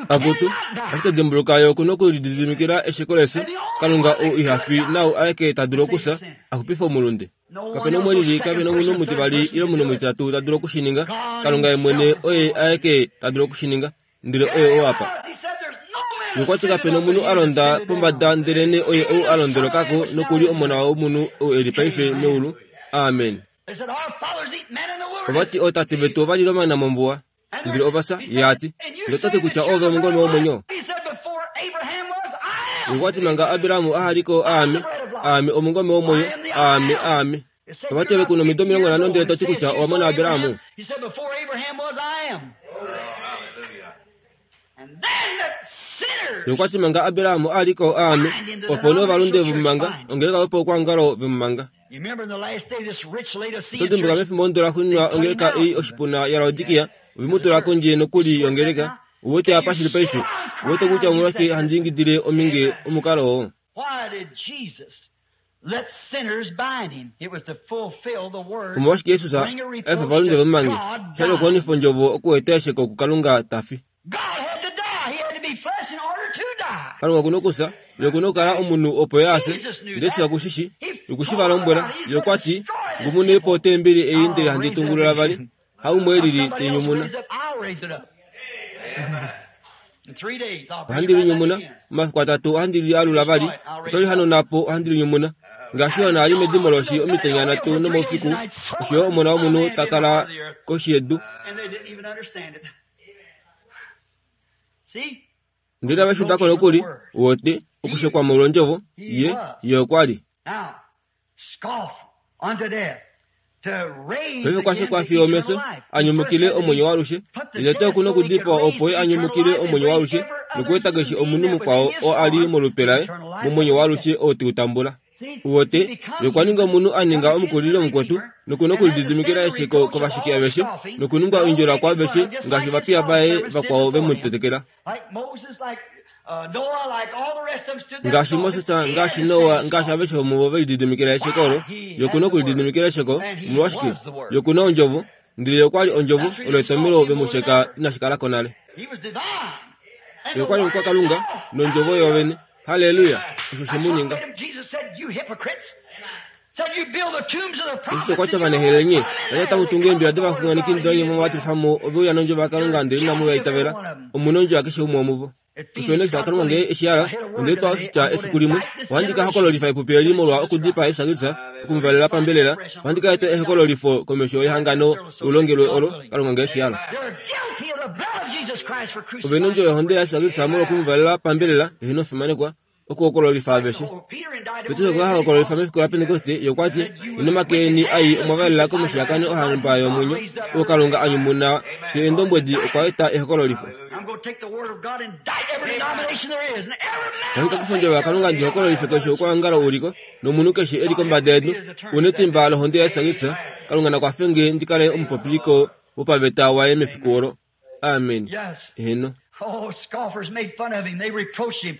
Akutu, ashike dimbuluka ye oku nokulididimikila esheko lefyo, Kalunga ou iha fi naau aeke ta dulu okufya, a xupife omulunde. Kape na umwe lili, kape na omunhu omutivali ile omunhu omutitatu ta dulu oku shi ninga. Kalunga ye mwene oye aeke ta dulu oku shi ninga. Ndele oye ou apa. Ye okwa ti kape na omunhu a londa pombada ndelenee oye ou a londoloka ko noku li Omona womunhu ou e li paife meulu. Amen. Ova ti ootate vetu ova lile omana mombuwa. Ndele ova fya, ye a ti. Ndele ota ti kutya oove omungome womwenyo. Ye okwa ti manga Abraham aha li ko aame, aame omungome womwenyo, aame, aame. Ova ti ove ku nomido 50 ndele to ti kutya owa mona Abraham? Ye okwa ti manga Abraham a li ko aame, opo nee ovalunde ve mu manga, ongeleka yopaukwaongalo ve mu manga. Oto dimbuka mefimbo ondo la xuuninwa ongeleka ei oshipuna yaLaodikia, ove mu tula kondje nokuli yongeleka. Ou wete apa shi li paife? Ou wete kutya omolwashike handi ingidile ominge omukalo oo? Omolwashike Jesus a efa ovalunde ve mu mange? Osha li okuwanifa ondjovo okueta esheko kuKalunga ta fi. Kalunga oku na okufya, ye oku na okukala omunhu opo ye a fye. Ndele Jesus oku shi shii. Okwe shi va lombwela. Ye okwa ti, Ngumunei po otembeli ei ndele handi i tungulula vali, haumwe e lili te i nyumuna. Ohandi li nyumuna, omafiku atatu ohandi li alula vali, oto li hanauna po, ohandi li nyumuna. Ngaashi Jona a li medimo loshi omitenya nhatu nomaufiku, osho yo Omona wOmunhu ta kala koshi yedu. Ndele inave shi uda ko nokuli, wote, okushekwa molwondjovo, ye, ye okwa li. Paife okwa shekwa fiyo omefyo, a nyumukile omwenyo waalushe. Ndele tete oku nokudipawa opo ye a nyumukile omwenyo waalushe nokueta keshe omunhu mukwao oo a li molupe laye momwenyo waalushe oo te u tambula. Uwete, ye okwa ninga omunhu a ninga omukulili womukwetu, noku nokulididimikila esheko kovasheki aveshe, nokuningwa oindjola kwaaveshe ngaashi ovapiya vaye vakwao ve mu tetekela. Ngaashi Moses, ngaashi Noa, ngaashi aveshe vomuvo ve lididimikila esheko olo, ye oku na okulididimikila esheko. Omolwashike? Ye oku na Ondjovo, ndele ye okwa li Ondjovo, olo etomhelo ve mu sheka inashi kala ko nale. Ye okwa li Omukwakalunga, nOndjovo yoovene. Halleluya! Osho she mu ninga. Jesus okwa ti ovanehele nye, tati otamu tungu eembila dovaxunganeki ndele nye mwa vatilifa mo ove uya nondjovo yaKalunga ndele inamu va itavela. Omu na ondjo yakeshe umwe womuvo. Osho nee Kalunga ngee eshi hala, onde twa oshitya efiku limwe, ohandi ka hokololifa epupi eli molwa okudipaa Jesus Kristus, oku mu valela pambelela, ohandi ka eta ehokololifo komesho yehangano lulongelwe olo, Kalunga ngee eshi hala. Ove nondjo yohonde yaJesus Kristus molwa oku mu valela pambelela, eheno omufimanekwa, okuhokololifa aveshe. Petrus okwa hokololifa mefiku laPentekoste, ye okwa ti, Nomake eni ai omwa valela komushiyakano ohamba yomwenyo, oo Kalunga a nyumuna, fye eendombwedi, okwa eta ehokololifo. Ohandi ka kufa ondjovo yaKalunga ndi hokololife keshe oukwaongalo u li ko, nomunhu keshe e li kombada yedu, u netimba lohonde yaJesus Kristus. Kalunga na kwafe nge ndi kale omupopiliko wopaveta waye mefiku olo. Amen. Eheno. Oh, scoffers made fun of him. They reproached him.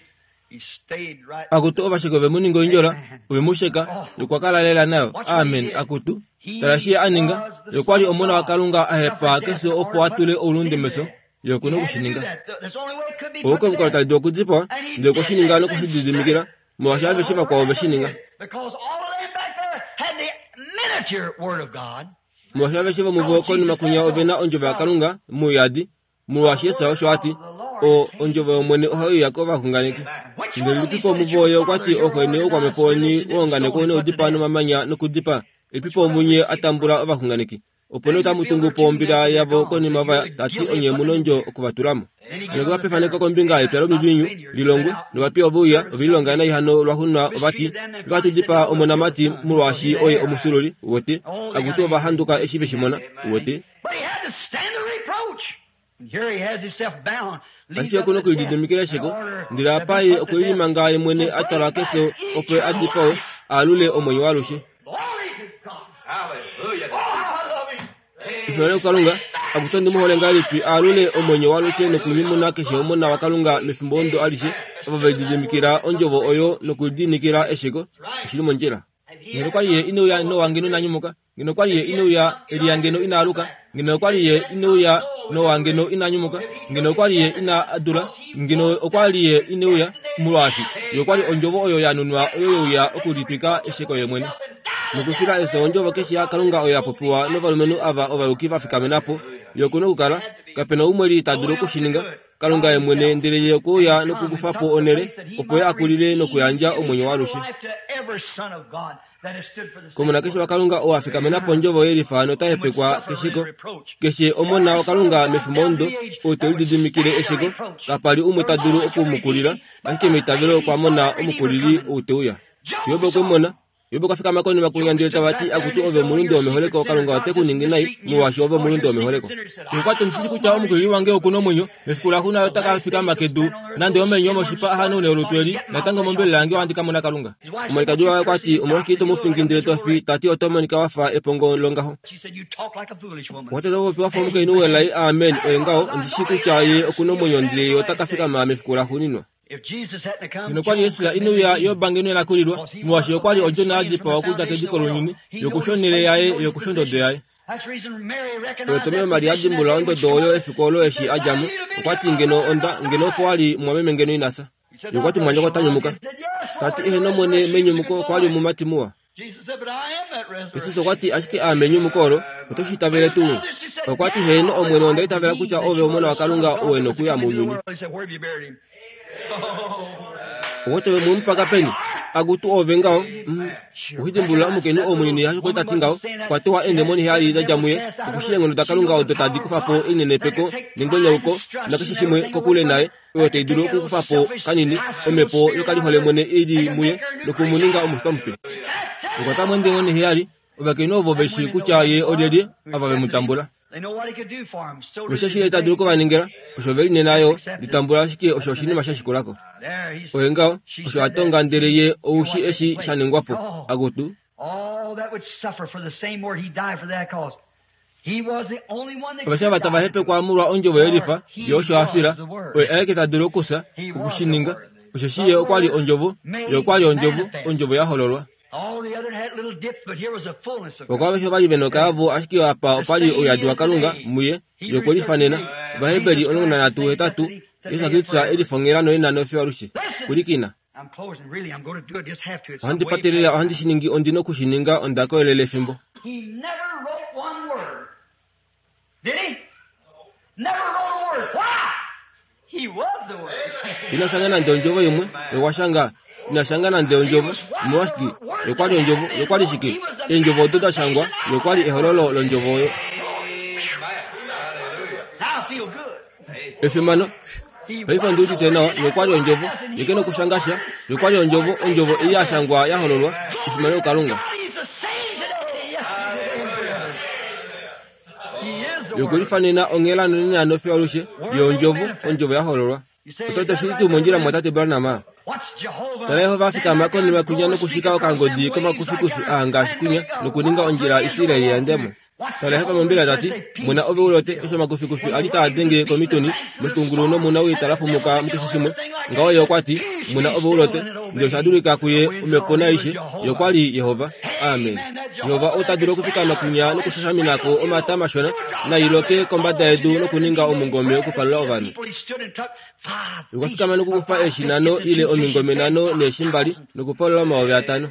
He stayed right. Akutu ovasheki ove mu ninga oindjola, ove mu sheka, nokwa kala lela nayo. Amen. Akutu. Tala shi ye a ninga. Ye okwa li Omona waKalunga a hepa kefyo opo a tule oulunde mefyo. Ye oku na oku shi ninga. That's the only way it could be Owo put to omukalo death. tali dulu okudipawa, ndele okwe shi ninga noku shi lididimikila, molwaashi aveshe vakwao ove shi ninga. Because all of them back there had the miniature word of God. Molwaashi aveshe vomuvo konima kwinya ove na ondjovo yaKalunga mouyadi, molwaashi Jesus osho a ti, O, ondjovo yOmwene ohai uya kovaxunganeki. Ndele lipipo omuvo oye okwa ti, Oxeni oukwamhepo weni waunganekwa u noudipaa nomamanya nokudipaa. Lipipo omunye a tambula ovaxunganeki. Opo nee otamu tungu po ombila yavo konima va ta ti onye mu nondjo oku va tula mo. Hano okwa pefaneko kombinga yepya lomiviinyu lilongwe, novapiya ove uya, ove lilonga nai hano lwaxuuninwa ova ti, Ohatu dipaa omonamati molwaashi oye omufyuululi, uwete. Akutu ova handuka eshi ve shi mona, uwete. But he had to stand the reproach. Ashike oku nokulididimikila esheko, ndele apa ye okwe limanga ye mwene a twalwa kefyo opo a dipawe, a alule omwenyo waalushe. Efimano kuKalunga, akutu ondi mu hole ngahelipi a alule omwenyo waalushe nokunyumuna keshe omona waKalunga mefimbo ondo alishe, ovo ve lididimikila ondjovo oyo nokulidiinikila esheko. Oshi li mondjila. Ngeno okwa li ye ine uya Noa ngeno ina nyumuka. Ngeno okwa li ye ine uya Elia ngeno ina aluka. Ngeno okwa li ye ine uya Noa ngeno ina nyumuka. Ngeno okwa li ye ina dula. Ngeno okwa li ye ine uya, molwaashi ye okwa li ondjovo oyo ya nunwa oyo ye uya okulitwika esheko ye mwene. Nokufila efyo ondjovo keshe yaKalunga oyo ya popiwa novalumenhu ava ovayuki va fikamena po, ye oku nokukala, kape na umwe li ta dulu oku shi ninga, Kalunga ye mwene ndele ye okwe uya nokukufa po onhele opo ye a kulile nokuyandja omwenyo waalushe komona keshe waKalunga oo a fikamena pondjovo yelifa nota hepekwa kesheko. Keshe omona waKalunga mefimbo ondo ou te lididimikile esheko, kapa li umwe ta dulu oku mu kulila, ashike meitavelo okwa mona omukulili ou te uya. Job okwe mu mona. Job okwa fikama konima kunya ndele tava ti, Akutu ove omulunde womeholeko, Kalunga ote ku ningi nai, molwaashi ove omulunde womeholeko. Okwa ti, Ondi shi kutya omukulili wange oku na omwenyo, mefiku laxuuninwa ota ka fikama kedu, nande omenyo omoshipa a hanaune olutu eli, natango mombelela yange ohandi ka mona Kalunga. Omwalikadi waye okwa ti, Omolwashike ito mu fingi ndele to fi? Ta ti, Oto monika wa fa epongo longaho. Okwa ti, Oto popi wa fa omukainhu welai. Amen, oye ngaho. Ondi shi kutya ye oku na omwenyo ndele ye ota ka fikama mefiku laxuuninwa. Ngeno okwa li Jesus ine uya Job ngeno ina kulilwa, molwaashi okwa li odjona ya dipawa okudja kediko lounyuni, yokusha onhele yaye yokusha ondodo yaye. Oyo Tomeo Maria a dimbulula ondodo oyo efiku olo eshi a dja mo, okwa ti ngeno onda, ngeno opo wa li mumwameme ngeno ina fya. Ye okwa ti mumwanyoko ota nyumuka. Ta ti eheno Omwene menyumuko okwa li omumati muwa. Jesus okwa ti, Ashike aame enyumuko olo, oto shi itavele tuu? Okwa ti, Heeno, Omwene, onda itavela kutya Ove Omona waKalunga ou e nokuya mounyuni. Okwa ti, Ove mwe mu paka peni? Akutu ove ngaho, mm, okudimbulula omukainhu ou munini hasho kwali ta ti ngaho, okwa tewa eendemoni heyali da dja muye, okushi eenghono daKalunga odo tadi kufa po einenepeko nengwenyauko nakeshe shimwe kokule naye, oyo tai dulu okukufa po kanini omhepo yokaliholemwene i li muye noku mu ninga omushitwa mupe. Okwa ta mwendemoni heyali, ovakainhu ovo ve shii kutya ye olyelye, ava ve mu tambula. Osheshi ye ta dulu oku va ningila osho ve li nena yo, litambula ashike osho oshinima sha shikula ko. Oye ngaho, osho a tonga ndele ye ou shi eshi sha ningwa po. Akutu. Aveshe ava tava hepekwa molwa ondjovo yelifa, ye osho a fila, oye aeke ta dulu okufya, oku shi ninga, osheshi ye okwa li ondjovo, ye okwa li ondjovo, ondjovo ya hololwa. Oko aveshe ova li ve nokaavo, ashike apa opa li ouyadi waKalunga muye, ye okwe lifanena. Ovaheberi 13:8, Jesus Kristus e lifongela noye nofiyo alushe. Pwilikina. Ohandi patelele, ohandi shi ningi, ondi noku shi ninga, onda koyelele efimbo. Ina shanga nande ondjovo imwe, ye okwa shanga. Ina shanga nande ondjovo. Omolwashike? Ye okwa li ondjovo. Ye okwa li shike? Eendjovo odo da shangwa, ye okwa li ehololo londjovo oyo. Efimano! Paife ondi udite nawa. Ye okwa li Ondjovo. Ye ke nokushanga sha. Ye okwa li Ondjovo, Ondjovo ei ya shangwa ya hololwa. Efimano kuKalunga. Ye okwe lifanena onghela nonena nofiyo alushe. Ye Ondjovo, Ondjovo ya hololwa. Oto ti oshili tuu mondjila mumwatate Branham? Tala Jehova a fikama konima kwinya nokushika okangodi komakufikufi aa ngaashi kwinya nokuninga ondjila Israel ya ende mo. Tala Jehova mombila ta ti, Mona ove u lote eshi omakufikufi a li taa denge komituni moshikungulu nomunawii ta lafumuka mukeshe shimwe. Ngaho ye okwa ti, Mona ove u lote. Ndele osha dulika kuye omhepo naaishe. Ye okwa li Jehova. Amen. Jehova ou ta dulu okufikama kwinya nokushashamina ko omata mashona nai loke kombada yedu nokuninga omungome okupalula ovanhu. Okwa fikama nokukufa eeshi nhano ile omingome nhano neeshi mbali nokupalula 5000.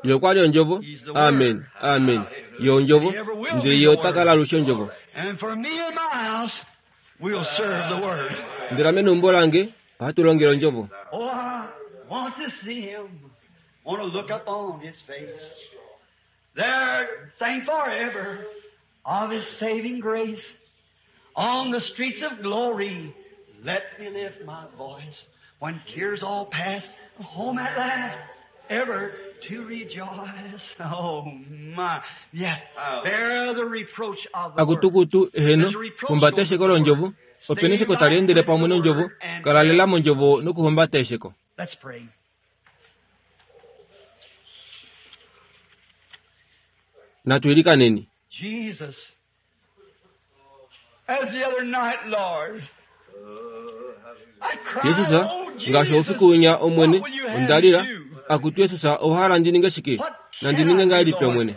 Ye okwa li Ondjovo. Amen. Amen. Ye Ondjovo. Ndele Ye ota kala alushe Ondjovo. Ndele ame neumbo lange ohatu longele Ondjovo. On the streets of glory, let me lift my voice. When tears all pass, home at last, ever. Akutukutu, eheno, humbata esheko londjovo. Opena esheko tali endele pamwe nondjovo. Kala lela mondjovo nokuhumbata esheko. Natu ilikaneni. Jesus, ngaashi oufiku winya Omwene, onda lila, Akutu Jesus, owa hala ndi ninge shike? Nandi ninge ngahelipi, Omwene?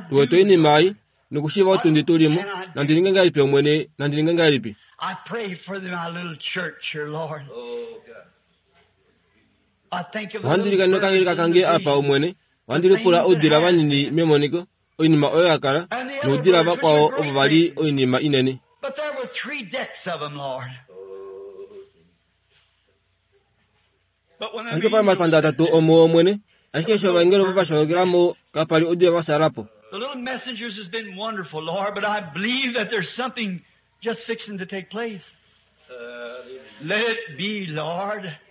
Tu wete oinima ei, nokushiiva otundi tu li mo. Nandi ninge ngahelipi, Omwene? Nandi ninge ngahelipi? Ohandi ilikana okangeleka kange apa, Omwene. Ohandi lipula oudila vanini memoniko, oinima oyo ya kala, noudila vakwao ovo va li oinima inene. Ashike opa li omapanda atatu omuo, Omwene, ashike eshi ovaengeli ovo va sholokela mo, kapa li oudila va fyaala po.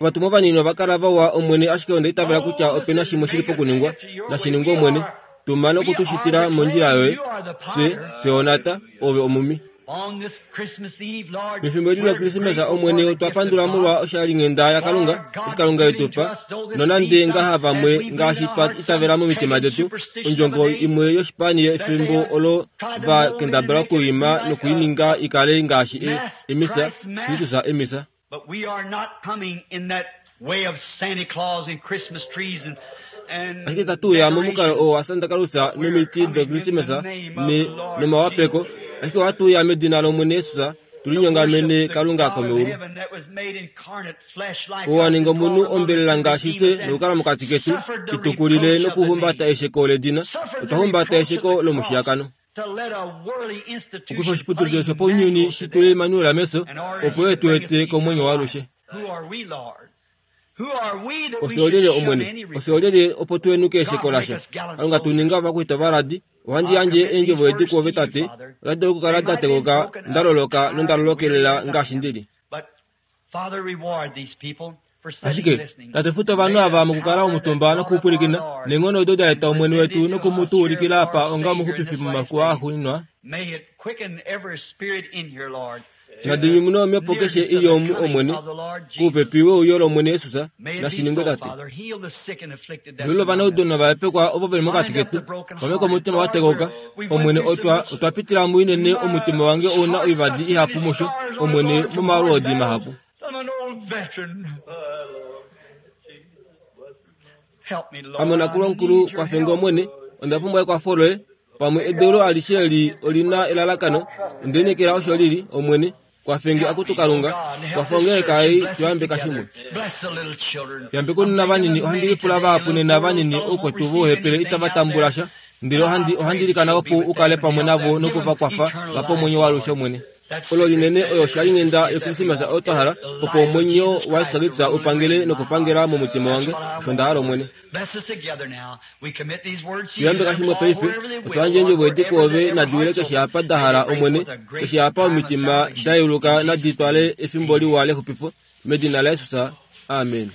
Ovatumwa vanini ova kala vawa, Omwene, ashike onda itavela kutya ope na shimwe shi li pokuningwa. Nashi ningwe, Omwene. Tuma noku tu shitila mondjila yoye. Fye, fye onata, Ove omumi. Mefimbo eli lOkrismesa, Omwene, otwa pandula molwa oshalinghenda yaKalunga, eshi Kalunga e tu pa, nonande ngaha vamwe, ngaashi twa itavela momitima detu, ondjongo imwe yoshipani yefimbo olo va kendabala okuima noku i ninga i kale ngaashi e, emisa, Kristus emisa. Ashike itatu uya momukalo oo waSanta Claus nomiti dOkrismesa ne, nomawapeko, ashike ohatu uya medina lOmwene Jesus, tu linyongamene Kalunga komeulu. Oo a ninga omunhu ombelela ngaashi fye nokukala mokati ketu, i tukulile nokuhumbata esheko ledina. Otwa humbata esheko lomushiyakano. Okufa oshiputudilo shopaunyuni shi tule Immanuel meso, opo e tu ete komwenyo waalushe. Ofye olyelye, Omwene? Ofye olyelye opo tu henuke esheko lasha? Kalunga tu ninga ovakwaita ovaladi. Ohandi yandje eendjovo edi kwoove, Tate. Otadi dulu okukala da tekoka, nda loloka nonda lolokelela ngaashi ndi li. Ashike, Tate futa ovanhu ava mokukala omutumba nokupwilikina, neenghono odo da eta Omwene wetu noku mu tu ulikila apa onga omuxupifi momafiku aa axuuninwa. Nadi nyumune omhepo keshe i li omu, Omwene, koupepi weuyo lOmwene Jesus. Nashi ningwe, Tate. Velula ovanaudu novahepekwa ovo ve li mokati ketu. Pameka omutima wa tekauka. Omwene, otwa, otwa pitila muinene, omutima wange ou na oivadi ihapu musho, Omwene, momalwoodi mahapu. Ame onakulwa-mukulu, kwafe nge Omwene, onda pumbwa ekwafo loye. Pamwe edeulo alishe eli oli na elalakano, onde lineekela osho li li, Omwene. Kwafe nge, Akutu Kalunga, kwafa ongeleka ei tu yambeka shimwe. Yambekweni vanini, ohandi lipula vahapu nena vanini oukwetu vouhepele itava tambula sha, ndele ohandi, ohandi ilikana opo u kale pamwe navo noku va kwafa va pe omwenyo waalushe, Omwene. Olo linene oyo oshalinghenda yOkrismesa oyo twa hala, opo omwenyo waJesus Kristus u pangele nokupangela momutima wange, osho nda hala, Omwene. Tuyambeka shimwe paife, otwa yandja eendjovo edi kwoove nadi wile keshe apa da hala, Omwene, keshe apa omitima da yeuluka nadi twale efimbo liwa lexupifo, medina laJesus. Amen.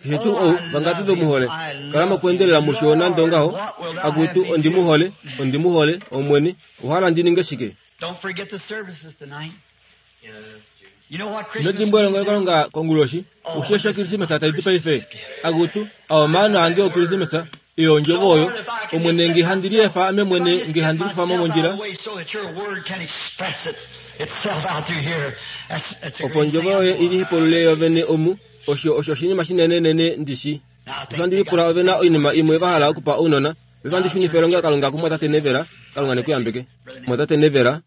Keshe tuu ou, vangapi ve mu hole? Kala mokweendelela musho nande ongaho. Akutu, ondi mu hole, ondi mu hole, Omwene. Owa hala ndi ninge shike? Ino dimbwa elongelokalunga konguloshi. Ushi eshi Okrismesa tai ti paife? Akutu, a omaano ange Okrismesa, eyo ondjovo oyo. Omwene, nge handi liefa ame mwene, nge handi likufa mo mondjila, opo ondjovo yoye i lihepulule yovene omu, osho osho oshinima shinenenene ndi shi. Ohandi lipula ove na oinima imwe va hala okupa ounona. Ve vandi shunife elongelokalunga kumwatate Nevela. Kalunga ne ku yambeke. Mwatate Nevela.